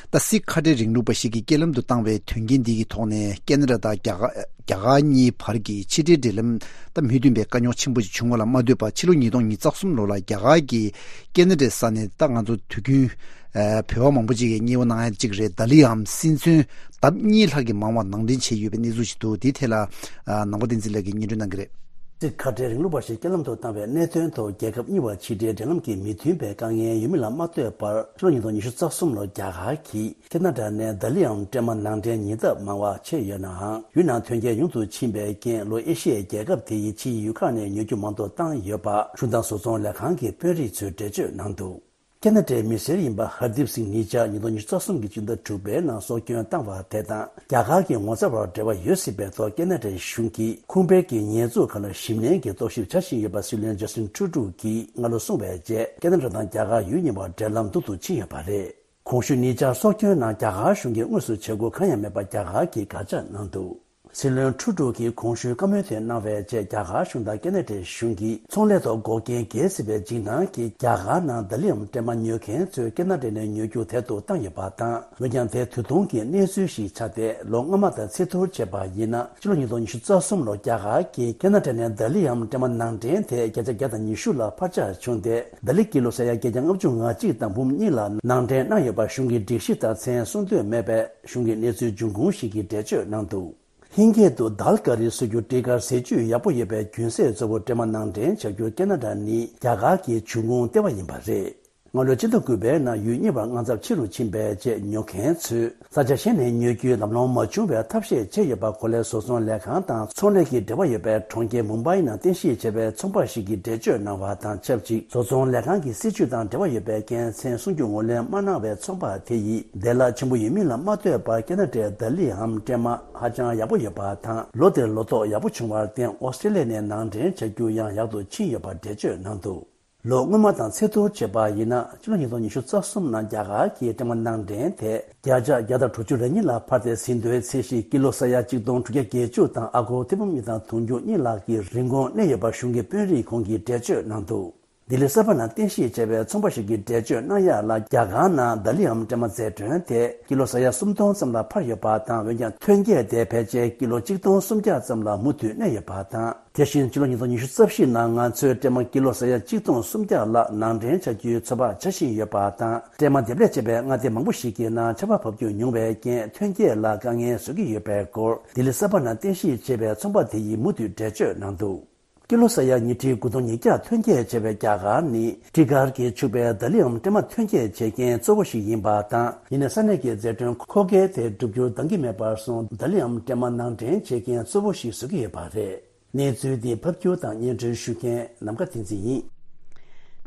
ད་སི་ཁ་བྲལ་རིང་ལུགས་པ་ཞིག་གིས་སྐྱེ་ལམ་དུ་བཏང་བའི་དོན་རྐྱེན་འདི་གི་ཐོག་ནས། ཀེ་ན་ཌ་དང་རྒྱ་གར་རྒྱ་གར་གཉིས་བར་གྱི་ཕྱི་འབྲེལ་འབྲེལ་ལམ་ད་མུ་མཐུད་པའི་དཀའ་རྙོག་ཆེན་པོ་ཞིག་བྱུང་བ་ལ་མ་ལྟོས་པར། ཕྱི་ལོ་ཉིས་སྟོང་ཉི་ཤུ་རྩ་གསུམ་ལོ་ལ་རྒྱ་གར་གྱིས་ཀེ་ན་ཌའི་ས་ནས་ད་ང་ཚོ་དུས་རྒྱུན་ཨ་བོད་པ་མང་པོ་ཅིག་གིས་མཉེས་པོ་གནང་ཡ་གཅིག་རེད། ལྡ་ལིའམ་སྲིད་ཚོན་ལྡབ་གཉིས་ལྷག་གིས་མང་བ་ནང་འདྲེན་བྱས་ཡོད་པའི་གནས་ཚུལ་ཞིག་འདུག་དེའི་ཐད་ལ་ཨ་ནང་པ་བསྟན་འཛིན་ལགས་ཀྱིས་སྙན་སྒྲོན་གནང་གི་རེད། རྩིས་ཁ་བྲལ་རིང་ལུགས་པ་ཞིག་རྐྱེན་ལམ་དུ་བཏང་བའི་གནད་དོན་ཐོག་རྒྱལ་ཁབ་གཉིས་བར་ཕྱི་འབྲེལ་འབྲེལ་ལམ་གྱི་མི་མཐུན་པའི་དཀའ་ངལ་ཡོད་མིན་ལ་མ་ལྟོས་པར། ཕྱི་ལོ་ཉིས་སྟོང་ཉི་ཤུ་རྩ་གསུམ་ལོར་རྒྱ་གར་གྱིས་ཁེ་ན་ཌ་ནས་ལྡ་ལིའམ་འདྲེས་མ་ནང་འདྲེན་ཉེ་ལྟབ་མང་བ་བྱས་ཡོད་ནའང་། ཡུལ་ནང་ཐོན་སྐྱེད་ཉུང་དུ་ཕྱིན་པའི་རྐྱེན་ལོ་ཨེ་ཤི་ཡའི་རྒྱལ་ཁབ་དེ་ཡི་ཕྱིའི་ཡུལ་ཁག་ནས་ཉོ་རྒྱུ་མང་དུ་བཏང་ཡོད་པ་གཞུང་དང་བཟོ་ཚོང་ལས་ཁང་གི་དཔོན་རིགས་ཚོས་འགྲེལ་བརྗོད་གནང་འདུག་ཁེ་ན་ཌའི་མི་སེར་ཡིན་པ་ཧར་དིབ་སིང་ནི་ཇར་ཉིས་སྟོང་ཉི་ཤུ་རྩ་གསུམ་གྱི་སྤྱི་ཟླ་དྲུག་པའི་ནང་སྲོག་སྐྱོན་བཏང་བ་དེ་དང་། རྒྱ་གར་གྱི་ངོ་མཚར་བར་འབྲེལ་བ་ཡོད་སྲིད་པའི་ཐོག་ཁེ་ན་ཌའི་གཞུང་གིས་ཁུངས་སྤེལ་གྱི་ཉེས་འཛུགས་ཁག་ལ་ཞིབ་ནན་གྱིས་རྟོག་ཞིབ་བྱ་བཞིན་ཡོད་པ་སྲིད་བློན་ཇ་སི་ཊིན་ཊུ་རུ་ཌོ་གིས་སྔ་ལོ་གསུངས་པའི་རྗེས། ཁེ་ན་ཌ་དང་རྒྱ་གར་ཡུལ་གཉིས་བར་འབྲེལ་ལམ་སྡུག་ཏུ་ཕྱིན་ཡོད་པ་རེད། གོང་ཞུས་ནི་ཇར་སྲོག་སྐྱོན་ནང་རྒྱ་གར་གཞུང་གིས་དངོས་སུ་བྱེད་སྒོ་གང་ཡང་མེད་པ་རྒྱ་གར་གྱིས་དགག་བྱ་གནང་འདུག་སྲིད་བློན་ཊུ་རུ་ཌོ་གིས་གོང་ཞུས་བཀའ་མོལ་དེ་གནང་བའི་རྗེས། རྒྱ་གར་གཞུང་དང་ཁེ་ན་ཌའི་གཞུང་གིས་ཚོང་ལས་ཐོག་འགོག་རྐྱེན་འགེལ་སྲིད་པའི་འཇིགས་སྣང་གིས་རྒྱ་གར་ནང་ལྡ་ལི་ཡམ་འདྲེས་མ་ཉོ་མཁན་ཚོས་ཁེ་ན་ཌ་ནས་ཉོ་རྒྱུ་དལ་དུ་བཏང་ཡོད་པ་དང་། འོན་ཀྱང་དེ་དུས་ཐུང་གི་གནས་ཚུལ་ཞིག་ཆགས་ཏེ། ལོ་སྔོན་མ་དང་ཚད་ཐུར་བྱས་པ་ཡིན་ན། ཕྱི་ལོ་ཉིས་སྟོང་ཉི་ཤུ་རྩ་གསུམ་ལོར་རྒྱ་གར་གྱིས་ཁེ་ན་ཌ་ནས་ལྡ་ལི་ཡམ་འདྲེས་མ་ནང་འདྲེན་དེ་བརྒྱ་ཆ་བརྒྱ་དང་ཉི་ཤུ་ལ་འཕར་ཆག་བྱུང་སྟེ། ལྡ་ལི་ཀི་ལོ་ས་ཡ་བརྒྱད་བརྒྱ་ལྔ་བཅུ་ང་གཅིག་དང་འབུམ་གཉིས་ལ་ནང་འདྲེན་གནང་ཡོད་པ་གཞུང་གི་སྒྲིག་གཞི་དང་མཚན་སྲུང་འདོད་མེད་པས། གཞུང་གི་གནས་ཚུལ་འབྱུང་ཁུངས་ཤིག་གིས་འགྲེལ་བརྗོད་གནང་འདུག་ཧིན་སྐད་དུ་དཱལ་ཀ་རི་ཟེར་རྒྱུ་སྤྲི་དཀར་ཟས་བཅུད་ཡག་པོ་ཡོད་པའི་རྒྱུན་ཟས་གཙོ་བོ་འདྲེས་མ་ནང་འདྲེན་བྱ་རྒྱུར་ཁེ་ན་ཌ་ནི་རྒྱ་གར་གྱི་འབྱུང་ཁུངས་ལྟེ་བ་ཡིན་པ་རེད། སྔ་ལོའི་ཕྱི་ཟླ་དགུ་པའི་ནང་ཡུལ་གཉིས་བར་དངངས་འཚབ་ཆེ་རུ་ཕྱིན་པའི་རྗེས། ཉོ་མཁན་ཚོས་ས་ཆ་གཞན་ནས་ཉོ་རྒྱུའི་ལམ་ལྷོང་མ་བྱུང་བའི་ཐབས་ཤེས་བྱས་ཡོད་པ། གོ་ལའི་བཟོ་ཚོང་ལས་ཁང་དང་ཚོང་ལས་ཀྱི་འབྲེལ་བ་ཡོད་པའི་གྲོང་ཁྱེར་མུམ་བྷའི་ནང་རྟེན་གཞི་བྱས་པའི་ཚོང་པ་ཞིག་གིས་འགྲེལ་བརྗོད་གནང་བ་དང་ཆབས་ཅིག་བཟོ་ཚོང་ལས་ཁང་གི་སྲིད་ཇུས་དང་འབྲེལ་བ་ཡོད་པའི་རྐྱེན་མཚན་སྲུང་རྒྱུ་ངོས་ལེན་མ་གནང་བའི་ཚོང་པ་དེ་ཡིས་བདེ་བླག་ཆེན་པོ་ཡོད་མིན་ལ་མ་ལྟོས་པར། ཁེ་ན་ཌའི་ལྡ་ལིའམ་འདྲེས་མ་ཧ་ཅང་ཡག་པོ་ཡོད་པ་དང་། ལོ་དེར་ལོ་ཐོག་ཡག་པོ་བྱུང་བར་བརྟེན། ཨོ་སི་ཀྲེ་ལི་ཡ་ནས་ནང་འདྲེན་བྱ་རྒྱུ་ཡང་ཡག་ཏུ་ཕྱིན་ཡོད་པ་འགྲེལ་བརྗོད་གནང་འདུག་ལོ་སྔོན་མ་དང་ཚད་ཐུར་བྱས་པ་ཡིན་ན། ཕྱི་ལོ་ཉིས་སྟོང་ཉི་ཤུ་རྩ་གསུམ་ནང་རྒྱ་གར་གྱི་འདྲེས་མ་ནང་འདྲེན་དེ་བརྒྱ་ཆ་བརྒྱ་དང་དྲུག་ཅུ་རེ་གཉིས་ལ་འཕར་ཏེ། ཟིན་ཐོའི་ཚད་གཞི་ཀི་ལོ་ས་ཡ་གཅིག་སྟོང་དྲུག་བརྒྱ་བརྒྱད་ཅུ་དང་ཨ་སྒོར་ཐེར་འབུམ་གཉིས་དང་དུང་ཕྱུར་གཉིས་ལྷག་གི་རིན་གོང་གནས་ཡོད་པ་གཞུང་གི་དཔོན་རིགས་ཁོང་གིས་འགྲེལ་བརྗོད་གནང་འདུག་ལྡི་ལི་གསར་པ་ནང་རྟེན་གཞི་བྱས་པའི་ཚོང་པ་ཞིག་གིས་འགྲེལ་བརྗོད་གནང་ཡག་ལ། རྒྱ་གར་ནང་ལྡ་ལི་འམ་འདྲེས་མ་རྫས་གྲོན་དེ་ཀི་ལོ་ས་ཡ་སུམ་སྟོང་ཙམ་ལ་འཕར་ཡོད་པ་དང་། འོན་ཀྱང་ཐོན་སྐྱེད་དེ་ཕལ་ཆེར་ཀི་ལོ་གཅིག་སྟོང་སུམ་བརྒྱ་ཙམ་ལ་མུ་མཐུད་གནས་ཡོད་པ་དང་། དེ་བཞིན་ཕྱི་ལོ་ཉིས་སྟོང་ཉི་ཤུ་རྩ་བཞི་ནང་ང་ཚོས་འདྲེས་མ་ཀི་ལོ་ས་ཡ་གཅིག་སྟོང་སུམ་བརྒྱ་ལྷག་ནང་འདྲེན་བྱ་རྒྱུའི་ཚོད་དཔག་བྱ་བཞིན་ཡོད་པ་དང་། འདྲེས་མ་འདེབས་ལས་བྱས་པའི་མངའ་སྡེ་མང་པོ་ཞིག་གི་ནང་ཆར་པ་བབས་རྒྱུ་ཉུང་བའི་རྐྱེན་ཐོན་སྐྱེད་ལ་དཀའ་ངལ་བཟོ་གི་ཡོད་པའི་སྐོར། ལྡི་ལི་གསར་པ་ནང་རྟེན་གཞི་བྱས་པའི་ཚོང་པ་དེ་ཡིས་མུ་མཐུད་འགྲེལ་བརྗོད་གནང་འདུག་ཀི་ལོ་ས་ཡ་ཉིས་ཁྲི་དགུ་སྟོང་ཉིས་བརྒྱ་ཐོན་སྐྱེད་བྱས་པའི་རྒྱ་གར་ནི་སྤྲི་དཀར་གྱིས་ཕྱུག་པའི་ལྡ་ལི་འམ་འདྲེས་མ་ཐོན་སྐྱེད་བྱེད་མཁན་གཙོ་བོ་ཞིག་ཡིན་པ་དང་། ཡིན་ནའི་ས་གནས་ཀྱི་རྫས་གྲོན་མཁོ་གལ་དེ་བསྒྲུབ་རྒྱུར་འདང་གི་མེད་པར་སོང་། ལྡ་ལི་འམ་འདྲེས་མ་ནང་འདྲེན་བྱེད་མཁན་གཙོ་བོ་ཞིག་བཟོ་གི་ཡོད་པ་རེད། གནས་ཚུལ་འདི་ཕབ་སྒྱུར་དང་སྙན་སྒྲོན་ཞུ་མཁན་ནམ་མཁའ་བསྟན་འཛིན་ཡིན།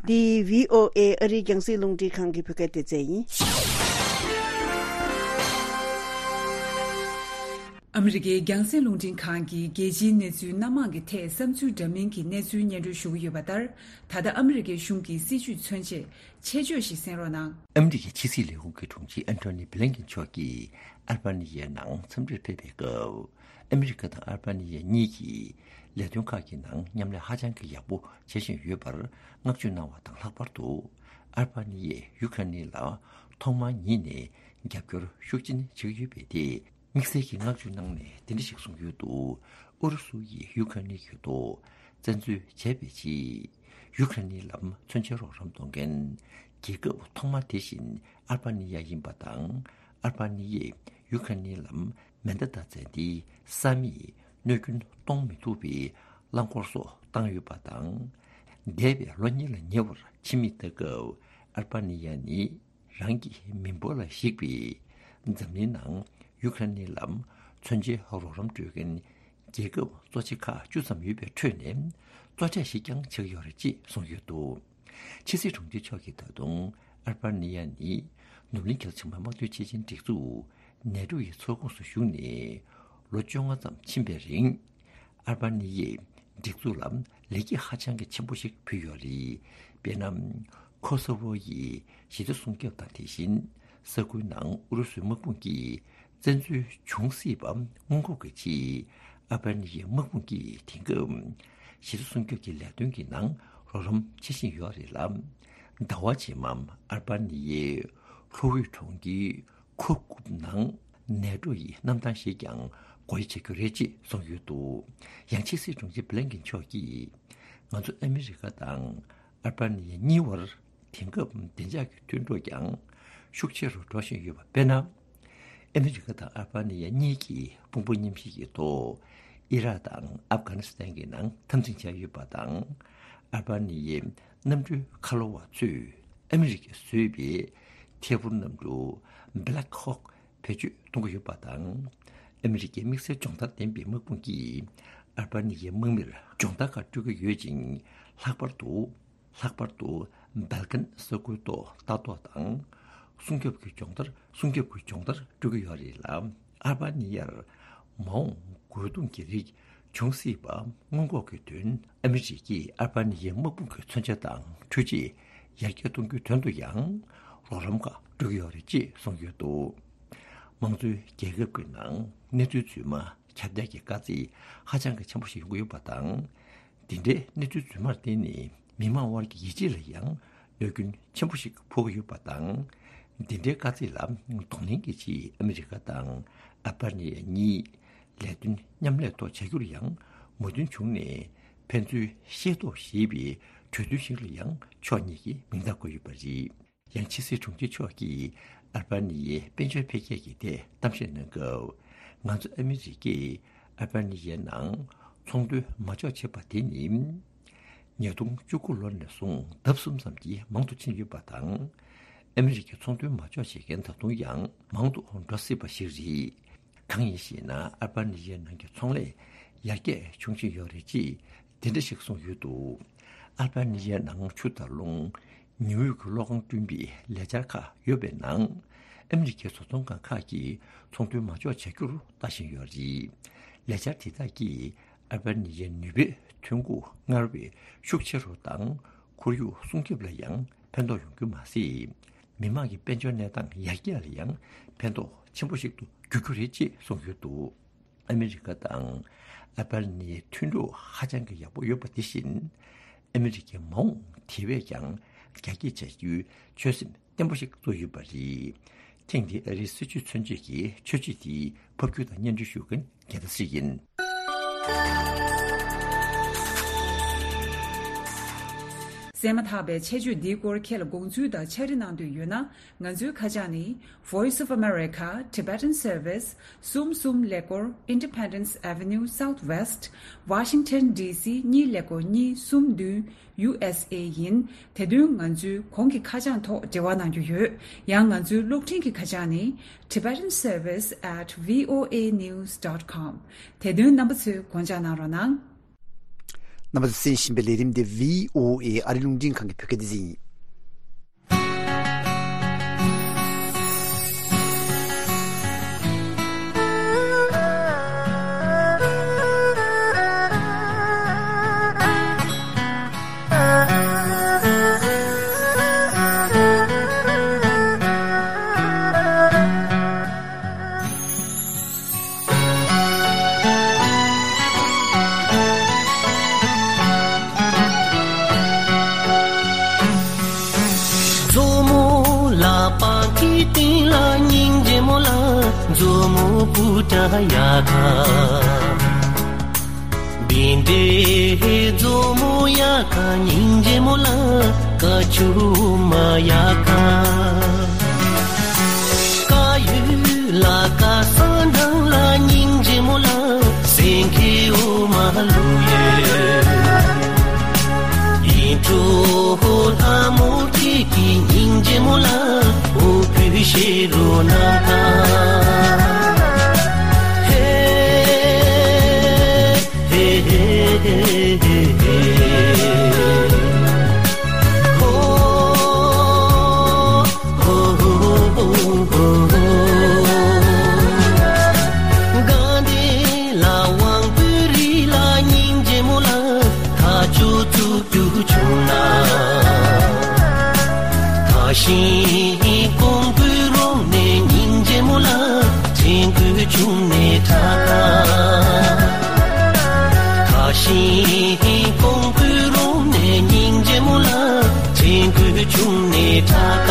འདི་བྷི་ཨོ་ཨེ་ཨ་རིའི་རྒྱང་སྲིང་རླུང་འཕྲིན་ཁང་གི་བོད་སྐད་སྡེ་ཚན་ཡིན། ཨ་མི་རི་ཀའི་རྒྱང་སྲིང་རླུང་འཕྲིན་ཁང་གིས་རྒྱལ་སྤྱིའི་གནས་ཚུལ་སྣ་མང་གི་ཐད་བསམ་ཚུལ་འདྲ་མིན་གྱི་གནས་ཚུལ་སྙན་སྒྲོན་ཞུ་གི་ཡོད་པ་ལྟར། ད་ལྟ་ཨ་མི་རི་ཀའི་གཞུང་གི་སྲིད་བྱུས་མཚོན་ཆེད་ཆེད་བརྗོད་ཞིག་གསན་རོགས་གནང་། ཨ་མི་རི་ཀའི་ཕྱི་སྲིད་ལས་ཁུངས་ཀྱི་དྲུང་ཆེ་ཨན་ཐོ་ནི་བྷི་ལིན་ཀིན་མཆོག་གིས་ཨལ་བྷ་ནི་ཡའི་ནང་འཚམས་འདྲིར་ཕེབས་པའི་སྐབས། ཨ་མི་རི་ཀ་དང་ཨལ་བྷ་ནི་ཡ་གཉིས་ཀྱིས་ལས་དོན་ཁག་གི་ནང་མཉམ་ལས་ཧ་ཅང་གི་ཡག་པོ་བྱེད་བཞིན་ཡོད་པར་བསྔགས་བརྗོད་གནང་བ་དང་། ལྷག་པར་དུ་ཨལ་བྷ་ནི་ཡས་ཡུ་ཁ་ནི་ལ་ཐོག་མར་ཉིད་ནས་རྒྱབ་སྐྱོར་ཤུགས་ཆེན་བྱེད་ཀྱི་ཡོད་པའི་ཐད། དམིགས་བསལ་གྱི་བསྔགས་བརྗོད་གནང་ནས་འདི་འདྲ་ཞིག་གསུངས་ཡོད་འདུག་ཨུ་རུ་སུ་ཡིས་ཡུ་ཁ་ནི་གི་ཐོག་བཙན་འཛུལ་བྱས་པའི་རྗེས། ཡུ་ཁ་ནི་ལ་མཚོན་ཆའི་རོགས་རམ་གཏོང་མཁན་རྒྱལ་ཁབ་ཐོག་མ་དེ་བཞིན་ཨལ་བྷ་ནི་ཡ་ཡིན་པ་དང་། ཨལ་བྷ་ནི་ཡས་ཡུ་ཁ་ནི་ལ་མེ་མདའ་དང་ཙན་དན། ས་མིག། གནོད་སྐྱོན་གཏོང་མི་ཐུབ་པའི་རླངས་འཁོར་སོགས་བཏང་ཡོད་པ་དང་། འདས་པའི་ལོ་གཉིས་ལ་ཉེ་བར་ཕྱི་མིག་ལྟ་སྐབས་ཨལ་བྷ་ནི་ཡ་ནི་རང་གི་མི་འབོར་ལ་གཞིགས་པའི་འཛམ་གླིང་ནང་ཡུ་ཁ་ནི་ལ་མཚོན་ཆའི་རོགས་རམ་སྤྲོད་མཁན་རྒྱལ་ཁབ་གཙོ་ཆེ་ཁག་བཅུ་ཙམ་ཡོད་པའི་ཁྲོད་ནས་གཙོ་གྲས་ཤིག་ཀྱང་ཆགས་ཡོད་རེད་ཅེས་གསུངས་ཡོད་འདུག་ཕྱི་སྲིད་དྲུང་ཆེ་མཆོག་གིས་ད་དུང་ཨལ་བྷ་ནི་ཡ་ནི་ནུབ་གླིང་གལ་ཆེན་པོའི་དམག་དོན་སྤྱི་ཆིངས་སྒྲིག་འཛུགས་ནེ་ཊོ་ཡི་ཚོགས་ཁོངས་སུ་ཞུགས་ནས་ལོ་བཅོ་ལྔ་ཙམ་ཕྱིན་པའི་རིང་། ཨལ་བྷ་ནི་ཡས་སྒྲིག་འཛུགས་ལ་ལེགས་སྐྱེས་ཧ་ཅང་གི་ཆེན་པོ་ཞིག་ཕུལ་ཡོད་རེད། དཔེར་ན། ཁོ་སོ་ཝོ་ཡི་ཞི་བདེ་སྲུང་སྐྱོབ་དང་། དེ་བཞིན་ས་ཁུལ་ནང་ཨུ་རུ་སུའི་དམག་དཔུང་གིས་བཙན་འཛུལ་འབྱུང་སྲིད་པ་སྔོན་འགོག་གི་ཆེད། ཨལ་བྷ་ནི་ཡའི་དམག་དཔུང་གིས་དེང་སྐབས་ཞི་བདེ་སྲུང་སྐྱོབ་ཀྱི་ལས་དོན་གྱི་ནང་རོགས་རམ་བྱེད་བཞིན་ཡོད་རེད་ལ། ཟླ་བ་རྗེས་མ་ཨལ་བྷ་ནི་ཡའི་ལྷོ་དབུས་གྲོང་ཁྱེར་ཁུར་ཀུག་ནང་ནེ་ཊོ་ཡི་གནམ་ཐང་ཞིག་ཀྱང་སྒོ་དབྱེ་བྱ་རྒྱུ་རེད་ཅེས་གསུངས་ཡོད་འདུག་ཡང་ཕྱི་སྲིད་དྲུང་ཆེ་བྷི་ལིན་ཀིན་མཆོག་གིས། ང་ཚོ་ཨ་མི་རི་ཀ་དང་ཨལ་བྷ་ནི་ཡ་གཉིས་བར་དེང་སྐབས་བདེ་འཇགས་ཀྱི་མཐུན་གྲོགས་ཀྱང་ཤུགས་ཆེ་རུ་འགྲོ་བཞིན་ཡོད་པ། དཔེར་ན། ཨ་མི་རི་ཀ་དང་ཨལ་བྷ་ནི་ཡ་གཉིས་ཀྱིས་དཔུང་པ་མཉམ་གཤིབ་ཀྱི་ཐོག་ ཨི་རག་དང་ཨབ་གྷ་ནི་སི་ཐན་གྱི་ནང་འཐབ་འཛིང་བྱས་ཡོད་པ་དང་། ཨལ་བྷ་ནི་ཡའི་གནམ་གྲུའི་མཁའ་སློབ་པ་ཚོས་ཨ་མི་རི་ཀས་བཟོས་པའི་ཐད་འཕུར་གནམ་གྲུ་Black Hawk བེད་སྤྱོད་གཏོང་གི་ཡོད་པ་དང་། ཨ་མི་རི་ཀའི་དམིགས་བསལ་སྦྱོང་བརྡར་ལྡན་པའི་དམག་དཔུང་གིས་ཨལ་བྷ་ནི་ཡའི་དམག་མིར་སྦྱོང་བརྡར་ཁག་སྤྲོད་ཀྱི་ཡོད་ཅིང་། ལྷག་པར་དུ། ལྷག་པར་དུ་སྦལ་ཀན་ས་ཁུལ་ཐོག་ལྟ་རྟོག་དང་སྲུང་སྐྱོབ་ཀྱི་སྦྱོང་བརྡར། སྲུང་སྐྱོབ་ཀྱི་སྦྱོང་བརྡར་སྤྲོད་ཀྱི་ཡོད་རེད་ལ། ཨལ་བྷ་ནི་ཡར་མ་འོངས་རྒོལ་རྡུང་གི་རིགས་འབྱུང་སྲིད་པ་སྔོན་འགོག་གི་དོན། ཨ་མི་རི་ཀས་ཨལ་བྷ་ནི་ཡའི་དམག་དཔུང་གི་མཚོན་ཆ་དང་འཕྲུལ་ཆས་ཡར་རྒྱས་གཏོང་རྒྱུའི་དོན་དུ་ཡང་རོགས་རམ་ཁག་སྤྲོད་ཀྱི་ཡོད་རེད་ཅེས་གསུངས་ཡོད་འདུག། དམངས་གཙོའི་རྒྱལ་ཁབ་ཀྱི་ནང་གནས་ཚུལ་རྫུན་མ་ཁྱབ་གདལ་གྱི་དཀའ་ཚེགས་ཧ་ཅང་གི་ཆེན་པོ་ཞིག་ཡོང་གི་ཡོད་པ་དང་། འདི་འདྲའི་གནས་ཚུལ་རྫུན་མར་བརྟེན་ནས་མི་མང་དབར་གྱི་ཡིད་ཆེས་ལ་ཡང་གནོད་སྐྱོན་ཆེན་པོ་ཞིག་ཕོག་གི་ཡོད་པ་དང་། འདི་འདྲའི་དཀའ་ཚེགས་ལ་གདོང་ལེན་གྱི་ཆེད་ཨ་མི་རི་ཀ་དང་ཨལ་བྷ་ནི་ཡ་གཉིས་ལས་དོན་མཉམ་ལས་ཐོག་བྱ་རྒྱུར་ཡང་མོས་མཐུན་བྱུང་ནས། ཕན་ཚུན་ཤེས་རྟོགས་ཞེས་པའི་གྲོས་མཐུན་ཞིག་ལ་ཡང་ཕྱོགས་གཉིས་ཀྱིས་མིང་རྟགས་བཀོད་ཡོད་པ་རེད། ཡང་ཕྱི་སྲིད་དྲུང་ཆེ་མཆོག་གིས་ཨལ་བྷ་ནི་ཡའི་དཔལ་འབྱོར་འཕེལ་རྒྱས་ཀྱི་ཐད་གཏམ་བཤད་གནང་སྐབས། ང་ཚོ་ཨ་མི་རི་ཀས་ཨལ་བྷ་ནི་ཡའི་ནང་ཚོང་དོན་མ་འཇོག་བྱས་པ་དེ་ནི། ཉིས་སྟོང་བཅུ་དགུ་ལོ་ནས་བཟུང་ལྡབ་གསུམ་ཙམ་གྱིས་མང་དུ་ཕྱིན་ཡོད་པ་དང་། ཨ་མི་རི་ཀས་ཚོང་དོན་མ་འཇོག་བྱེད་མཁན་ད་དུང་ཡང་མང་དུ་འགྲོ་སྲིད་པ་ཞིག་རེད། གང་ཡིན་ཞེ་ན། ཨལ་བྷ་ནི་ཡའི་ནང་གི་ཚོང་ལས་ཡར་རྒྱས་བྱུང་བཞིན་ཡོད་རེད་ཅེས་དེ་འདྲ་ཞིག་གསུངས་ཡོད་འདུག། ཨལ་བྷ་ནི་ཡའི་ནང་ཆུ་དང་རླུང་། ཉི་འོད་ཀྱི་གློག་ཁང་བསྐྲུན་པའི་ལས་འཆར་ཁག་ཡོད་པའི་ནང་། ཨ་མི་རི་ཀའི་བཟོ་ཚོང་ཁང་ཁག་གིས་ཚོང་དོན་མ་འཇོག་བྱ་རྒྱུར་ལྟ་བཞིན་ཡོད་རེད། ལས་འཆར་དེ་དག་གིས་ཨལ་བྷ་ནི་ཡའི་ནུས་པའི་ཐོན་ཁུངས་སྔར་བས་ཤུགས་ཆེ་རུ་དང་། ཁོར་ཡུག་སྲུང་སྐྱོབ་ལ་ཡང་ཕན་ཐོགས་ཡོང་རྒྱུ་མ་ཟད། མི་དམངས་ཀྱི་དཔལ་འབྱོར་གནས་སྟངས་ཡར་རྒྱས་ལ་ཡང་ཕན་ཐོགས་ཆེན་པོ་ཞིག་ཏུ་འགྱུར་རྒྱུ་རེད་ཅེས་གསུངས་ཡོད་འདུག། ཨ་མི་རི་ཀ་དང་ཨལ་བྷ་ནི་ཡའི་མཐུན་གྲོགས་ཧ་ཅང་གི་ཡག་པོ་ཡོད་པ་དེ་བཞིན། ཨ་མི་རི་ཀའི་མ་འོངས་དེ་བས་ཀྱང་རྒྱ་སྐྱེད་བྱ་རྒྱུའི་ཆོད་སེམས་བརྟན་པོ་ཞིག་བཙུགས་ཡོད་པ་རེད། ཐེངས་འདིའི་ཨ་རིའི་སྲིད་བྱུས་མཚོན་བྱེད་ཀྱི་ཆོས་བརྒྱུད་དེའི་ཕབ་སྒྱུར་དང་སྙན་སྒྲོན་ཞུ་མཁན་རྒྱལ་མཚན་ཞིག་ཡིན། གསན་མ་ཐག་པའི་ཆེད་བརྗོད་འདིའི་སྐོར་ཁྱེད་ལ་དགོངས་ཚུལ་དང་ཕྱག་བྲིས་གནང་འདོད་ཡོད་ན། ང་ཚོའི་ཁ་བྱང་ནི། Voice of America, Tibetan Service, གསུམ་གསུམ་ཀླད་ཀོར། Independence Avenue Southwest, Washington D C གཉིས་ཀླད་ཀོར་གཉིས་གསུམ་བདུན། ཡུ་ཨེས་ཨེ་ཡིན། དེ་དོན་ང་ཚོའི་གོང་གི་ཁ་བྱང་ཐོག་འབྲེལ་བ་གནང་རྒྱུ་ཡོད། ཡང་ང་ཚོའི་གློག་འཕྲིན་གྱི་ཁ་བྱང་ནི། Tibetan Service at V O A news dot com། དེ་དོན་རྣམ་པ་ཚོས་དགོངས་འཇགས་གནང་རོགས་གནང་། རྣམ་པ་ཚོས་གསན་བཞིན་པའི་ལས་རིམ་དེ་V O A ཨ་རི་རླུང་འཕྲིན་ཁང་གི་བོད་སྐད་སྡེ་ཚན་ཡིན། མཛོ་མོ་ལ་པང་ཁའི་སྟེང་ལ་སྙིང་རྗེ་མོ་ལ། མཛོ་མོ་སྤུ་ཏྲ་ཡ་ཁ། བིན་ཏེ་མཛོ་མོ་ཡ་ཁ་སྙིང་རྗེ་མོ་ལ། ཀ་ཆུ་མ་ཡ་ཁ། ཀ་ཡུ་ལ་ཀ་ས་ནང་ལ་སྙིང་རྗེ་མོ་ལ། སེང་གེ་འོ་མ་ལུ་ཡོད། ཡིན་གྲོ་ལྷ་མོ་སྐྱེས་ཀྱི་སྙིང་རྗེ་མོ་ལ། འོ་བུ་ཤེ་རོ་ན་ཁ། ཧེ། ཤིང་ཀོང་པོའི་རོང་ནས་སྙིང་རྗེ་མོ་ལ། ཆེན་ཀུའི་ཆུང་ནས་ཁྲ་ཁ། ཁ་ཤིང་ཀོང་པོའི་རོང་ནས་སྙིང་རྗེ་མོ་ལ། ཆེན་ཀུའི་ཆུང་ནས་ཁྲ་ཁ།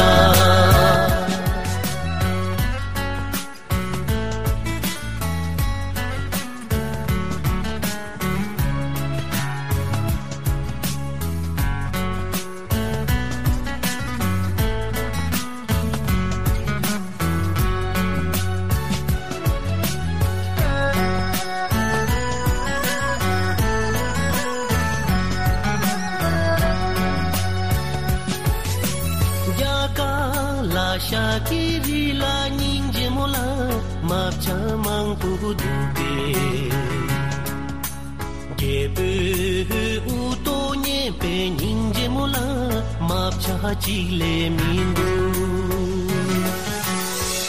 ཀྱི་རི་ལ་སྙིང་རྗེ་མོ་ལ་རྨ་བྱ་མང་པོ་འདུག་སྟེ། རྒྱལ་པོའི་དབུ་ཏོ་མཉེས་པའི་སྙིང་རྗེ་མོ་ལ་རྨ་བྱ་གཅིག་ལས་མི་འདུག་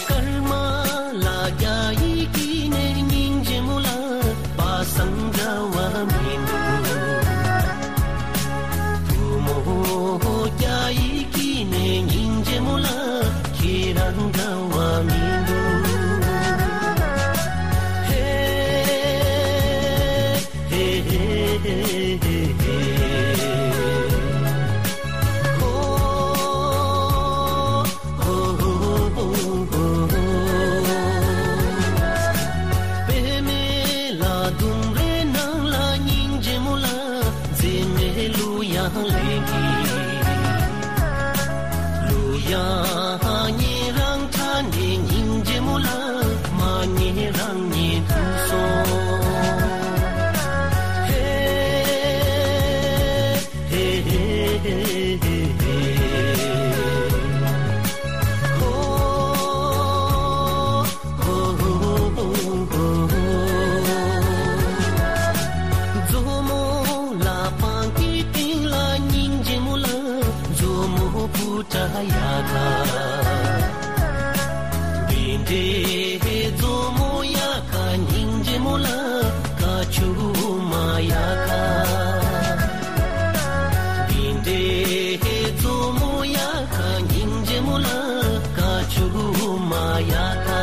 སྐར་མ་ལ་རྒྱ་ཡིས་སྐྱེས་ནས་སྙིང་རྗེ་མོ་ལ་པ་སངས་འདྲ་བ་མི་འདུག་བུ་མོ་རྒྱ་ཡིས་སྐྱེས་ནས་སྙིང་རྗེ་མོ་ལ་ཁྱེད་རང་འདྲ་བ་མི་འདུག་ཧེ། ཧེ་ཧེ་ཧེ་ཧེ་ཧེ། ཧོ། ཧོ་ཧོ་ཧོ་ཧོ། པད་མའི་ལ་ལྡུམ་རའི་ནང་ལ་སྙིང་རྗེ་མོ་ལ་མཛེས་མའི་གླུ་དབྱངས་ལེན་གྱིན། གླུ་དབྱངས་ཉན་རང་ཁྲ་ནས་སྙིང་རྗེ་མོ་ལ་མ་ཉན་རང་ཉན་ཐུབ་སོང་། ཧེ། ཧེ་ཧེ་ཧེ་ཧེ་ཧེ། ཧོ། ཧོ་ཧོ་ཧོ་ཧོ། མཛོ་མོ་ལ་པང་གི་སྟེང་ལ་སྙིང་རྗེ་མོ་ལ་མཛོ་མོ་བུ་ཏྲ་ཡ་ཁ། འདི་འདྲའི་མཛོ་མོ་ཡ་ཁ་སྙིང་རྗེ་མོ་ལ་ཀ་ཆུ་མ་ཡ་ཁ། འདི་འདྲའི་མཛོ་མོ་ཡ་ཁ་སྙིང་རྗེ་མོ་ལ་ཀ་ཆུ་མ་ཡ་ཁ།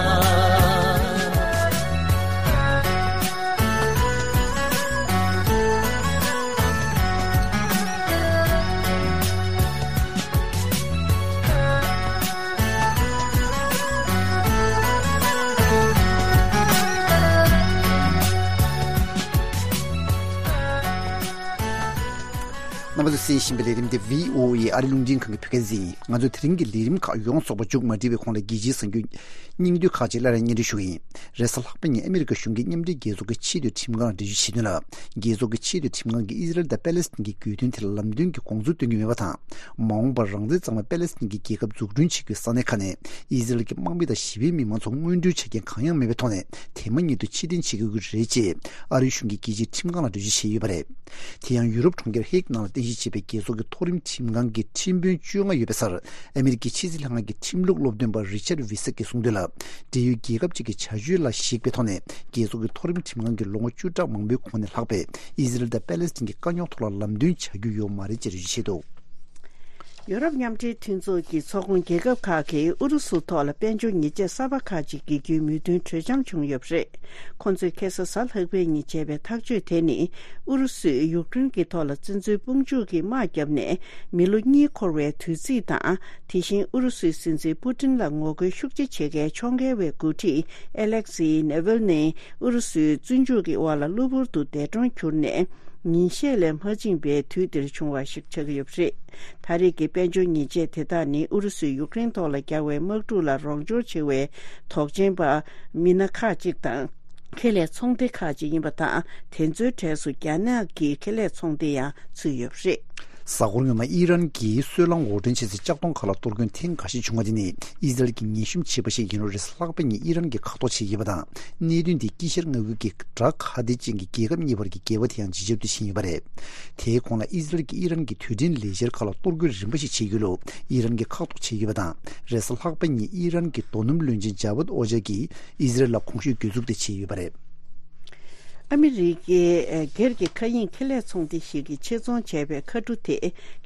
རྣམ་པ་ཚོས་གསན་བཞིན་པའི་ལས་རིམ་དེ་བྷི་ཨོ་ཨེ་ཨ་རི་རླུང་འཕྲིན་ཁང་གི་བོད་སྐད་སྡེ་ཚན་ཡིན། ང་ཚོའི་དེ་རིང་གི་ལས་རིམ་ཁག་ཡོངས་རྫོགས་པ་མཇུག་མ་སྒྲིལ་བའི་གོང་ལ་རྒྱལ་སྤྱིའི་གསར་འགྱུར་སྙིང་བསྡུས་ཁག་ཅིག་སླར་ཡང་སྙན་སྒྲོན་ཞུ་གི་ཡིན། རེས་གཟའ་ལྷག་པ་ཉིན་ཨ་མི་རི་ཀ་གཞུང་གིས་མཉམ་འབྲེལ་རྒྱལ་ཚོགས་ཀྱི་ཆེས་མཐོའི་ཁྲིམས་ཁང་ལ་འགྲེལ་བརྗོད་བྱས་དོན་ལ། རྒྱལ་ཚོགས་ཀྱི་ཆེས་མཐོའི་ཁྲིམས་ཁང་གིས་ཨི་ཟི་རལ་དང་པེ་ལེ་སི་ཐན་གྱི་གྱོད་དོན་དེ་ལ་ལམ་སྟོན་གྱི་དགོངས་ཚུལ་སྟོན་གྱི་མེད་པ་དང་། མ་འོངས་པར་རང་བཙན་གཙང་མའི་པེ་ལེ་སི་ཐན་གྱི་རྒྱལ་ཁབ་འཛུགས་སྐྲུན་བྱེད་རྒྱུའི་ས་གནས་ཁག་ནས་ཨི་ཟི་རལ་གྱི་དམག་མི་དང་ཞི་བའི་མི་མང་ཚོ་དངོས་འབྲེལ་བྱ་རྐྱེན་གང་ཡང་མེད་པའི་ཐོག་ནས་དེ་མ་ཉིད་དུ་ཕྱིར་འཐེན་བྱེད་དགོས་ཀྱི་རེད་ཅེས་ཨ་རིའི་གཞུང་གིས་རྒྱལ་སྤྱིའི་ཁྲིམས་ཁང་ལ་འགྲེལ་བརྗོད་བྱས་ཡོད་པ་རེད། དེ་ཡང་ཡུ་རོབ་གྲོང་ཁྱེར་ཧེག་ནང་ལ་རྟེན་གཞི་བྱས་པའི་རྒྱལ་ཚོགས་ཀྱི་མཐོ་རིམ་ཁྲིམས་ཁང་གི་ཁྲིམས་དཔོན་བཅོ་ལྔ་ཡོད་པའི་སར་ཨ་མི་རི་ཀའི་ཕྱི་སྲིད་ལྷན་ཁང་གི་ཁྲིམས་ལུགས་སློབ་སྟོན་པ་རི་ཆར་ཝི་སེག་གིས་གསུངས་དོན་ལ། འབྲེལ་ཡོད་རྒྱལ་ཁབ་ཅིག་གི་བྱ་སྤྱོད་ལ་གཞིགས་པའི་ཐོག་ནས་རྒྱལ་ཚོགས་ཀྱི་མཐོ་རིམ་ཁྲིམས་ཁང་གིས་ལོ་ངོ་བཅུ་ཕྲག་མང་པོའི་གོང་ནས་ལྷག་པའི་ཨི་ཟི་རལ་དང་པེ་ལེ་སི་ཐན་གྱི་དཀའ་རྙོག་ཐོག་ལ་ལམ་སྟོན་བྱ་རྒྱུ་ཡོད་མ་རེད་ཅེས་འགྲེལ་བརྗོད་བྱས་འདུག་ཡུ་རོབ་མཉམ་འབྲེལ་མཐུན་ཚོགས་ཀྱི་ཚོགས་ཁོངས་རྒྱལ་ཁབ་ཁག་གིས་ཨུ་རུ་སུ་ཐོག་ལ་དཔལ་འབྱོར་ཉེས་ཆད་གསར་པ་ཁག་ཅིག་འགེལ་རྒྱུའི་མོས་མཐུན་གྲོས་འཆམ་བྱུང་ཡོད་པ་རེད། ཁོང་ཚོས་ཁ་སང་གཟའ་ལྷག་པའི་ཉིན་བྱས་པའི་ཐག་གཅོད་དེ་ནི། ཨུ་རུ་སུས་ཡུཀ་རེན་གྱི་ཐོག་ལ་བཙན་འཛུལ་དཔུང་འཇུག་གི་དམག་བརྒྱབ་ནས་མི་ལོ་གཉིས་འཁོར་བའི་དུས་ཚིགས་དང་། དེ་བཞིན་ཨུ་རུ་སུའི་སྲིད་འཛིན་པུ་ཏིན་ལ་ངོ་རྒོལ་ཤུགས་ཆེ་བྱེད་མཁན་ཕྱོགས་འགལ་བའི་འགོ་ཁྲིད་ཨེ་ལེག་སི་ནེ་ཝལ་ནི་ཨུ་རུ་སུའི་བཙོན་འཇུག་གི་འོག་ལ་གློ་བུར་དུ་འདས་གྲོངས་གྱུར་ནས། ཉིན་ཤས་ལས་མ་ཕྱིན་པའི་དུས་འདིར་བྱུང་བ་ཞིག་ཆགས་ཀྱི་ཡོད་པ་རེད། ད་རེས་ཀྱི་དཔལ་འབྱོར་ཉེས་ཆད་དེ་དག་ནི་ཨུ་རུ་སུས་ཡུཀ་རེན་ཐོག་ལ་རྒྱག་པའི་དམག་འཁྲུག་ལ་རོགས་སྐྱོར་བྱེད་པའི་དོགས་ཅན་པ་མི་སྣ་ཁག་ཅིག་དང་། ཁེ་ལས་ཚོང་སྡེ་ཁག་ཅིག་ཡིན་པ་དང་། དེ་ཚོའི་གྲས་སུ་རྒྱ་ནག་གི་ཁེ་ལས་ཚོང་སྡེ་ཡང་ཚུད་ཡོད་པ་རེད། གཟའ་འཁོར་སྔོན་མ་ཨི་རན་གྱིས་སོལ་རླངས་འོར་འདྲེན་བྱེད་སའི་ལྕགས་མདོང་ཁག་ལ་གཏོར་སྐྱོན་ཐེངས་འགའ་ཤས་བྱུང་བ་དེ་ནི་ཨི་ཟི་རལ་གྱིས་ངན་ཤུམ་བྱས་པ་ཞིག་ཡིན་རུང་རེས་གཟའ་ལྷག་པ་ཉིན་ཨི་རན་གྱིས་ཁ་ཐོར་བྱས་ཡོད་པ་དང་། གནད་དོན་དེ་དཀྱིལ་ཤར་མངའ་ཁུལ་གྱི་དགྲ་ཁ་གཏད་ཅན་གྱི་རྒྱལ་ཁབ་གཉིས་བར་གྱི་འགལ་བ་དེ་ཡང་ཇེ་ཆེར་དུ་ཕྱིན་ཡོད་པ་རེད། དེའི་གོང་ལ་ཨི་ཟི་རལ་གྱིས་ཨི་རན་གྱི་རྡུལ་ཕྲན་ལས་འཆར་ཁག་ལ་གཏོར་རྒོལ་རིམ་པ་ཞིག་བྱེད་ཀྱི་ཡོད་ལུགས་ཨི་རན་གྱིས་ཁ་ཐོར་བྱས་ཡོད་པ་དང་། རེས་གཟའ་ལྷག་པ་ཉིན་ཨི་རན་གྱི་རྡོ་སྣུམ་བློན་ཆེན་ཇ་བད་ཨོ་ཇ་གྱིས་ཨི་ཟི་རལ་ལ་གོང་ཞུས་གྱོད་འཛུགས་དེ་བྱས་ཡོད་པ་རེད། ཨ་མི་རི་ཀའི་སྒེར་གྱི་མཁའ་དབྱིངས་ཁེ་ལས་ཚོང་སྡེ་ཞིག་གིས་ཆེད་བཙོང་བྱས་པའི་མཁའ་གྲུ་དེ་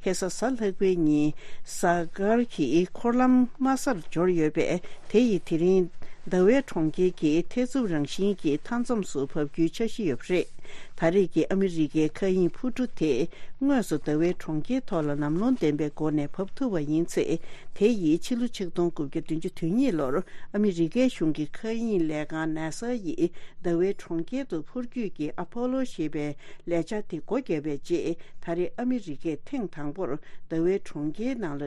ཁ་སང་གཟའ་ལྷག་པའི་ཉིན་གཟའ་སྐར་གྱི་འཁོར་ལམ་དམའ་སར་འབྱོར་ཡོད་པས། དེ་ཡིས་དེ་རིང་ཟླ་བའི་གྲོང་ཁྱེར་གྱི་ཐེ་ཚོམ་རང་བཞིན་གྱི་མཐའ་མཚམས་སུ་བབས་རྒྱུའི་འཆར་གཞི་ཡོད་པ་རེད། ད་རེས་ཀྱི་ཨ་མི་རི་ཀའི་མཁའ་དབྱིངས་འཕུར་གྲུ་དེ་དངོས་སུ་ཟླ་བའི་གྲོང་ཁྱེར་ཐོག་ལ་ལམ་ལྷོང་ལྡན་པའི་སྒོ་ནས་བབས་ཐུབ་པ་ཡིན་ཚེ། དེ་ཡིས་ཕྱི་ལོ་ཆིག་སྟོང་དགུ་བརྒྱ་བདུན་ཅུ་དོན་གཉིས་ལོར་ཨ་མི་རི་ཀའི་གཞུང་གི་མཁའ་དབྱིངས་ལས་ཁང་ནཱ་ས་ཡིས་ཟླ་བའི་གྲོང་ཁྱེར་དུ་འཕུར་སྐྱོད་ཀྱི་ཨ་ཕོ་ལོ་ཞེས་པའི་ལས་འཆར་དེ་སྒོ་བརྒྱབ་པའི་རྗེས། ད་རེས་ཨ་མི་རི་ཀས་ཐེངས་དང་པོར་ཟླ་བའི་གྲོང་ཁྱེར་ནང་ལ་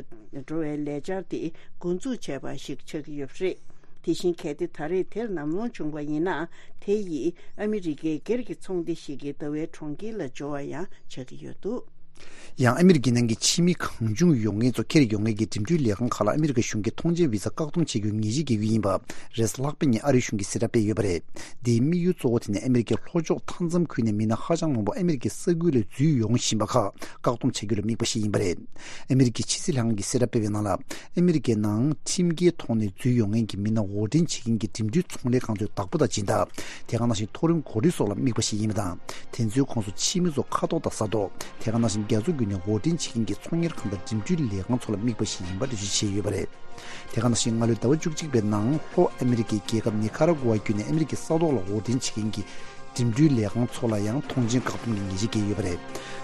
འགྲོ་བའི་ལས་འཆར་དེ་འགོ་འཛུགས་བྱས་པ་ཞིག་ཆགས་ཀྱི་ཡོད་པ་རེད། དེ་བཞིན་གལ་ཏེ་ད་རེས་དེར་ལམ་ལྷོང་བྱུང་བ་ཡིན་ན། དེ་ཡིས་ཨ་མི་རི་ཀའི་སྒེར་གྱི་ཚོང་སྡེ་ཞིག་གིས་ཟླ་བའི་གྲོང་ཁྱེར་ལ་འབྱོར་བ་ཡང་ཆགས་ཀྱི་ཡོད་འདུག་ཡང་ཨ་མི་རི་ཀའི་ནང་གི་ཕྱི་མི་གང་བྱུང་ཡོང་མཁན་ཚོ་འཁྱེར་ཡོང་མཁན་གྱི་འགྲིམ་འགྲུལ་ལས་ཁང་ཁག་ལ་ཨ་མི་རི་ཀ་གཞུང་གིས་ཐོངས་མཆན་བི་ཟ་བཀག་སྡོམ་བྱེད་རྒྱུའི་ངེས་ཆིག་བརྒྱབ་ཡོད་པ་རེས་ལྷག་པའི་ཉིན་ཨ་རིའི་གཞུང་གིས་གསལ་བསྒྲགས་སྤེལ་ཡོད་པ་རེད། འདིའི་དམིགས་ཡུལ་གཙོ་བོ་དེ་ནི་ཨ་མི་རི་ཀའི་ལྷོ་ཕྱོགས་མཐའ་མཚམས་ཁུལ་ནས་མི་སྣ་ཧ་ཅང་མང་པོ་ཨ་མི་རི་ཀའི་ས་ཁུལ་ལ་འཛུལ་ཡོང་བཞིན་པ་ཁག་བཀག་སྡོམ་བྱ་རྒྱུ་ལ་དམིགས་པ་ཞིག་ཡིན་པ་རེད། ཨ་མི་རི་ཀའི་ཕྱི་སྲིད་ལྷན་ཁང་གིས་གསལ་བསྒྲགས་སྤེལ་བའི་ནང་ལ། ཨ་མི་རི་ཀའི་ནང་ཁྲིམས་འགལ་ཐོག་ནས་འཛུལ་ཡོང་མཁན་གྱི་མི་སྣ་དབོར་འདྲེན་བྱེད་མཁན་གྱི་འགྲིམ་འགྲུལ་ཚོང་ལས་ཁང་ཚོའི་བདག་པོ་དང་སྦྱིན་བདག་དེ་ག་ནང་བཞིན་མཐོ་རིམ་འགོ་ཁྲིད་སོགས་ལ་དམིགས་པ་ཞིག་ཡིན་པ་དང་། དེ་ཚོའི་ཁོངས་སུ་ཕྱི་མི་ཚོ་ཁ་ཐོག་དང་ས་ཐོག་དེ་ག་ནང་བཞིན་རྒྱ་མཚོ་བརྒྱུད་ནས་དབོར་འདྲེན་བྱེད་མཁན་གྱི་ཚོང་གཉེར་ཁང་དང་འགྲིམ་འགྲུལ་ལས་ཁང་ཚོ་ལ་དམིགས་པ་ཞིག་ཡིན་པ་འགྲེལ་བརྗོད་བྱས་ཡོད་པ་རེད། དེ་ག་ནང་བཞིན་སྔ་ལོའི་ཟླ་བ་བཅུ་གཅིག་པའི་ནང་ལྷོ་ཨ་མི་རི་ཀའི་རྒྱལ་ཁབ་ནི་ཁ་ར་གོ་ཝ་བརྒྱུད་ནས་ཨ་མི་རི་ཀའི་ས་ཐོག་ལ་དབོར་འདྲེན་བྱེད་མཁན་གྱི་འགྲིམ་འགྲུལ་ལས་ཁང་ཚོ་ལ་ཡང་ཐོངས་མཆན་བཀག་སྡོམ་གྱི་ཉེས་ཆད་བཀལ་ཡོད་པ་རེད།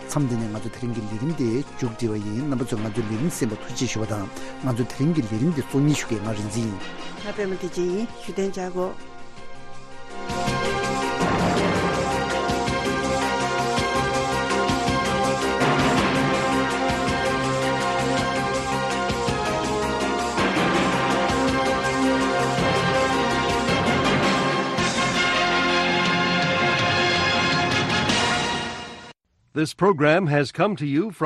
མཚམས་འདི་ནས་ང་ཚོ་དེ་རིང་གི་ལས་རིམ་དེ་མཇུག་སྒྲིལ་བ་ཡིན། རྣམ་པ་ཚོས་ང་ཚོའི་ལས་རིམ་གསན་པར་ཐུགས་རྗེ་ཞུ་བ་དང་། ང་ཚོའི་དེ་རིང་གི་ལས་རིམ་འདི་གཙོ་གཉེར་ཞུ་མཁན་ང་རིག་འཛིན་ཡིན། ང་པད་མ་བདེ་ཆེན་ཡིན། བཞུགས་གདན་འཇགས་དགོས། This program has come to you from